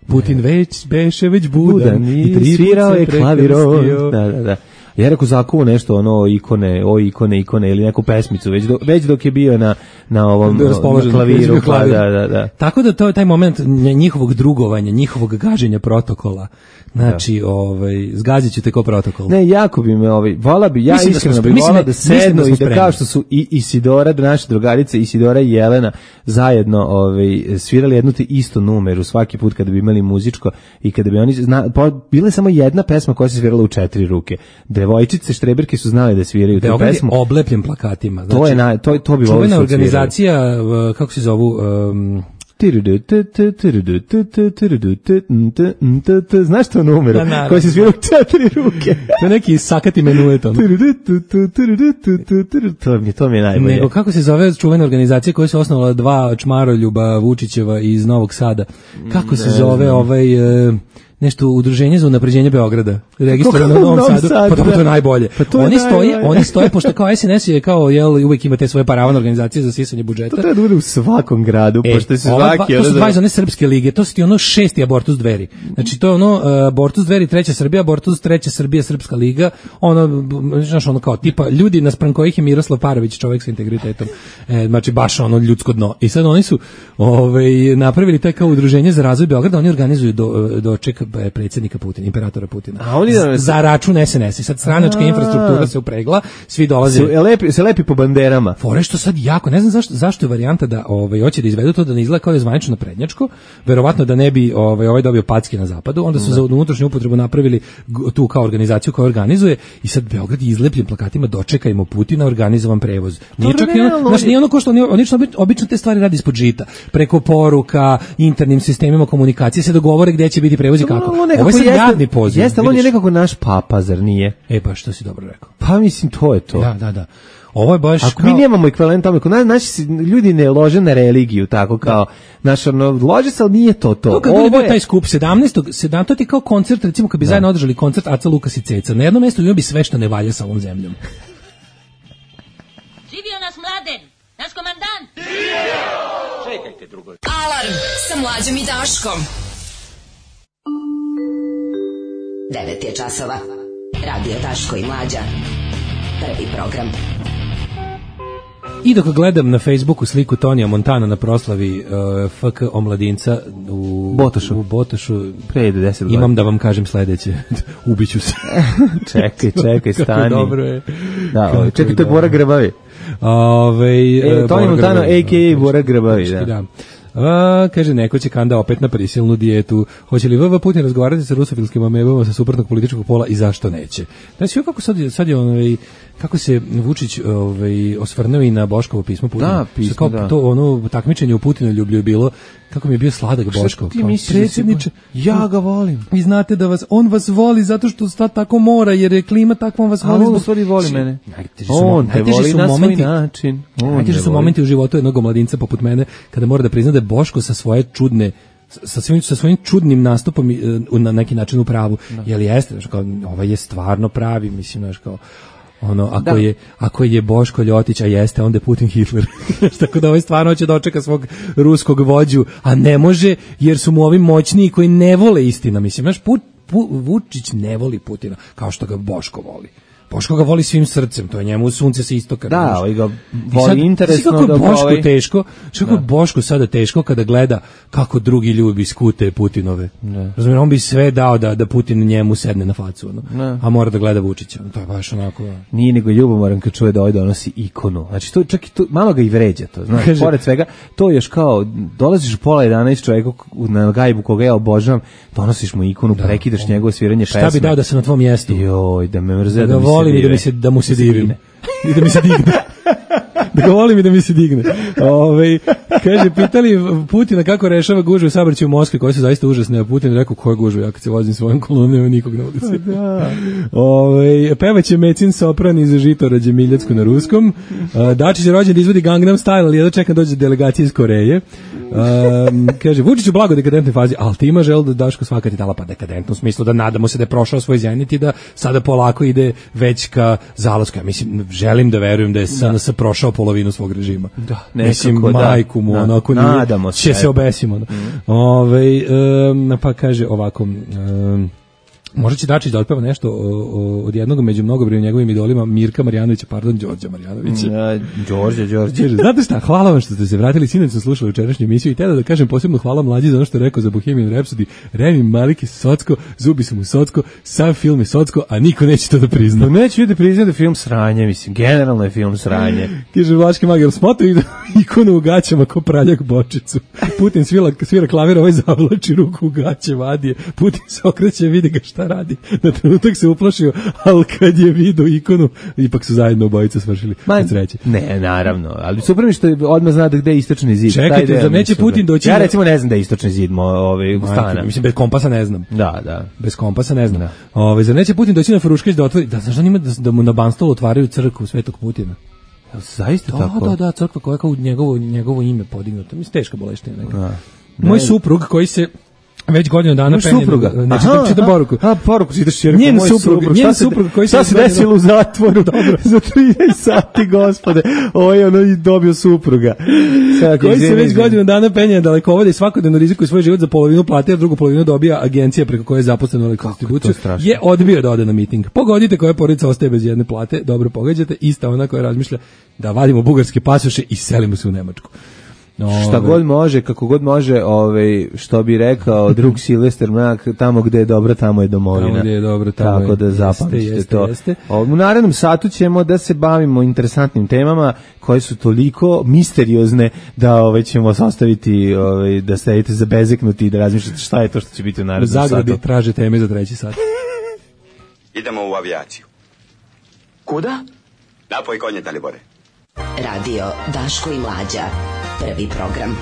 Putin već beše već budan, budan i tri svirao je klavirom. Da, da, da. Ja rekao zakuo nešto ono ikone, o ikone, ikone ili neku pesmicu već do, već dok je bio na na ovom na klaviru, pa, da, da, da. Tako da to je taj moment njihovog drugovanja, njihovog gaženja protokola. Znači, da. ovaj zgaziću te ko protokol. Ne, jako bi me ovaj vola bi ja mislim iskreno da bih volao da sednu da i da kao što su i Isidora, naše drugarice Isidora i Jelena zajedno ovaj svirali jednu te istu numeru svaki put kada bi imali muzičko i kada bi oni zna, po, bila je samo jedna pesma koja se svirala u četiri ruke. Devojčice štreberke su znale da sviraju tu pesmu. Oblepljen plakatima. Znači, to je na, to to bi voleo. Čuvena organizacija, kako se zovu, um, znaš to numeru koji se svira u četiri ruke? To je neki sakati menuet. To mi, to mi je najbolje. Nego kako se zove čuvena organizacija koja se osnovala dva čmaroljuba Vučićeva iz Novog Sada? Kako se zove ovaj... nešto udruženje za unapređenje Beograda, registrovano u Novom Sadu, Sadu, pa to je najbolje. Pa to oni je stoje, najbolje. Oni stoje pošto kao S N S je kao jel uvek ima te svoje paravane organizacije za sisanje budžeta. To treba da bude u svakom gradu, e, pošto se svaki dva, to su dva iz one srpske lige, to su ti ono šesti abortus dveri. Znači to je ono uh, abortus dveri treća Srbija, abortus treća Srbija srpska liga, ono znaš ono kao tipa ljudi naspram kojih je Miroslav Parović čovjek sa integritetom. E, znači baš ono ljudsko dno. I sad oni su ovaj napravili taj kao udruženje za razvoj Beograda, oni organizuju do doček predsjednika Putina, imperatora Putina. A oni da za račun S N S. Sad stranačka a, infrastruktura se upregla, svi dolaze. Se lepi, se lepi po banderama. Fore što sad jako, ne znam zašto zašto je varijanta da ovaj hoće da izvedu to da ne izgleda kao da je zvanično prednjačko, verovatno da ne bi ovaj ovaj dobio packe na zapadu, onda su da. za unutrašnju upotrebu napravili tu kao organizaciju koja organizuje i sad Beograd je izlepljen plakatima dočekajmo Putina, organizovan prevoz. Nije čak ono, znači nije ono ko što oni obično obično te stvari radi ispod žita, preko poruka, internim sistemima komunikacije se dogovore gde će biti prevoz i kako. Ovo je sad javni poziv. Jeste, ali on je nekako naš papa, zar nije? E pa što si dobro rekao. Pa mislim, to je to. Da, da, da. Ovo je baš ako kao... mi nemamo ekvivalent tome, na, naši ljudi ne lože na religiju, tako kao, naš, ono, lože se, ali nije to to. Kako je bio taj skup, sedamnaestog sedam to ti kao koncert, recimo kad bi da. zajedno održali koncert Aca Lukas i Ceca, na jednom mjestu ima bi sve što ne valja sa ovom zemljom. Živio nas Mladen, naš komandant! Čekajte drugo. Alarm sa Mlađom i Daškom. devet je časova. Radio Daško i Mlađa. Prvi program. I dok gledam na Facebooku sliku Tonija Montana na proslavi uh, F K omladinca u Botošu, u Botošu pre deset godina. Imam da vam kažem sledeće. Ubiću se. čekaj, čekaj, stani. Dobro je. Da, čekaj, to je Bora Grbavi. Ove, e, Tonija Montana, a k a. Bora Grbavi, da. da. A, kaže, neko će kanda opet na prisilnu dijetu. Hoće li V V Putin razgovarati sa rusofilskim amebama sa suprotnog političkog pola i zašto neće? Znači, kako sad, sad je onaj, kako se Vučić ovaj, osvrnuo i na Boškovo pismo Putina. Da, pismo, kao da. To ono takmičenje u Putinoljublju je bilo, kako mi je bio sladak Boško. Ti misliš, predsjedniče, ja ga volim. Vi znate da vas, on vas voli zato što sad tako mora, jer je klima takvom vas voli. A on u stvari voli mene. Najteži su, on te voli na momenti, svoj način. Najteži su momenti u životu jednog mladinca poput mene, kada mora da prizna da je Boško sa svoje čudne sa svojim, sa svojim čudnim nastupom uh, na neki način u pravu. Da. Jel jeste, znači kao ovaj je stvarno pravi, mislim, znači kao ono, ako da. je ako je Boško Ljotić, a jeste, onda je Putin Hitler. Tako da ovaj stvarno hoće da očeka svog ruskog vođu, a ne može jer su mu ovi moćniji koji ne vole istina, mislim, znaš, Put, Put, Vučić ne voli Putina kao što ga Boško voli. Boško ga voli svim srcem, to je njemu sunce sa istoka. Da, ovaj ga voli interesno kako da Boško ovaj... teško, što kako Boško sada teško kada gleda kako drugi ljudi skute Putinove. Razumiješ, on bi sve dao da da Putin njemu sedne na facu, no? A mora da gleda Vučića. To je baš onako. Nije nego ljubomoran kad čuje da ovaj donosi ikonu. Znači to čak i to malo ga i vređa to, znači Kaže, pored svega, to je još kao dolaziš u pola jedanaest čovjeku na gajbu koga ja obožavam, donosiš mu ikonu, da, prekidaš on, njegovo sviranje pesme. Šta bi dao da se na tvom mjestu? Joj, da me mrze, da, da volim i da mi se da mu se divim. I da mi se digne. Da ga volim i da mi se digne. Ove, kaže, pitali Putina kako rešava gužve u saobraćaju u Moskvi, koje su zaista užasne, a Putin rekao, koje gužve, ja kad se vozim svojom kolonom, nema nikog na ulici. Da. Ove, pevaće Mecin sopran iz Žitorađe Miljacku na ruskom. Dačić je rođen da izvodi Gangnam Style, ali jedno čeka dođe delegacija iz Koreje. Um, kaže, Vučić u blago dekadentnoj fazi, ali ti ima žel da Daško svakati dala pa dekadentno u smislu da nadamo se da je prošao svoj zenit i da sada polako ide već ka zalasku. Ja mislim, želim da verujem da je S N S prošao polovinu svog režima. Da, mislim, nekako, majku mu, da, onako nadamo se, će se obesimo. Da. Mm. Ove, um, pa kaže ovako, um, možda će Dačić da otpeva nešto o, o, od jednog među mnogobrojnim njegovim idolima Mirka Marjanovića, pardon, Đorđa Marjanovića. Ja, Đorđe, Đorđe. Znate šta, hvala vam što ste se vratili, sinoć sam slušao jučerašnju emisiju i tada da kažem posebno hvala Mlađi za ono što je rekao za Bohemian Rhapsody. Remi Malek je socko, zubi su mu socko, sam film je socko, a niko neće to da prizna. No, neće ljudi priznati da je film sranje, mislim, generalno je film sranje. Kaže Vlaški mag, jel smotri ikonu u gaćama ko praljak bočicu. Putin svira, svira klavir, ovaj zavlači ruku u gaće, vadi je. Putin se okreće, vidi ga šta radi. Na trenutak se uplašio, ali kad je vidio ikonu, ipak su zajedno obojice svršili. Ma, ne, naravno, ali super mi što odmah zna da gde je istočni zid. Čekajte, za neće Putin doći... Ja recimo ne znam da je istočni zid ovaj, stana. Mislim, bez kompasa ne znam. Da, da. Bez kompasa ne znam. Da. Ove, za neće Putin doći na Fruškać da otvori, da znaš da njima da, da mu na Banstolu otvaraju crkvu Svetog Putina. Zaista da, tako? Da, da, crkva koja je kao njegovo, njegovo ime podignuto. Mislim, teška boleština. Moj suprug koji se već godinu dana penje. Supruga. Ne, čitam, čitam poruku. A, poruku čitaš jer njen suprug, njen suprug koji se se desilo u zatvoru dobro za trinaest sati, gospode. Ovaj ono i dobio supruga. Sada koji se već godinu dana penje dalekovode i svakodnevno rizikuje svoj život za polovinu plate, a drugu polovinu dobija agencija preko koje je zaposlen u elektrodistribuciju. Je odbio da ode na miting. Pogodite koja porodica ostaje bez jedne plate, dobro pogađate, ista ona koja razmišlja da vadimo bugarske pasoše i selimo se u Nemačku. No, šta god može, kako god može, ovaj, što bi rekao drug Silvester Mrak, tamo gde je dobro, tamo je domovina. Tamo gde je dobro, tamo tako je. Da zapamtite jeste, to. Jeste. U narednom satu ćemo da se bavimo interesantnim temama koje su toliko misteriozne da ovaj, ćemo sastaviti, ovaj, da sedite zabezeknuti i da razmišljate šta je to što će biti u narednom satu. Zagradi traže teme za treći sat. Idemo u avijaciju. Kuda? Napoj konje, Dalibore. Radio Daško i Mlađa. Prvi program.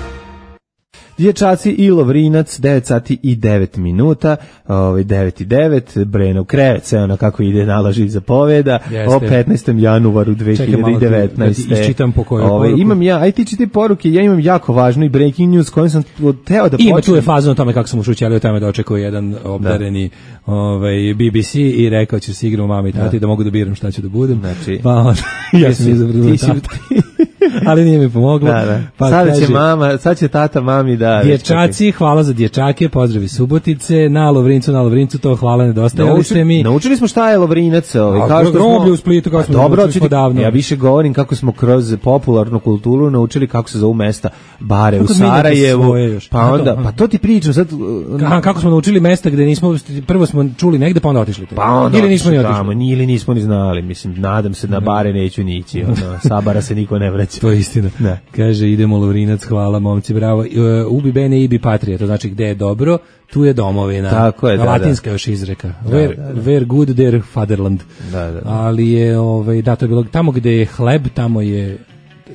Dječaci i Lovrinac, devet sati i devet minuta, ovaj devet i devet, Brenov krevet, sve ono kako ide naloži zapoveda, o petnaestom januaru dve hiljade devetnaeste. Da isčitam po kojoj ovaj, poruku. Imam ja, aj ti čiti poruke, ja imam jako važnu i breaking news kojom sam teo da počnem. Ima tu je faza o tome kako sam ušućelio tamo da očekuje jedan obdareni ovaj, B B C i rekao će se igramo mami i tati da. da mogu da biram šta ću da budem. Znači, pa ja sam izabrao ti si, ali nije mi pomoglo. Da, da. Pa sad kaže, će mama, sad će tata mami da... Dječaci, hvala za dječake, pozdravi Subotice, na Lovrincu, na Lovrincu, to hvala, nedostajali Nauči, ste mi. Naučili smo šta je Lovrinac, ovaj, kao što groblje u Splitu, kao smo dobro, naučili davno. Ja više govorim kako smo kroz popularnu kulturu naučili kako se zovu mesta, bare kako u Sarajevu, pa onda, pa to ti pričam sad... Aha, kako smo naučili mesta gde nismo, prvo smo čuli negde, pa onda otišli. Pa onda ili nismo ni otišli. Tamo, ili nismo ni znali, mislim, nadam se na bare neću ni ići, ono, sa bara se niko ne vraća. To je istina. Ne. Kaže, idemo Lovrinac, hvala momci, bravo. Uh, ubi bene ibi patrija, to znači gde je dobro, tu je domovina. Tako je, da, latinska da. još izreka. Da, where, da, da. where good, there fatherland. Da, da, da. Ali je, ovaj, da, to je bilo, tamo gde je hleb, tamo je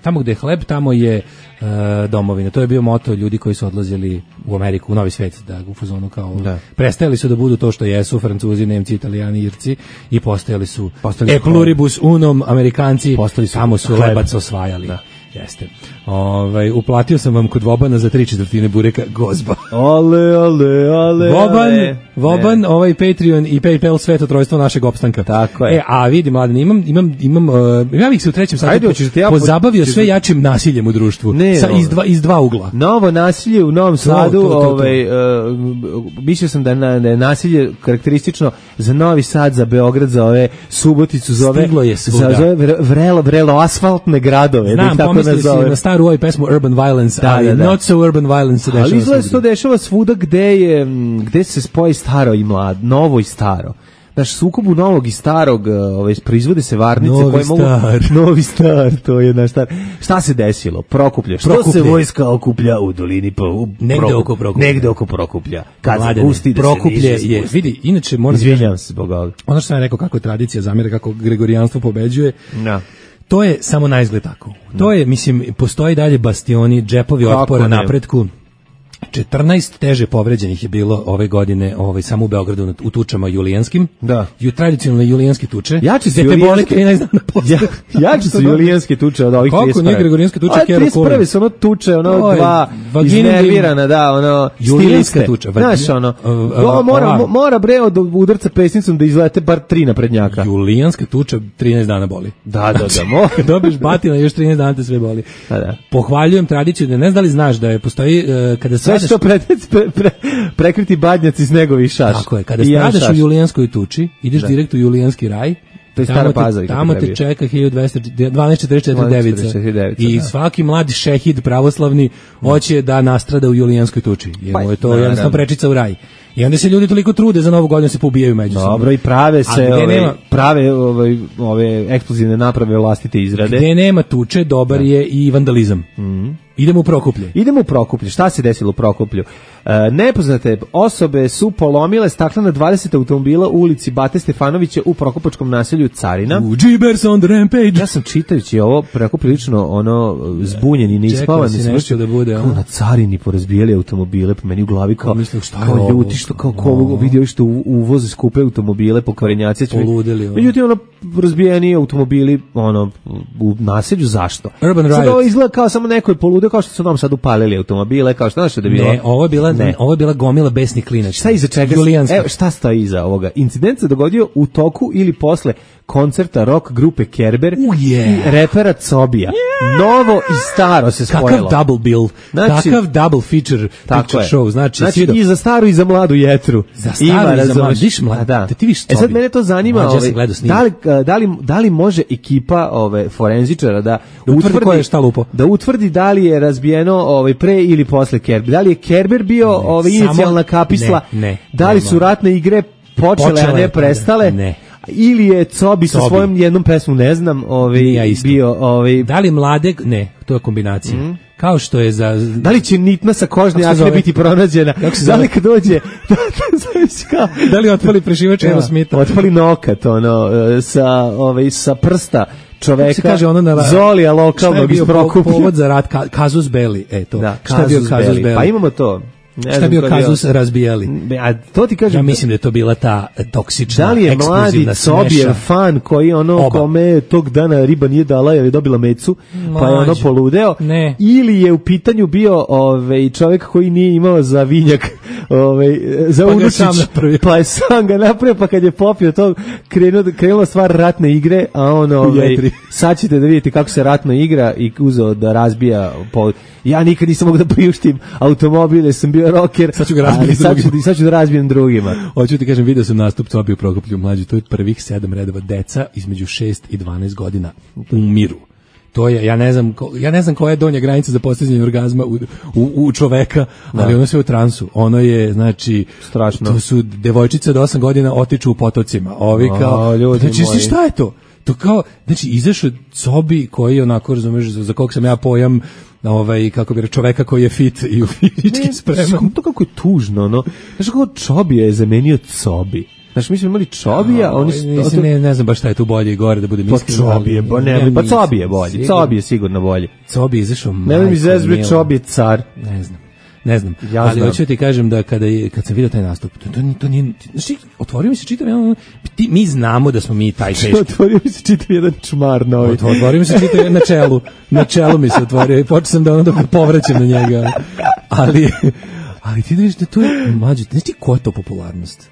tamo gde je hleb, tamo je uh, domovina. To je bio moto ljudi koji su odlazili u Ameriku, u Novi svet, da u fazonu kao da. Prestajali su da budu to što jesu Francuzi, Nemci, Italijani, Irci i postajali su postali e pluribus unum Amerikanci, postali su, tamo su hleb. Lebac osvajali. Da. Jeste. Ovaj uplatio sam vam kod Vobana za tri četvrtine bureka gozba. Ale, ale, ale. Voban, ale. Voban, ne. Ovaj Patreon i PayPal sve to trojstvo našeg opstanka. Tako je. E, a vidi mladen, imam imam imam uh, ja bih se u trećem satu po, ja pozabavio sve jačim nasiljem u društvu. Ne, sa iz dva iz dva ugla. Novo nasilje u Novom Sadu, to, to, to, to. ovaj uh, mislio sam da, na, da je nasilje karakteristično za Novi Sad, za Beograd, za ove Suboticu, za ove je za, za ove vrelo vrelo asfaltne gradove. Znam, da pomislili si na staru ovaj pesmu Urban Violence, da, ali da, da. Not so Urban Violence se dešava. Ali izgleda se to dešava svuda gde, je, gde se spoji staro i mlad, novo i staro. Znaš, sukobu novog i starog, ovaj, proizvode se varnice novi koje mogu... Star. Novi star, to je naš star. Šta se desilo? Prokuplje. Što Prokuplje. Se vojska okuplja u dolini? Po, u negde Prokuplja. oko Prokuplja. Negde oko Prokuplja. Kad Mladene, se pusti da Prokuplje se niže je, vidi, inače moram... Izvinjam se zbog ovoga. Ono što sam rekao kako je tradicija zamjera, kako gregorijanstvo pobeđuje. Da. To je samo na izgled tako. To je, mislim, postoji dalje bastioni, džepovi otpora napretku. četrnaest teže povređenih je bilo ove godine, ovaj samo u Beogradu u tučama julijanskim. Da. Ju tradicionalne julijanske tuče. Jači su julijanske trinaest dana posle. Ja, jači su julijanske tuče od ovih trideset. Kako ne gregorijanske tuče Kero trideset prve su ono tuče, ono Oj, dva iznervirana, da, ono julijanska tuča. Znaš, ono, uh, mora, mora bre od udarca pesnicom da izlete bar tri naprednjaka. Julijanska tuča trinaest dana boli. Da, da, da. Mo. Dobiš batina, još trinaest dana te sve boli. Da, da. Pohvaljujem tradiciju, da ne znam da li znaš da je postoji uh, kada sve što pre, pre, pre, prekriti badnjaci snegovi šaš. Tako je, kada stradaš u julijanskoj tuči, ideš da. direkt u julijanski raj. To je Stara Pazova. Tamo te čeka hiljadu dvanaest četrdeset četiri devica. I svaki mladi šehid pravoslavni hoće da nastrada u julijanskoj tuči. Jer mu je to jednostavno prečica u raj. I onda se ljudi toliko trude za Novu godinu se poubijaju međusobno. Dobro, i prave se ove, nema, prave ove, ove eksplozivne naprave vlastite izrade. Gde nema tuče, dobar da. je i vandalizam. Mm. Idemo u Prokuplje. Idemo u Prokuplje. Šta se desilo u Prokuplju? E, nepoznate osobe su polomile staklena dvadeset automobila u ulici Bate Stefanovića u prokupačkom naselju Carina. U Jeepers on the Rampage. Ja sam čitajući ovo prekoprilično ono zbunjen i neispavan. Čekao si nešto da bude. Kao na Carini porazbijali automobile, po meni u glavi kao, mislim, šta kao ljuti što kao ko vidio što uvoze skupe automobile po kvarenjaci. Poludeli. Međutim, ono razbijeni automobili ono u naselju, zašto? Urban Riot. Sad ovo izgleda kao samo neko je poludio, kao što su nam sad upalili automobile, kao što znaš da je bilo. Ne, ovo je bila, ne. ovo je bila gomila besnih klinaca. Šta iza čega? Evo, šta stoji iza ovoga? Incident se dogodio u toku ili posle koncerta rock grupe Kerber uh, yeah. i repera Cobija. Yeah. Novo i staro se spojilo. Kakav double bill, znači, kakav double feature, picture show. Znači, znači i za staru i za mladu jetru. Za staru Ima, i za mladu. Viš mladu, da. da ti viš Cobi. E sad mene to zanima, ove, da, li, da, li, da li može ekipa ove, forenzičara da, da utvrdi, ko je šta lupo. Da utvrdi da li je razbijeno ove, pre ili posle Kerber. Da li je Kerber bio ne, ove, inicijalna kapisla? Ne, ne, da li ne, su ratne igre počele, počele a ne prestale? Ne. Ili je Cobi sa svojom jednom pesmom, ne znam, ovaj ja bio ovaj da li mlade, ne, to je kombinacija. Mm. Kao što je za da li će nitma sa kožne jakne biti pronađena? Da li kad dođe da, da li otpali prešivač Aerosmitha? Otpali nokat ono sa ovaj sa prsta čoveka. Se kaže ono na Zolija lokalnog iz Prokuplja. Povod za rat Kazus Belli, e to. Da, šta je bio Kazus Belli? Pa imamo to. Ne šta je bio kazus bio. Razbijali? A to ti kažem. Ja mislim da je to bila ta toksična, da li je mladi Cobijev fan koji ono Oba. Kome tog dana riba nije dala jer je dobila mecu, Mlađe. Pa je ono poludeo? Ne. Ili je u pitanju bio ovaj, čovjek koji nije imao za vinjak, ovaj, za pa unučić, pa je sam ga napravio, pa kad je popio to, krenuo, krenula stvar ratne igre, a ono, ovaj, sad ćete da vidite kako se ratno igra i uzeo da razbija pol. Ja nikad nisam mogu da priuštim automobile, sam bio rocker, sad ću ga razbiti sad ću, sad ću da razbijem drugima. Hoću ti kažem, video sam nastup Cobije u Prokoplju mlađi, to je prvih sedam redova, deca između šest i dvanaest godina umiru. To je, ja ne znam, ja ne znam koja je donja granica za postizanje orgazma u, u, u čoveka, ali da. Ono sve u transu. Ono je, znači, strašno. To su devojčice od osam godina otiču u potocima. Ovi kao, o, ljudi znači, moji. Šta je to? To kao, znači, izašao Cobi koji onako, razumeš, za, za kog sam ja pojam, ovaj, kako bi rekao, čoveka koji je fit i u fizički spreman. To kako je tužno, no. Znaš kako Čobija je zamenio Cobi. Znaš, mi smo imali Čobija, oni su... Mislim, ne, ne znam baš šta je tu bolje i gore, da budem iskren. Pa Čobije, bo, ne, ne, pa Cobi je bolji, Cobi je sigurno bolji. Cobi je izašao majko. Ne mi zezbi, Čobi je car. Ne znam. Ne znam, ja ali znam. hoću ti kažem da kada je, kad sam vidio taj nastup, to, to, to nije, znači, otvorio mi se čitav jedan, ti, mi znamo da smo mi taj teški. Otvorio mi se čitav jedan čmar novi. Otvorio mi se čitav jedan na čelu, na čelu mi se otvorio i počeo sam da ono da povraćam na njega, ali, ali ti da vidiš da to je, mlađe, znaš ti ko je to popularnost?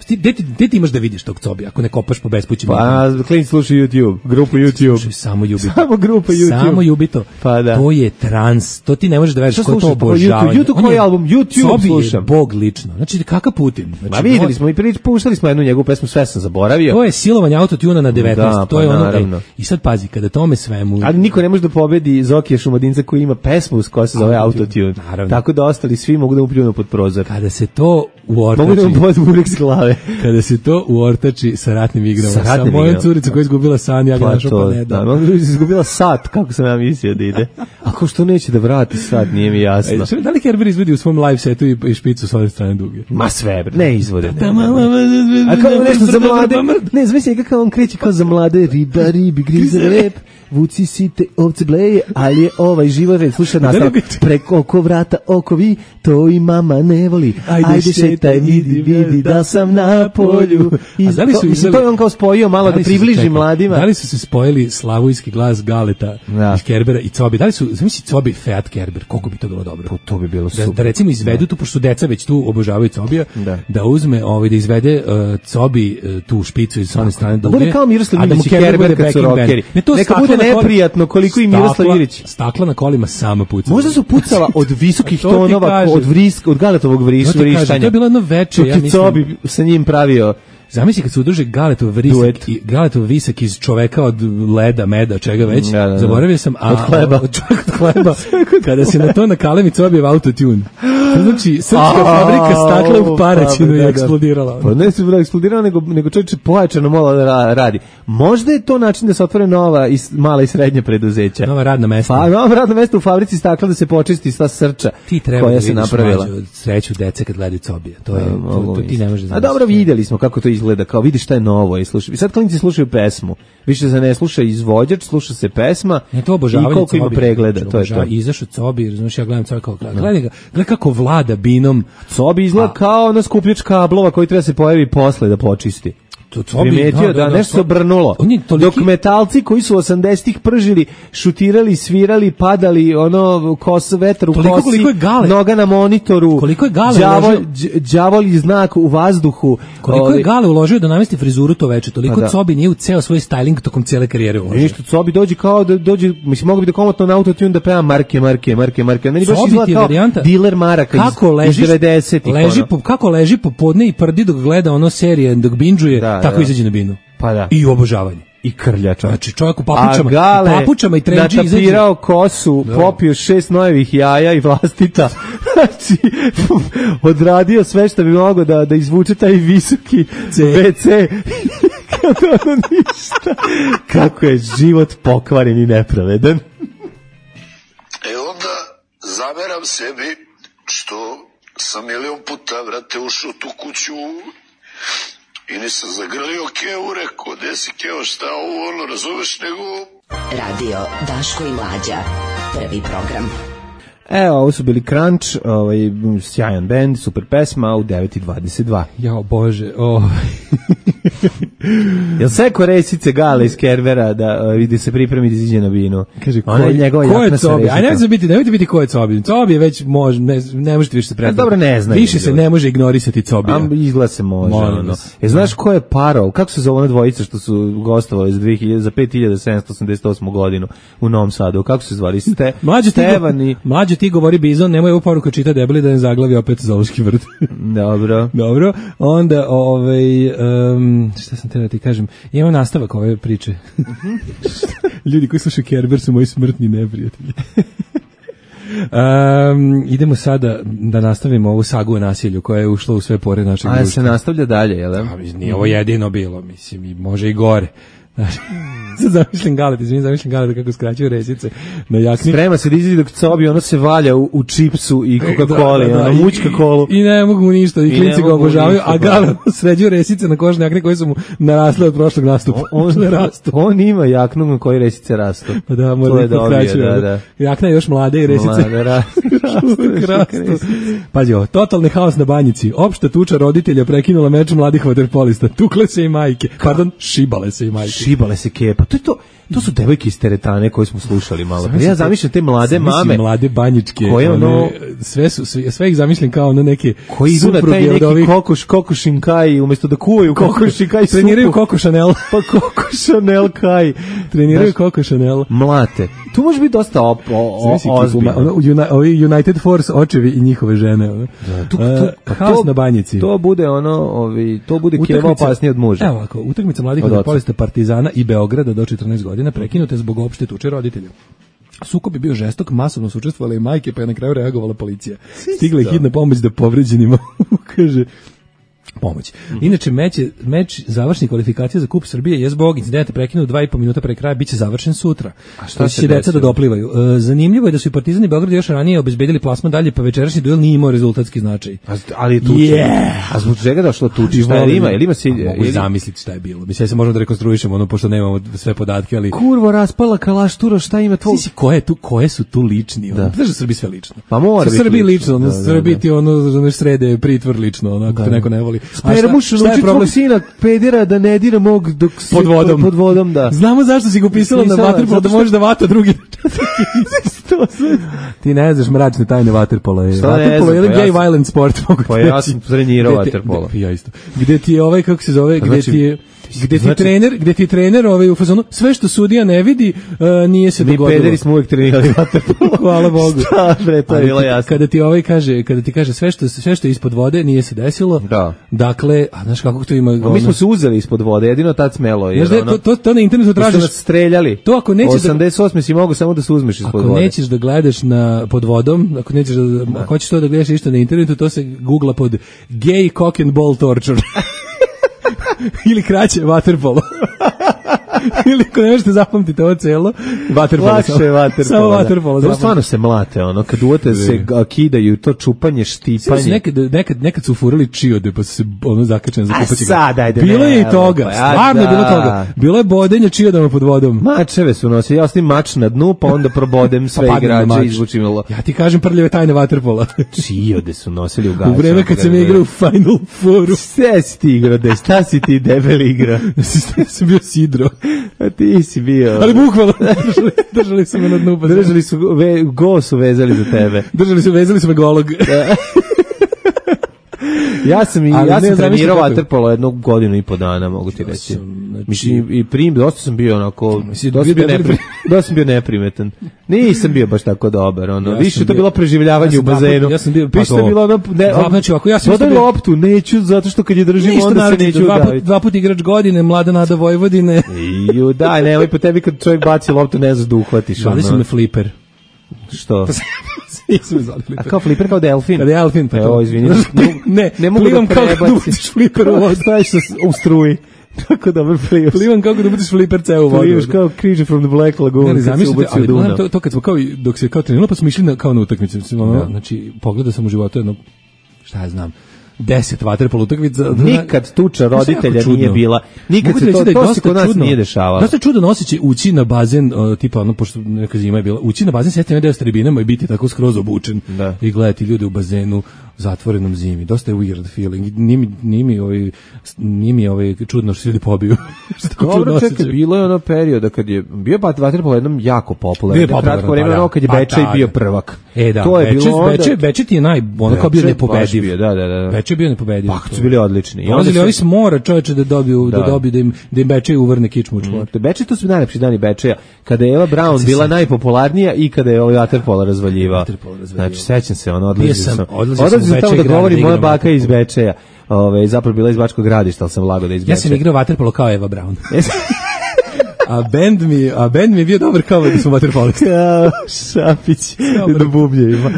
Gde ti, gde ti imaš da vidiš tog Cobija ako ne kopaš po bespućima? Pa, klinici slušaju YouTube, grupu YouTube. Slušaju samo Jubito. Samo grupa YouTube. Samo Jubito. Pa da. To je trans, to ti ne možeš da veriš ko je to YouTube, obožavanje. YouTube koji album? YouTube Cobi slušam. Je bog lično. Znači, kakav Putin? Znači, Ma videli smo i prič, puštali smo jednu njegovu pesmu, sve sam zaboravio. To je silovanje autotuna na devetnaest. Da, to je pa, ono. naravno. E, I sad pazi, kada tome svemu... Ali niko ne može da pobedi Zokija Šumadinca koji ima pesmu koja se zove Autotune. Tako da ostali svi mogu da mu pljunu pod prozor. Kada se to uortači... Mogu da mu podu burik s glave. Kada se to uortači sa ratnim igrama. Sa, sa mojom curicom koja je izgubila san, ja ga našao pa ne da. Da, izgubila sat, kako sam ja mislio da ide. A ko što neće da vrati sat, nije mi jasno. E, da li Kerber izvodi u svom live setu i, i špicu s ove strane duge? Ma sve, ne izvode. Ne. A kao nešto za mlade, ne, zamisli kako on kreće kao za mlade, riba, ribi, griza, rep, vuci site, ovce bleje, ali je ovaj život red, slušaj nastav, preko oko vrata, oko vi, to i mama ne voli, ajde, ajde šetaj, vidi, vidi, da sam na polju. I da li su izveli, to je on kao spojio malo da, da približi čekaj, mladima. Da li su se spojili slavujski glas Galeta, da. Iz Kerbera i Cobi? Da li su, zamisli Cobi Feat Kerber, koliko bi to bilo dobro? Po, to bi bilo super. Da, da recimo izvedu da. Tu, pošto su deca već tu obožavaju Cobija, da, da uzme, ovaj, da izvede uh, Cobi uh, tu špicu iz one strane duge. Bude kao Miroslav Ilić i Kerber kad su rockeri. Neka bude neprijatno koliko i Miroslav Ilić. Stakla na kolima sama pucala. Možda su pucala od visokih tonova, od vrisk, od Galetovog vrištanja. To je bilo jedno veče, ja mislim. Cobi sa njim pravio. Zamisli kad se udruže Galetov vrisak i Galetov visak iz čoveka od leda, meda, čega već. Da, da, da. Zaboravio sam, a od hleba, od čoveka od hleba. Kada se na to nakalemi Cobijev autotune. Znači, srpska fabrika stakla u Paraćinu je eksplodirala. Pa ne se eksplodirala, nego nego čovječe pojačano malo da radi. Možda je to način da se otvore nova i mala i srednja preduzeća. Nova radna mesta. Pa nova radna mesta u fabrici stakla da se počisti sva srča koja se napravila. Sreću dece kad gledaju Cobija. To je to, to ti ne možeš. A dobro, videli smo kako to izgleda, kao vidi šta je novo i slušaj. I sad klinci slušaju pesmu. Više se ne sluša izvođač, sluša se pesma. Ne, to obožavanje i koliko ima pregleda, to, to je to. Izašao Cobi, razumiješ, ja gledam Cobi kao gledaj ga, gledaj kako vlada binom. Cobi izgleda kao na skupljač kablova koji treba se pojavi posle da počisti. To Cobi, primetio da, da, da nešto se obrnulo. Toliki... Dok metalci koji su osamdesetih pržili, šutirali, svirali, padali, ono, kos, vetar u toliko, kosi, noga na monitoru, koliko je Gale đavol, đavolji znak u vazduhu. Koliko ovaj... je Gale uložio da namesti frizuru to veče, toliko da. Cobi nije u ceo svoj styling tokom cijele karijere uložio. Ništa, Cobi dođe kao da dođe, mislim, mogu bi da komotno na autotune da peva marke, marke, marke, marke. Meni baš izgleda kao varijanta, diler maraka kako iz, leži, iz devedesetih. Leži po, kako leži popodne i prdi dok gleda ono serije, dok binđuje, da, tako da. Izađe na binu. Pa da. I obožavanje. I krljača. Znači čovjek u papučama, Gale, papučama i trenđi izađe. Natapirao kosu, da. Popio šest nojevih jaja i vlastita. Znači, odradio sve što bi mogao da, da izvuče taj visoki ve ce. Kako ono ništa. Kako je život pokvaren i nepravedan. E onda zameram sebi što sam milion puta, vrate, ušao tu kuću i nisam zagrlio Kevu, rekao, gde si Kevo, šta ovo, ono, razumeš, nego... Radio Daško i Mlađa, prvi program. Evo, ovo su bili Crunch, ovaj, sjajan band, super pesma, u devet i dvadeset dva. Jao, Bože, o... Jel seko resice Gale iz Kervera da uh, vidi se pripremi da iziđe na binu? Kaže, ko, Ona je njegova ko je jakna sa Cobi? resicom. A nemojte biti, nemojte biti ko je Cobi. Cobi je već može, ne, ne možete više se predstaviti. Dobro, ne znam. Više se ne može ignorisati Cobija. Am izgleda se može. Molim Ono. vas. E, znaš ko je Parol? Kako se zove ona dvojica što su gostovali za, dve hiljade, za pet hiljada sedamsto osamdeset osmu godinu u Novom Sadu? Kako se zvali? Ste, mlađe, ti Stevan i... go, mlađe ti govori Bizon, nemoj ovu poruku čita debeli da ne zaglavi opet zoološki vrt. Dobro. Dobro. Onda, ovaj, um, šta sam te da ti kažem, imam nastavak ove priče. Ljudi koji slušaju Kerber su moji smrtni neprijatelji. Um, idemo sada da nastavimo ovu sagu o nasilju koja je ušla u sve pore našeg društva. A se nastavlja dalje, jel? A, nije ovo jedino bilo, mislim, i može i gore. Znači, sad zamišljam Galeta, izvinim, zamišljam Galeta kako skraćuju resice na jakni. Sprema se da izvidi dok Cobi, ono se valja u, u čipsu i Coca-Coli, da, da, da, ono mučka kolu. I, I ne mogu mu ništa, i, I klinci ga obožavaju, a Galet sređuju resice na kožne jakne koje su mu narasle od prošlog nastupa. On, on, on ima jaknu na koje resice rastu. Pa da, mora da kraćuje. Da, da. Jakna je još mlade i resice. Mlade, rastu. rastu. Pazi ovo, totalni haos na Banjici. Opšta tuča roditelja prekinula meč mladih vaterpolista. Tukle se i majke. Pardon, šibale se i majke. Šibale se kepa. To je to. To su devojke iz teretane koje smo slušali malo. Ja zamišljam te mlade mame, mlade banjičke, koje ono sve su sve, sve ih zamišljam kao ono neke koji idu na taj neki ovih... kokoš kokošin kaj umjesto da kuvaju kokošin kaj treniraju Coco Chanel, pa Coco Chanel kaj treniraju Coco Chanel, mlate. Tu može biti dosta op, o, o, ozbiljno. Ono, ovi United Force očevi i njihove žene. Ono. Da, tu, tu, haos na Banjici. To bude ono, ovi, to bude keva opasnije od muža. Evo ovako, utakmica mladih vaterpolista Partizana i Beograda do četrnaest godina prekinute zbog opšte tuče roditelja. Sukob je bio žestok, masovno su učestvovale i majke, pa je na kraju reagovala policija. Stigla je hitna pomoć da povređenima kaže pomoć. Inače, meč, meč završnih kvalifikacija za Kup Srbije je zbog incidenta prekinut dva i po minuta pre kraja, bit će završen sutra. A šta će deca da doplivaju? E, zanimljivo je da su i Partizan i Beograd još ranije obezbedili plasman dalje, pa večerašnji duel nije imao rezultatski značaj. A, ali je tuče. Yeah. A zbog čega došlo tuče? Šta je ima? Ili ima si... Mogu ili... zamisliti šta je bilo. Mislim, ja se možemo da rekonstruišemo, ono, pošto nemamo sve podatke, ali... Kurvo, raspala kalaštura, šta ima tvoj... Sisi, koje, tu, koje su tu lični? Ono? Znaš da Srbi sve lično. Pa mora biti Srbi lično. Ono, da, Srbi da, ti ono, srede pritvor lično, ono, ako te neko ne voli. Uči tvog sina pedera da ne dira mog dok pod vodom. pod vodom, da. Znamo zašto si ga upisala na vaterpolo, da može da vata drugi. Ti ne znaš mračne tajne vaterpola. Vaterpolo je jedan gay violent sport. Pa ja sam trenirao vaterpolo. Ja isto. Gde ti je ovaj, kako se zove, gde ti je... Gde ti znači, trener, gde ti trener ovaj u fazonu sve što sudija ne vidi uh, nije se dogodilo. Mi pederi smo uvek trenirali vaterpolo. Hvala Bogu. Šta, bre, to je bilo jasno. Kada ti ovaj kaže, kada ti kaže sve što sve što je ispod vode nije se desilo. Da. Dakle, a znaš kako to ima. A mi smo se uzeli ispod vode, jedino tad smelo je. Znaš, ono, to, to to na internetu tražiš. Su nas streljali. To ako nećeš osamdeset osme si mogu samo da se uzmeš ispod ako vode. Ako nećeš da gledaš na pod vodom, ako nećeš da, da. ako hoćeš to da gledaš isto na internetu, to se googla pod gay cock and ball torture. Ili kraće vaterpolo. Ili ako ne možete zapamtiti ovo celo, vaterpolo. Lakše je vaterpolo. Samo vaterpolo. To stvarno se mlate, ono, kad uvete se kidaju, to čupanje, štipanje. Nekad, nekad, nekad su furali čiode, pa su se ono zakačene za kupaći. A sad, ajde. Bilo ne, je i toga, pa, stvarno je bilo toga. Bilo je bodenje čiodama pod vodom. Mačeve su nosili, ja ostavim mač na dnu, pa onda probodem sve pa igrače i izvučim. Ja ti kažem prljave tajne vaterpola. Čiode su nosili u gačama. U vreme kad sam igrao u Final Fouru. Sve si ti igrao, da šta si ti debeli igra? Ja sam bio sidro. A ti si bio. Ali bukvalno, držali, držali su me na dnu. Držali su, ve, go su vezali za tebe. Držali su, vezali su me golog. Ja sam i ja sam trenirao vaterpolo jednu godinu i po dana, mogu ti reći. Znači, mislim i prim dosta sam bio onako, dosta sam bio, nepri, dosta sam bio neprimetan. Nisam bio baš tako dobar, ono. Ja više to bilo preživljavanje ja u bazenu. Ja sam bio pa to. Bilo ono, ne, dva, znači ako ja sam isto bio loptu, neću zato što kad je držim ništa onda se neću dva udaviti. Put, dva put igrač godine, mlada nada Vojvodine. Ju daj, nemoj po tebi kad čovjek baci loptu ne znaš da uhvatiš. Zvali su me fliper. Što? Nisam zvali fliper. A kao fliper kao delfin? Kao delfin, pa to. Izvini. Ne, ne mogu plivam da prebaciš. Kao da ubaciš fliper u vodu. Staviš u struji. Tako dobro plivaš. Plivam kako da ubaciš fliper ceo u vodu. Plivaš kao Creature from the Black Lagoon. Ne, zamislite, ali gledam to, to kad smo kao, dok se kao treniralo, pa smo išli na, kao na utakmicu. Ono, znači, pogledao sam u životu jedno, šta ja znam, deset vaterpolo utakmica. Nikad tuča roditelja nije bila. Nikad se to, to se kod nas nije dešavalo. Dosta čudan osjećaj ući na bazen, uh, tipa ono, pošto neka zima je bila, ući na bazen, sjetiti deo s tribinama i biti tako skroz obučen. Da. I gledati ljude u bazenu zatvorenom zimi. Dosta je weird feeling. Nije mi, nije mi, ovaj, nije mi ovaj čudno što se ljudi pobiju. Dobro, čekaj, bilo je ono perioda kad je bio vaterpolo jednom jako popularan. Bio je kratko vreme, ono kad je pa, Bečej bio prvak. E da, to je Bečej, bilo onda... Bečej, Bečej ti je naj, ono kao bio nepobediv. Bio, da, da, da. Bečej bio nepobediv. Pa, su bili odlični. I onda ovi se mora čoveče da dobiju, da, da dobiju da im, da im Bečej uvrne kičmu u čvor. Mm. Bečej, to su najlepši dani Bečeja. Kada je Eva Braun bila najpopularnija i kada je ovaj vaterpolo razvaljivao. Znači, sećam se, ono, odlazio sam. Odlazio sam tamo da govori moja baka iz Bečeja. Ove, zapravo bila iz Bačkog Gradišta, ali sam lago da iz Bečeja. Ja sam igrao vaterpolo kao Eva Braun. A bend mi, a bend mi je bio dobar kao da smo vaterpolisti. Ja, Šapić na bubnjevima.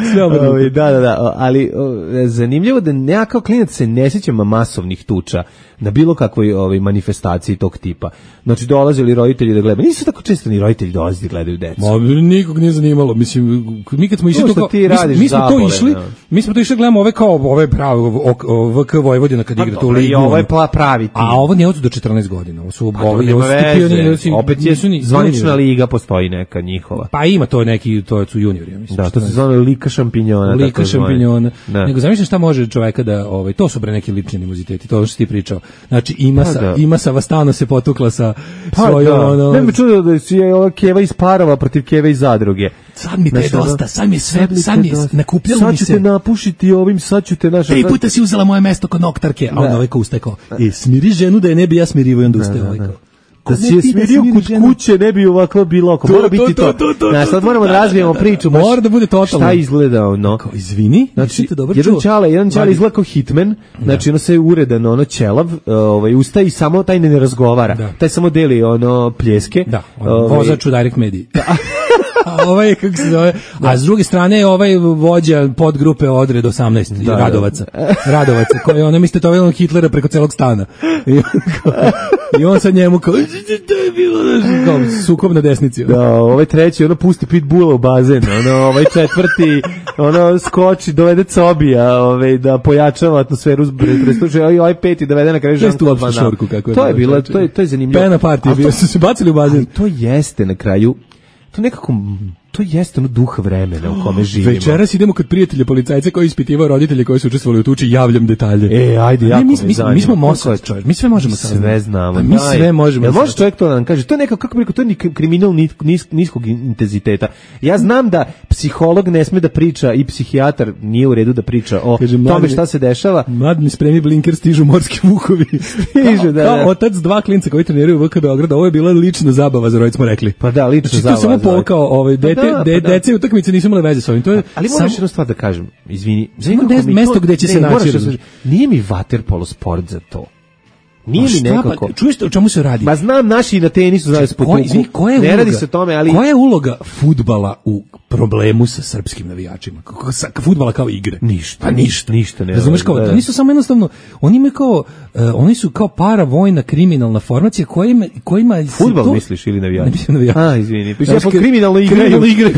Da, da, da, ali o, zanimljivo da ja kao klinac se ne sjećam masovnih tuča na bilo kakvoj ovaj manifestaciji tog tipa. Znači dolazili roditelji da gledaju. Nisu tako često ni roditelji dolazili da gledaju decu. Ma nikog nije zanimalo. Mislim mi kad smo išli to, to kao, mi, mi smo to išli, no. mi smo to išli gledamo ove kao ove pravo V K Vojvodina kad igra tu ligu. I ovo je pravi tim. A ovo nije od do četrnaest godina. Ovo su ovi opet je zvanična liga postoji neka njihova. Pa ima to neki, to su juniori, ja mislim. Da, to se zove Lika šampinjona. Lika šampinjona. Nego zamišljam šta može čoveka da, ovaj, to su bre neki lični animoziteti, to što si ti pričao. Znači ima pa, sa, da. ima sa Vastano se potukla sa pa, svojom, da. ono... Ne mi čudo da si je ova Keva iz Parova protiv Keve iz Zadruge. Sad mi te je dosta, sad mi je sve, sad mi je nakupljalo mi se. Sad ću te napušiti ovim, sad ću te naša... Tri puta si uzela moje mesto kod noktarke, a onda ovaj ko ustekao. E, smiri ženu da je ne bi ja smirivo i onda ustaje ovaj kao. Da si je smirio kod kuće, ne bi ovako bilo oko. Mora biti to. Na sad moramo da razvijemo priču. Mora da bude totalno. Šta izgleda ono? Kao, izvini, znači, jedan čale, jedan čale izgleda kao hitman, znači ono se uredan, ono ćelav, ovaj, ustaje i samo taj ne razgovara. Taj samo deli ono pljeske. Da, vozač u Direct Mediji. A ovaj, kako se zove, a s druge strane je ovaj vođa podgrupe Odred osamnaest, da, Radovaca, da. Radovaca, koji ono mislite to je Hitlera preko celog stana. I on, kao, i on sa njemu kao, to je bilo kao sukob na desnici. Da, ovaj treći, ono pusti pitbulla u bazen, ono, ovaj četvrti, ono skoči, dovede Cobija, ovaj, da pojačava atmosferu prestuče, i ovaj peti dovede na kraju Žanku Albana. To je bilo, to je, to je zanimljivo. Pena partija, bio su se bacili u bazen. To jeste na kraju, to nekako, to jeste ono duh vremena u kome živimo. Večeras idemo kod prijatelja policajca koji ispitivao roditelje koji su učestvovali u tuči, javljam detalje. E, ajde, jako mi, mi, mi, mi smo Mossad, čovjek, mi sve možemo sve sve znamo. Mi sve možemo. Jel može čovjek to da nam kaže? To je nekako, kako bi rekao, to je kriminal nis, niskog intenziteta. Ja znam da psiholog ne sme da priča i psihijatar nije u redu da priča o kaže, tome mladni, šta se dešava. Mladni spremi blinker, stižu morski vukovi. Stižu, da, kao, da. Kao otac dva klinca koji treniraju u V K Beograda, ovo je bila lična zabava, za roditelje smo rekli. Pa da, lična znači, zabava. To samo pokao, ovaj dete, pa da, de, pa dece utakmice nisu imale veze s ovim. To je ali moraš jednu stvar da kažem, izvini. Ima mesto gde će ne, se naći. Nije mi vaterpolo sport za to. Nije mi nekako. Pa, čuješ o čemu se radi? Ma znam, naši na tenisu znaju spotuku. Ne uloga, radi se o tome, ali... Koja je uloga fudbala u problemu sa srpskim navijačima? Fudbala kao igre? Ništa. Pa ništa. Ništa ne. Razumeš kao, oni su samo jednostavno, oni imaju kao, uh, oni su kao paravojna kriminalna formacija kojima... kojima fudbal to... misliš ili navijači? Ne mislim navijači. A, izvini. Pa ja po kriminalno igraju. Kriminalno igraju.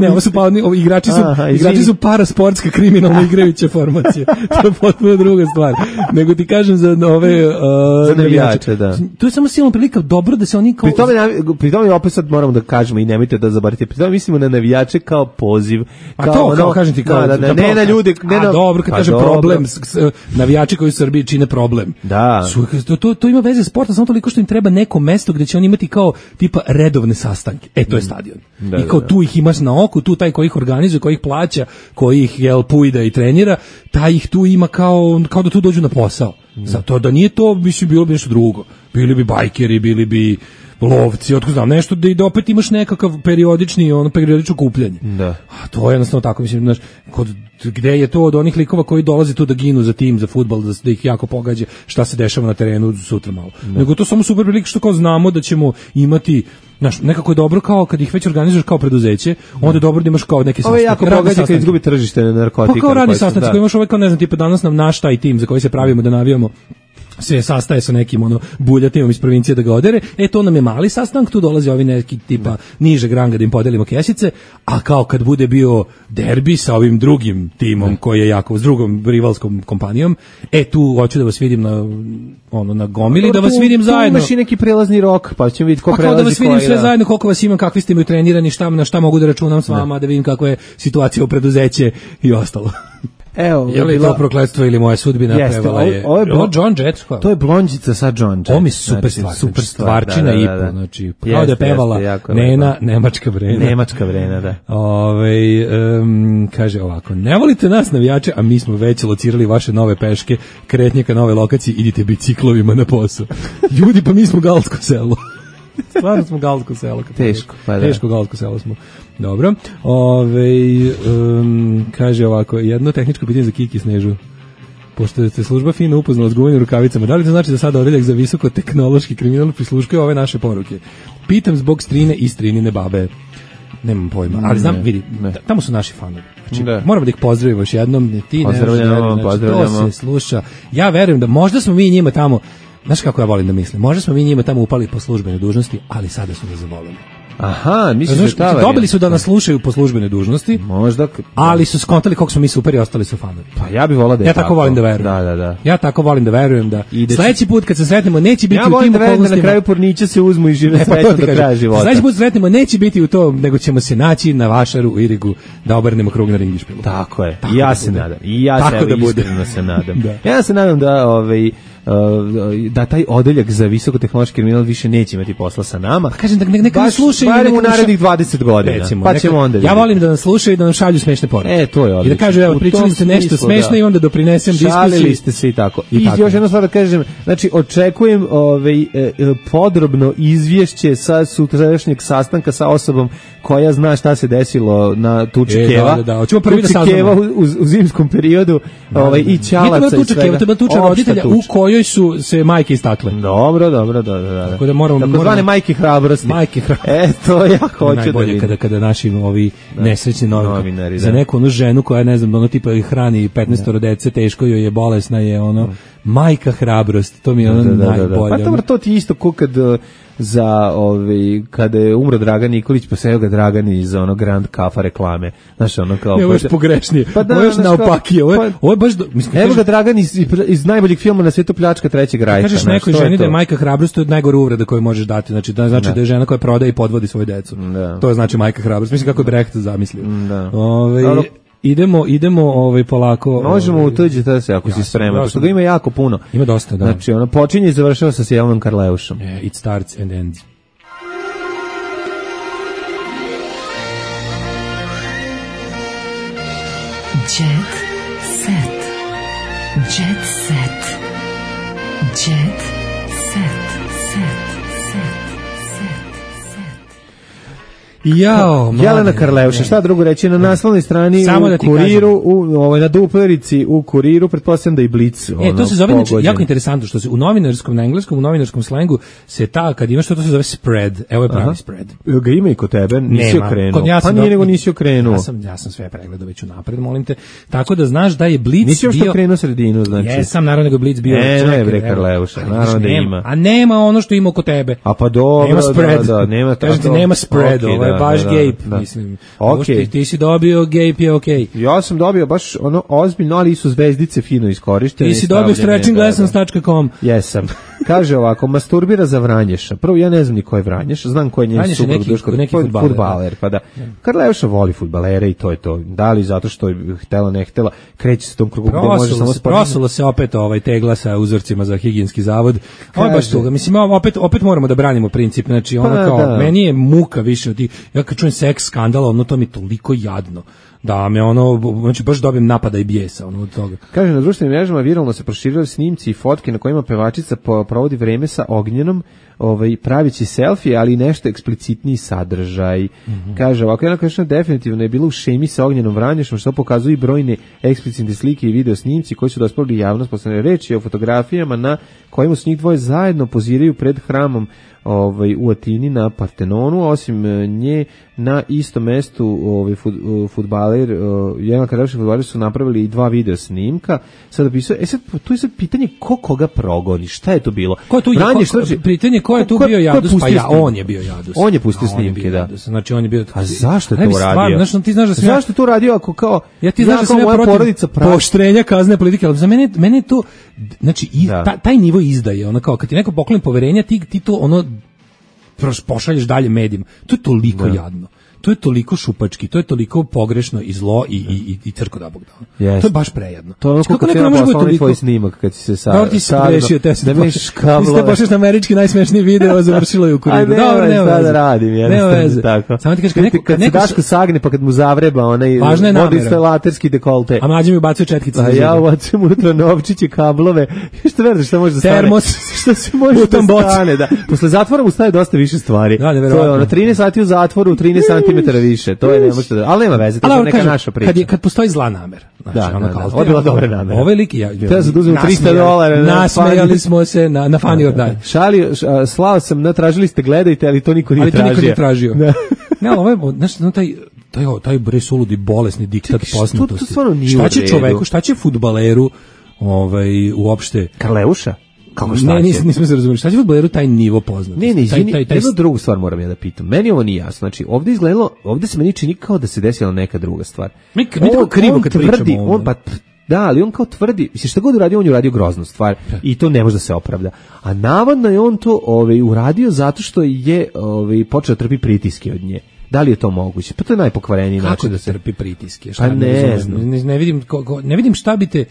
Ne, ovo su pa, oni, igrači su, Aha, igrači su parasportska kriminalno igrajuća formacija. To je potpuno druga stvar. Nego ti kažem za ove... Uh, za navijače, da. To je samo silna prilika dobro da se oni kao... Pri tome, pri tome opet sad moramo da kažemo i nemojte da zabarite, pri tome mislimo na navijače kao poziv. Kao a to, ono, kao kažem ti, kao... Da, da, ne na ljude... Ne a na, dobro, kad kažem problem, s, s, navijači koji u Srbiji čine problem. Da. Su, to, to, to ima veze s sportom, samo toliko što im treba neko mesto gde će oni imati kao tipa redovne sastanke. E, to je stadion. Da, I kao da, da. Tu ih imaš na oku, tu taj koji ih organizuje, koji ih plaća, koji ih jel, pujda i trenira, taj ih tu ima kao, kao da tu dođu na posao. Zato da nije to, mislim, bilo bi nešto drugo. Bili bi bajkeri, bili bi lovci, otko znam, nešto da i da opet imaš nekakav periodični, ono, periodično kupljanje. Da. A to je jednostavno tako, mislim, znaš, kod, gde je to od onih likova koji dolaze tu da ginu za tim, za fudbal, da, da ih jako pogađa šta se dešava na terenu sutra malo. Da. Nego to samo super prilike što kao znamo da ćemo imati, znaš, nekako je dobro kao kad ih već organizuješ kao preduzeće, onda je dobro da imaš kao neke sastanke. Ovo je jako pogađa kad izgubi tržište na narkotika. Pa kao radi sastanci, koji imaš ovaj kao, ne znam, tipa danas nam naš taj tim za koji se pravimo da navijamo se sastaje sa nekim ono buljatimom iz provincije da ga odere, e to nam je mali sastanak, tu dolazi ovi neki tipa nižeg ranga da im podelimo kesice, a kao kad bude bio derbi sa ovim drugim timom koji je jako, s drugom rivalskom kompanijom, e tu hoću da vas vidim na ono na gomili, da vas vidim zajedno. Imaš i neki prelazni rok, pa ćemo vidjeti ko prelazi koji. Da vas vidim sve zajedno, koliko vas imam, kakvi ste mi trenirani, šta, na šta mogu da računam s vama, da vidim kakva je situacija u preduzeće i ostalo. Evo, je li to prokletstvo ili moja sudbina? Jeste, prevala je. Ovo je Blo, John Jett. To je blondžica sa John Jett. Ovo mi super stvar, super stvarčina i po, znači kao da je pevala jeste, Nena, Nemačka Brena. Nemačka Brena, da. Ovaj um, kaže ovako: "Ne volite nas navijače, a mi smo već locirali vaše nove peške, kretnje ka nove lokacije, idite biciklovima na posao." Ljudi, pa mi smo galsko selo. Stvarno smo galsko selo. Teško, pa da. Teško galsko selo smo. Dobro. Ove, um, kaže ovako, jedno tehničko pitanje za Kiki Snežu. Pošto se služba fino upoznala s gumenim rukavicama, da li to znači da sada odeljak za visoko-tehnološki kriminal prisluškuje ove naše poruke? Pitam zbog strine i strinine babe. Nemam pojma, ali znam, vidi, ne. Tamo su naši fanovi. Znači, da. Moramo da ih pozdravimo još jednom. Ti pozdravljamo, ne, znači, to se sluša. Ja verujem da možda smo mi njima tamo, znaš kako ja volim da mislim, možda smo mi njima tamo upali po službenoj dužnosti, ali sada su nas zavolili. Aha, misliš da ta dobili su da nas slušaju po službenoj dužnosti. Možda, ali su skontali koliko smo mi super i ostali su fanovi. Pa ja bih volao da je ja tako. tako volim da verujem. Da, da, da. Ja tako volim da verujem da Ide sledeći put kad se sretnemo neće biti ja u tim da okolnostima. Da na kraju pornića se uzmu i žive srećno do kraja života. Sledeći put sretnemo neće biti u to, nego ćemo se naći na Vašaru u Irigu da obrnemo krug na Ringišpilu. Tako je. I ja se nadam. I ja se iskreno se nadam. Ja se nadam da ovaj da taj odeljak za visokotehnološki kriminal više neće imati posla sa nama. Pa kažem da neka nas slušaju barem u narednih dvadeset godina. Recimo, pa ćemo onda. Ja volim da nas slušaju i da nam šalju smešne poruke. E, to je odlično. I da kažu evo pričali ste nešto smešno i onda doprinesem diskusiju. Šalili ste se i tako. I, I još jedno stvar da kažem, znači očekujem ovaj podrobno izvješće sa sutrašnjeg sastanka sa osobom koja zna šta se desilo na tuči e, Keva. Da, da, hoćemo prvi da saznamo. Keva u, u zimskom periodu, da, ovaj i Ćalaca i svega. To je tuča roditelja u kojoj su se majke istakle. Dobro, dobro, da, da, da. Tako da moramo, tako zvane majke hrabrosti. Majke hrabrosti. E, to ja hoću da vidim. Kada, kada naši ovi da. nesrećni novinari, novinari za neku onu ženu koja, ne znam, ono tipa hrani petnaestoro dece, teško joj je, bolesna je, ono, da. majka hrabrosti, to mi je ono da, da, najbolje. Da, da. Pa to, to ti isto ko kad za ovaj kada je umro Dragan Nikolić, pa se ga Dragan iz ono Grand Kafa reklame. Znaš, ono kao ne, ovo je pogrešnije. Pa da, ovo je naopakije. Ovo je, ovo je baš do, mislim, evo ga Dragan iz, iz najboljeg filma na svetu, Pljačka trećeg rajka. Kažeš nekoj ženi da je majka hrabrost, to je najgore uvreda koju možeš dati. Znači da znači da, da je žena koja prodaje i podvodi svoju decu. Da. To je znači majka hrabrost. Mislim kako je Brecht zamislio. Da. Ovaj Dobro. Idemo, idemo ovaj polako. Možemo ovaj, utuđiti se ako ja, si spreman, pošto ga ima jako puno. Ima dosta, da. Znači, ono počinje i završava sa Jelenom Karleušom. Yeah, it starts and ends. Jet set. Jet set. Jet set. Jao, Jelena Karleuša, šta drugo reći, na naslovnoj strani Samo u da Kuriru, u ovoj na duplerici u Kuriru, pretpostavljam da i Blic. Ono, e, to se zove znači, jako interesantno što se u novinarskom na engleskom, u novinarskom slengu se ta kad imaš što to se zove spread. Evo je pravi Aha. spread. Ga ima i kod tebe, nisi okrenuo. Ja pa nije nego nisi okrenuo. Ja sam ja sam sve pregledao već unapred, molim te. Tako da znaš da je Blic nisi još bio okrenuo sredinu, znači. Jesam, naravno nego Blic bio. Ne, ne, bre Karleuša, naravno da ima. A nema ono što ima kod tebe. A pa dobro, nema spread. Da, nema tako. Nema spread, ovo je baš gape. Da. Mislim, okay. ti, ti si dobio gape je okej. Okay. Ja sam dobio baš ono ozbiljno, ali su zvezdice fino iskorištene. Ti si dobio stretching lessons dot com. Jesam. Kaže ovako, masturbira za Vranješa. Prvo, ja ne znam ni ko je Vranješ, znam ko je njen suprug, Duško, neki fudbaler. Pa da. Karleuša voli fudbalere i to je to. Da li zato što je htela, ne htela, kreće se tom krugu gde može samo spati. Prosulo se opet ovaj tegla sa uzorcima za higijenski zavod. Ovo je baš toga. Mislim, opet, opet moramo da branimo princip. Znači, ono pa, kao, da. meni je muka više od tih, ja kad čujem seks skandala, ono to mi je toliko jadno. Da me ono, znači baš dobijem napada i bijesa ono od toga. Kaže, na društvenim mrežama viralno se proširuju snimci i fotke na kojima pevačica provodi vreme sa Ognjenom, ovaj, pravići selfie, ali nešto eksplicitniji sadržaj. Mm-hmm. Kaže, ovako jedna kažena definitivno je bila u šemi sa Ognjenom Vranješom, što pokazuju i brojne eksplicitne slike i video snimci koji su dospeli javnost. Poslednje reči o fotografijama na kojima su njih dvoje zajedno poziraju pred hramom ovaj, u Atini na Partenonu, osim nje na istom mestu ovaj, fut, fudbaler, jedan kadavši fudbaler su napravili i dva video snimka. Sada pisao, e sad, tu je sad pitanje ko koga progoni, šta je to bilo? Ko je tu, Branje, ko, ko, pitanje ko je tu ko, bio Jadus, pa ja, on je bio Jadus. On je pustio snimke, je da. Jadus. Znači on je bio... A zašto je to uradio? Znaš, ti znaš da sam zašto je to uradio ako kao... Ja ti znaš da sam ja protiv pooštrenja kazne politike, ali za mene, mene je to... Znači, i, ta, taj nivo izdaje, ono kao, kad ti neko pokloni poverenja, ti, ti to ono pošalješ dalje medijima. To je toliko da. jadno. To je toliko šupački, to je toliko pogrešno i zlo i i i, i crko da bog da. Yes. To je baš prejedno. To je ono kako neko može biti toliko tvoj snimak kad si se sa da ti se grešio, te se pošliš kablove. Ti se pošliš na američki najsmešniji video, završilo je u kuriru. Dobro, nema veze. Da radim, jednostavno tako. Samo ti kažeš kad neko kad se Daško sagne pa kad mu zavreba onaj vodinstalaterski dekolte. A mlađi mi ubacuje četkice. A ja ubacim unutra novčiće, kablove. Što veruješ šta može da stane? Termos, što se može da stane, da. Posle zatvora mu staje dosta više stvari. To je ono trinaest sati u zatvoru, trinaest centimetara više, to je ne može da, ali nema veze, to je neka kažem, naša priča. Kad je kad postoji zla namera, znači da, ono da, kao, da, ovo je bila dobra namera. Ovaj lik ja, ja sam uzeo tristo dolara, nasmejali smo se na na Funny or Die. Šali, slao sam, na tražili ste gledajte, ali to niko nije tražio. Ali to niko nije tražio. Ne, ovo je, znači, no, taj taj taj bre suludi bolesni diktat poznatosti. Šta će čoveku, šta će fudbaleru, ovaj uopšte Karleuša? Kako šta ne, nisam, nisam se razumeli. Šta će fudbaleru taj nivo poznati? Ne, ne, izvini, taj, taj, taj... jednu drugu stvar moram ja da pitam. Meni ovo nije jasno. Znači, ovdje izgledalo, ovdje se meni čini kao da se desila neka druga stvar. Mi, mi tako krivo kad tvrdi, pričamo on pa da, ali on kao tvrdi, mislim šta god uradio, on je uradio groznu stvar i to ne može da se opravda. A navodno je on to ovaj uradio zato što je ovaj počeo trpi pritiske od nje. Da li je to moguće? Pa to je najpokvareniji način da se trpi pritiske. Šta pa ne, ne znam. Ne, ne vidim ko, ko, ne vidim šta bi te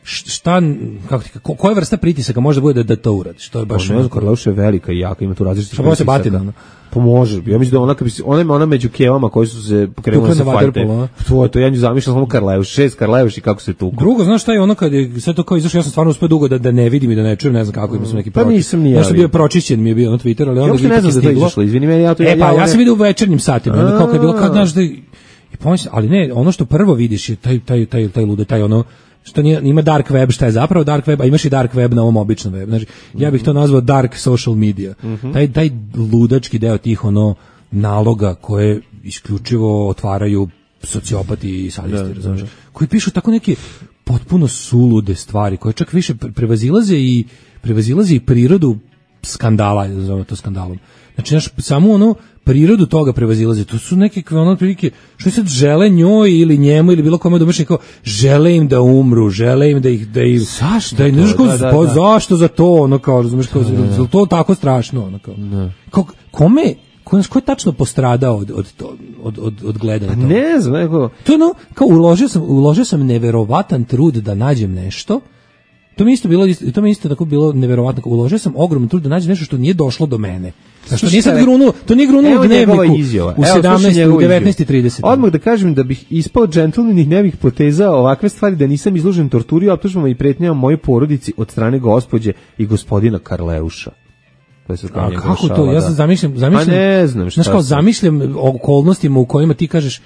šta, kako ti, ko, koja vrsta pritisaka može da bude da, da to uradiš? To je baš... Ne znam, Karleuša je velika i jaka, ima tu različite pritisaka. Šta bati da ona? Pa može, ja mislim da ona, kad bi, ona, ona među kevama koji su se pokrenuli se fajte. To je to, ja nju zamišljam samo Karleuš, šest Karleuš i kako se tuku. Drugo, znaš šta je ono kad je sve to kao izašlo, ja sam stvarno uspeo dugo da, da ne vidim i da ne čujem, ne znam kako, ima sam neki pročist. Pa nisam ni ja. Nešto bio pročišćen mi je bio na Twitteru, ali onda ja ne znam da to izašlo, izvini meni, ja to... E pa, ja sam vidio u večernjim satima, onda kao kad je bilo, kad znaš da... I pomislim, ali ne, ono što prvo vidiš je taj, taj, taj, taj lude, taj ono, što nije, ima dark web, šta je zapravo dark web, a imaš i dark web na ovom običnom web. Znači, ja bih to nazvao dark social media. Mm-hmm. Taj, taj ludački deo tih ono naloga koje isključivo otvaraju sociopati i sadisti, razumiješ, koji pišu tako neke potpuno sulude stvari, koje čak više prevazilaze i prevazilaze i prirodu skandala, nazovemo to skandalom. Znači, naš, samo ono prirodu toga prevazilaze. To su neke ono prilike što sad žele njoj ili njemu ili bilo kome domaći kao žele im da umru, žele im da ih da ih zašto da, da, da, da, da. zašto za to ono kao razumeš kao da, da. to tako strašno ono kao. Da. Kao kome ko je tačno postradao od od od od, od gledanja toga? Ne znam, nego to no kao uložio sam uložio sam neverovatan trud da nađem nešto. To mi isto bilo to mi isto tako bilo neverovatno, uložio sam ogroman trud da nađem nešto što nije došlo do mene. Što nije sad grunuo, to nije grunuo u dnevniku u sedamnaest, u devetnaest i trideset. Odmah da kažem da bih ispao džentlmen i ne bih potezao ovakve stvari, da nisam izložen torturi, optužbama i pretnjama mojoj porodici od strane gospođe i gospodina Karleuša. To je A kako to? Ja sam zamišljam, zamišljam. Pa ne znam šta. Znaš kao zamišljam okolnostima u kojima ti kažeš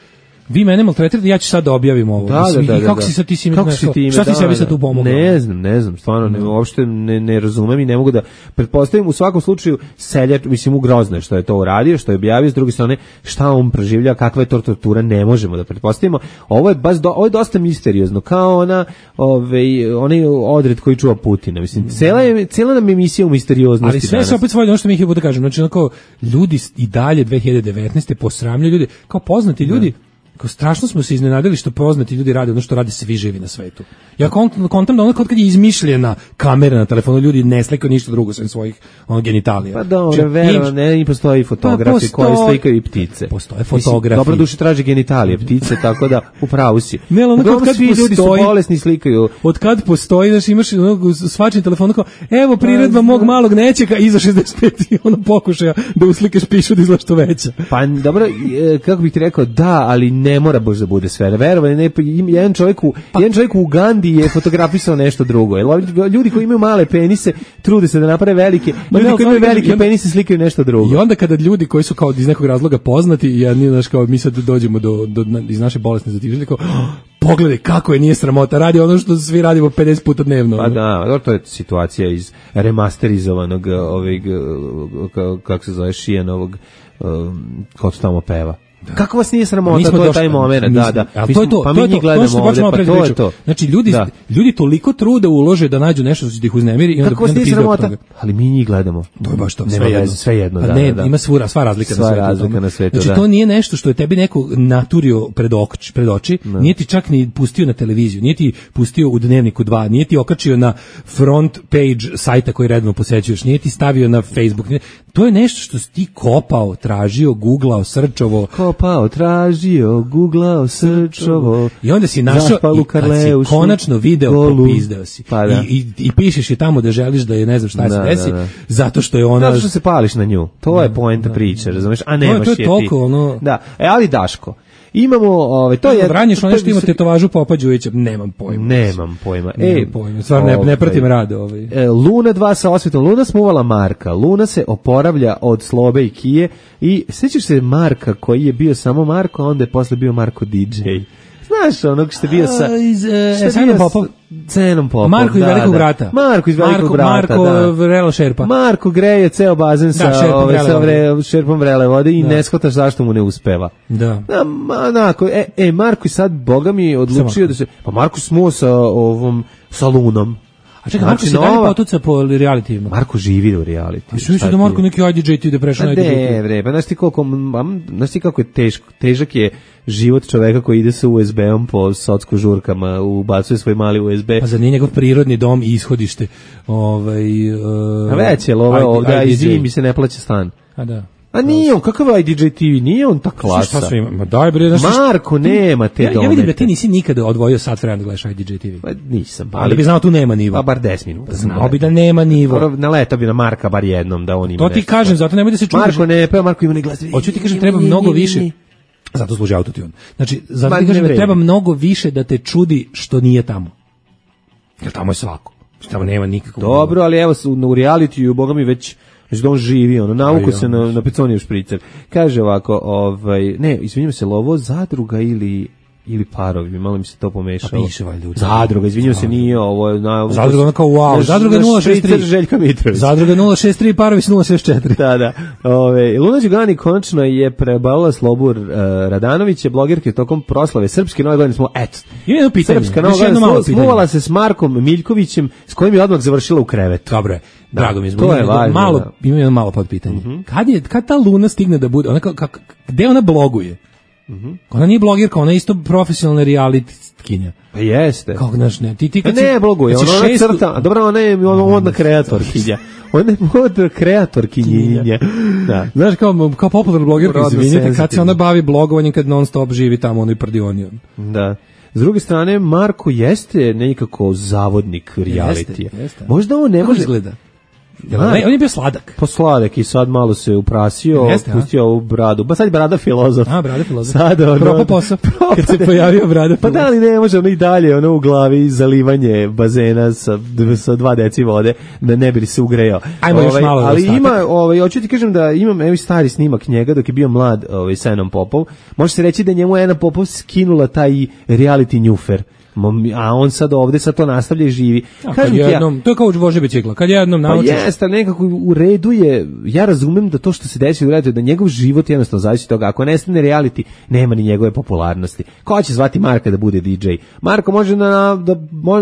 vi mene maltretirate, ja ću sad da objavim ovo. Da, da, da, I kako da, si sad ti si kako si ti šta ti da, sebi sad tu pomogao? Ne znam, ne znam, stvarno ne, uopšte ne, ne razumem i ne mogu da pretpostavim. U svakom slučaju seljač, mislim, ugrozno što je to uradio, što je objavio, s druge strane šta on preživlja, kakva je to tortura, ne možemo da pretpostavimo. Ovo je baš do, ovo je dosta misteriozno, kao ona, ovaj onaj odred koji čuva Putina. Mislim, cela je cela nam emisija u misterioznosti. Ali sve se opet svodi ono što mi ih bude kažem, znači onako ljudi i dalje dve hiljade devetnaeste posramljuju ljudi, kao poznati ljudi. Kao strašno smo se iznenadili što poznati ljudi rade ono što rade svi živi na svetu. Ja kontam da ono kad je izmišljena kamera na telefonu, ljudi ne slikaju ništa drugo sem svojih ono, genitalija. Pa dobro, vero, ne, i postoji fotografi pa koji slikaju i ptice. Postoje fotografi. Dobro duše traži genitalije, ptice, tako da upravo si. Ne, ono kad, kad svi postoji, ljudi su bolesni slikaju. Od kad postoji, znaš, imaš ono, svačni telefon, kao, evo priredba mog malog nećeka iza šezdeset pet i ono pokušaja da uslikaš pišu da izgleda što veća. Pa dobro, kako bih ti rekao, da, ali ne ne mora baš da bude sve. Verovali ne, jedan čovjek u pa, jedan čovjek u Ugandi je fotografisao nešto drugo. Ljudi koji imaju male penise trude se da naprave velike, ljudi koji imaju velike penise slikaju nešto drugo. I onda kada ljudi koji su kao iz nekog razloga poznati, jedni znaš kao mi sad dođemo do, do iz naše bolesne zatiželje kao pogledaj kako je nije sramota, radi ono što svi radimo pedeset puta dnevno. Pa da, to je situacija iz remasterizovanog ovog, kako se zove, Šijanovog, ko to tamo peva. Da. Kako vas nije sramota, to je taj moment, da, da. Ali to je to, pa to mi je to, gledamo to ovde, pa to je to. Znači, ljudi, da. ljudi toliko truda ulože da nađu nešto što ih uznemiri i onda kako vas nije sramota, ali mi njih gledamo. To je baš to, sve jedno. Sve jedno, da, ne, da. Ima svura, sva razlika sva na svetu. razlika na svetu, znači, da. to nije nešto što je tebi neko naturio pred, oči, pred oči, da. Nije ti čak ni pustio na televiziju, nije ti pustio u Dnevniku dva, nije ti okačio na front page sajta koji redno posećuješ, nije ti stavio na Facebook. Nije, to je nešto što si ti kopao, tražio, googlao, srčovo. Kopao, tražio, googlao, srčovo. I onda si našao i kad si konačno video, popizdeo si. Pa da. I, i, I pišeš je tamo da želiš da je ne znam šta da, se desi, da, da. Zato što je ona... Zato što se pališ na nju. To da, je poenta da, priče, razumeš? A nemaš to je, to je toliko, je ti. Ono... Da, e, ali Daško, imamo, ove, to je... Vranješ ono što ima tetovažu Popa Đujića, nemam pojma. Nemam pojma. Nemam e, pojma, stvarno ne, ne pratim rade. Ovaj. E, Luna dva sa osvetom, Luna smuvala Marka, Luna se oporavlja od Slobe i Kije i sjećaš se Marka koji je bio samo Marko, a onda je posle bio Marko D J. Znaš, onog što je bio sa... Iz uh, Cenom Popom. Cenom Popom, Marko iz da, Velikog da. brata. Marko iz Velikog Marko, brata, Marko da. Vrelo Šerpa. Marko greje ceo bazen sa, da, šerpom, ove, vrele sa vode. vre, šerpom vrele vode i da. Ne shvataš zašto mu ne uspeva. Da. Da, onako, e, e, Marko i sad, Boga mi, odlučio da se... Pa Marko smuo sa ovom, sa Lunom. A čekaj, Marko se dalje potuca po realitivima. Marko živi u realitiju. A što misliš da Marko neki I D J ti da prešao na I D J? Ne, bre, pa znaš ti koliko, znaš ti kako je teško, težak je život čoveka koji ide sa U S B-om po socko žurkama, ubacuje svoj mali U S B. Pa za nije njegov prirodni dom i ishodište. Ovaj, uh, a već je lova ovdje, a i zimi se ne plaća stan. A da. A nije on, kakav I D J T V, nije on ta klasa. Šta sve ima? Ma daj bre, znaš, Marko nema te domete. Ja, ja vidim da ti nisi nikada odvojio sat vremena da gledaš I D J T V. Pa nisam. Ali, ali bi znao tu nema nivo. Pa bar deset minuta. Znao bi da nema nivo. Na leto bi na Marka bar jednom da on ima. To ti nešto. Kažem, zato nemoj da se čudiš. Marko ne peva, Marko ima ne glasa. Hoću ti kažem, treba mnogo više. Zato služi autotune. Znači, zato ti kažem da treba mnogo više da te čudi što nije tamo. Jer tamo je svako. Tamo nema nikakvog. Dobro, ali evo u realitiju, boga mi već Znači da on živi, ono, navuko se na, na peconijev špricer. Kaže ovako, ovaj, ne, izvinjam se, lovo zadruga ili ili parovi, malo mi se to pomešalo. Pa piše valjda. Zadruga, izvinjam se, nije ovo. Na, zadruga ono kao wow, zadruga nula šest tri. Željka Mitrović. Zadruga nula šest tri, parovi nula šest četiri. Da, da. Ove, Luna Đugani konačno je prebalila Slobu uh, Radanović, je blogerke tokom proslave Srpske nove godine smo, eto. I jedno pitanje. Srpska nova godina smuvala se s Markom Miljkovićem, s kojim je odmah završila u krevetu. Dobro je. Da, drago mi je. To je važno. Malo, da. ima jedno malo podpitanje. Mm-hmm. Kad je, kad ta Luna stigne da bude, ona kako, gde ona bloguje? Mm-hmm. Ona nije blogerka, ona je isto profesionalna realitkinja. Pa jeste. Kako znaš, ne, ti ti kad pa ne si, bloguje, ona, ona šestu... crta, a dobro, ona je modna kreatorkinja. Ona je modna kreatorkinja. Da. Znaš, kao, kao popularna blogerka, izvinite, kad se ona bavi blogovanjem, kad non stop živi tamo, ono i prdioni. Da. S druge strane, Marko jeste nekako zavodnik realitija. Možda on ne može... izgleda? Ja, on je bio sladak. Po sladak i sad malo se uprasio, jeste, pustio ovu bradu. Ba sad je brada filozof. A, brada filozof. Sad ono... Propa posao, kad se pojavio brada filozof. Pa da li ne može ono i dalje, ono u glavi zalivanje bazena sa, sa dva deci vode, da ne bi se ugrejao. Ajmo ovaj, još malo. Ali ima, ovaj, hoću ti kažem da imam evo stari snimak njega dok je bio mlad ovaj, sa Enom Popov. Može se reći da njemu Ena Popov skinula taj reality njufer. A on sad ovde sad to nastavlja i živi. A, kad jednom, ja, to je kao vože bicikla, kad jednom naučiš. Pa jeste, nekako u redu je, ja razumem da to što se desi u redu, da njegov život jednostavno zavisi od toga. Ako nestane reality, nema ni njegove popularnosti. Ko će zvati Marka da bude D J? Marko može na, da,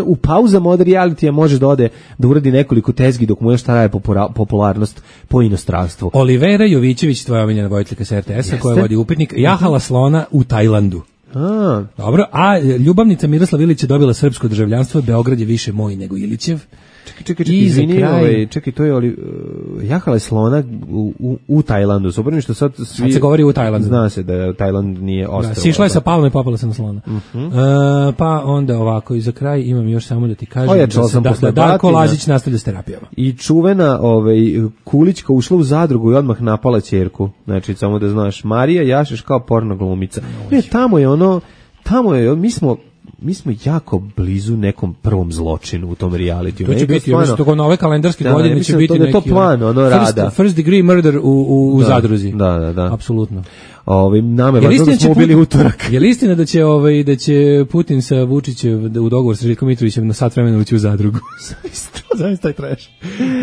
u pauzama od realitija može da ode da uradi nekoliko tezgi dok mu još traje popularnost po inostranstvu. Olivera Jovićević, tvoja omiljena vojiteljka s R T S-a koja vodi upitnik, jahala slona u Tajlandu. A. Dobro, a ljubavnica Miroslav Ilić je dobila srpsko državljanstvo, Beograd je više moj nego Ilićev. Čekaj, čekaj, čekaj, izvini, kraj... ovaj, čekaj, to je oli, uh, jahala je slona u, u, u Tajlandu, suprotno što sad svi... Sad se govori u Tajlandu. Zna se da Tajland nije ostrvo. Da, sišla je sa palma i popala se na slona. Uh-huh. Uh, pa onda ovako, i za kraj imam još samo da ti kažem Ojačala da, sam da, da Darko Lazić nastavlja s terapijama. I čuvena ovaj, Kulićka ušla u zadrugu i odmah napala ćerku. Znači, samo da znaš, Marija Jašeš kao porno glumica. Ne, tamo je ono, tamo je, mi smo... mi smo jako blizu nekom prvom zločinu u tom realitiju. To će biti, stvarno, ja mislim, na ove kalendarske da, godine će biti to, neki... To plan, ono, first, rada. First degree murder u, u, u da, zadruzi. Da, da, da. Apsolutno. Ovaj nama je važno da smo ubili utorak. Je li istina da će ovaj da će Putin sa Vučićem u dogovor sa Željkom Mitrovićem na sat vremena ući u zadrugu? Zaista taj trash.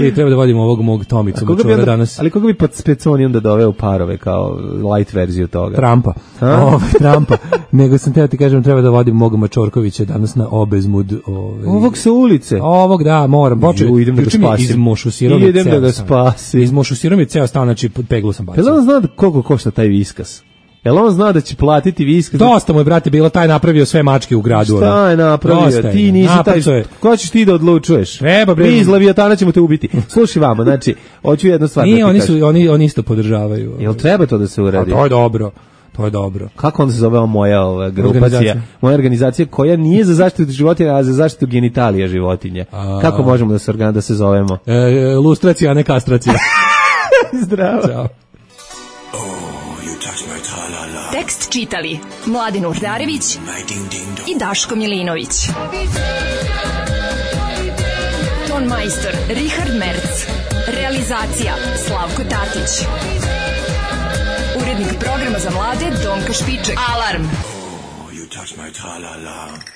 I treba da vodimo ovog mog Tomicu Mačora danas. Ali koga bi pod Speconi onda doveo parove kao light verziju toga? Trumpa. Ovaj Trumpa. Nego sam teo ti kažem treba da vodim mog Mačorkovića danas na Obezmud, ovaj. Ovog sa ulice. Ovog da, moram. Počeo idem da ga spasim. Izmošusirao mi idem da ga spasim. Izmošusirao mi ceo stan, znači pod peglu sam bacio. Jel on zna koliko košta taj viskas? Jel on zna da će platiti viskas? Dosta mu je, brate, bilo taj napravio sve mačke u gradu. Šta je napravio? Dosta ti nisi taj... Ko ćeš ti da odlučuješ? Treba, bre. Mi iz Leviatana ćemo te ubiti. Slušaj vamo, znači, hoću jednu stvar Nije, da ti oni kažem. Su, oni, oni isto podržavaju. Jel treba to da se uradi? A to je dobro. To je dobro. Kako onda se zove ova moja ova grupacija? Moja organizacija koja nije za zaštitu životinja, a za zaštitu genitalija životinja. A... Kako možemo da se organ da se zovemo? E, lustracija, a ne kastracija. Zdravo. Ćao. Tekst čitali Mladin Urdarević i Daško Milinović. Ton majstor Richard Merc. Realizacija Slavko Tatić. Urednik programa za mlade Donka Špiček. Alarm! Oh, you touch my tra-la-la.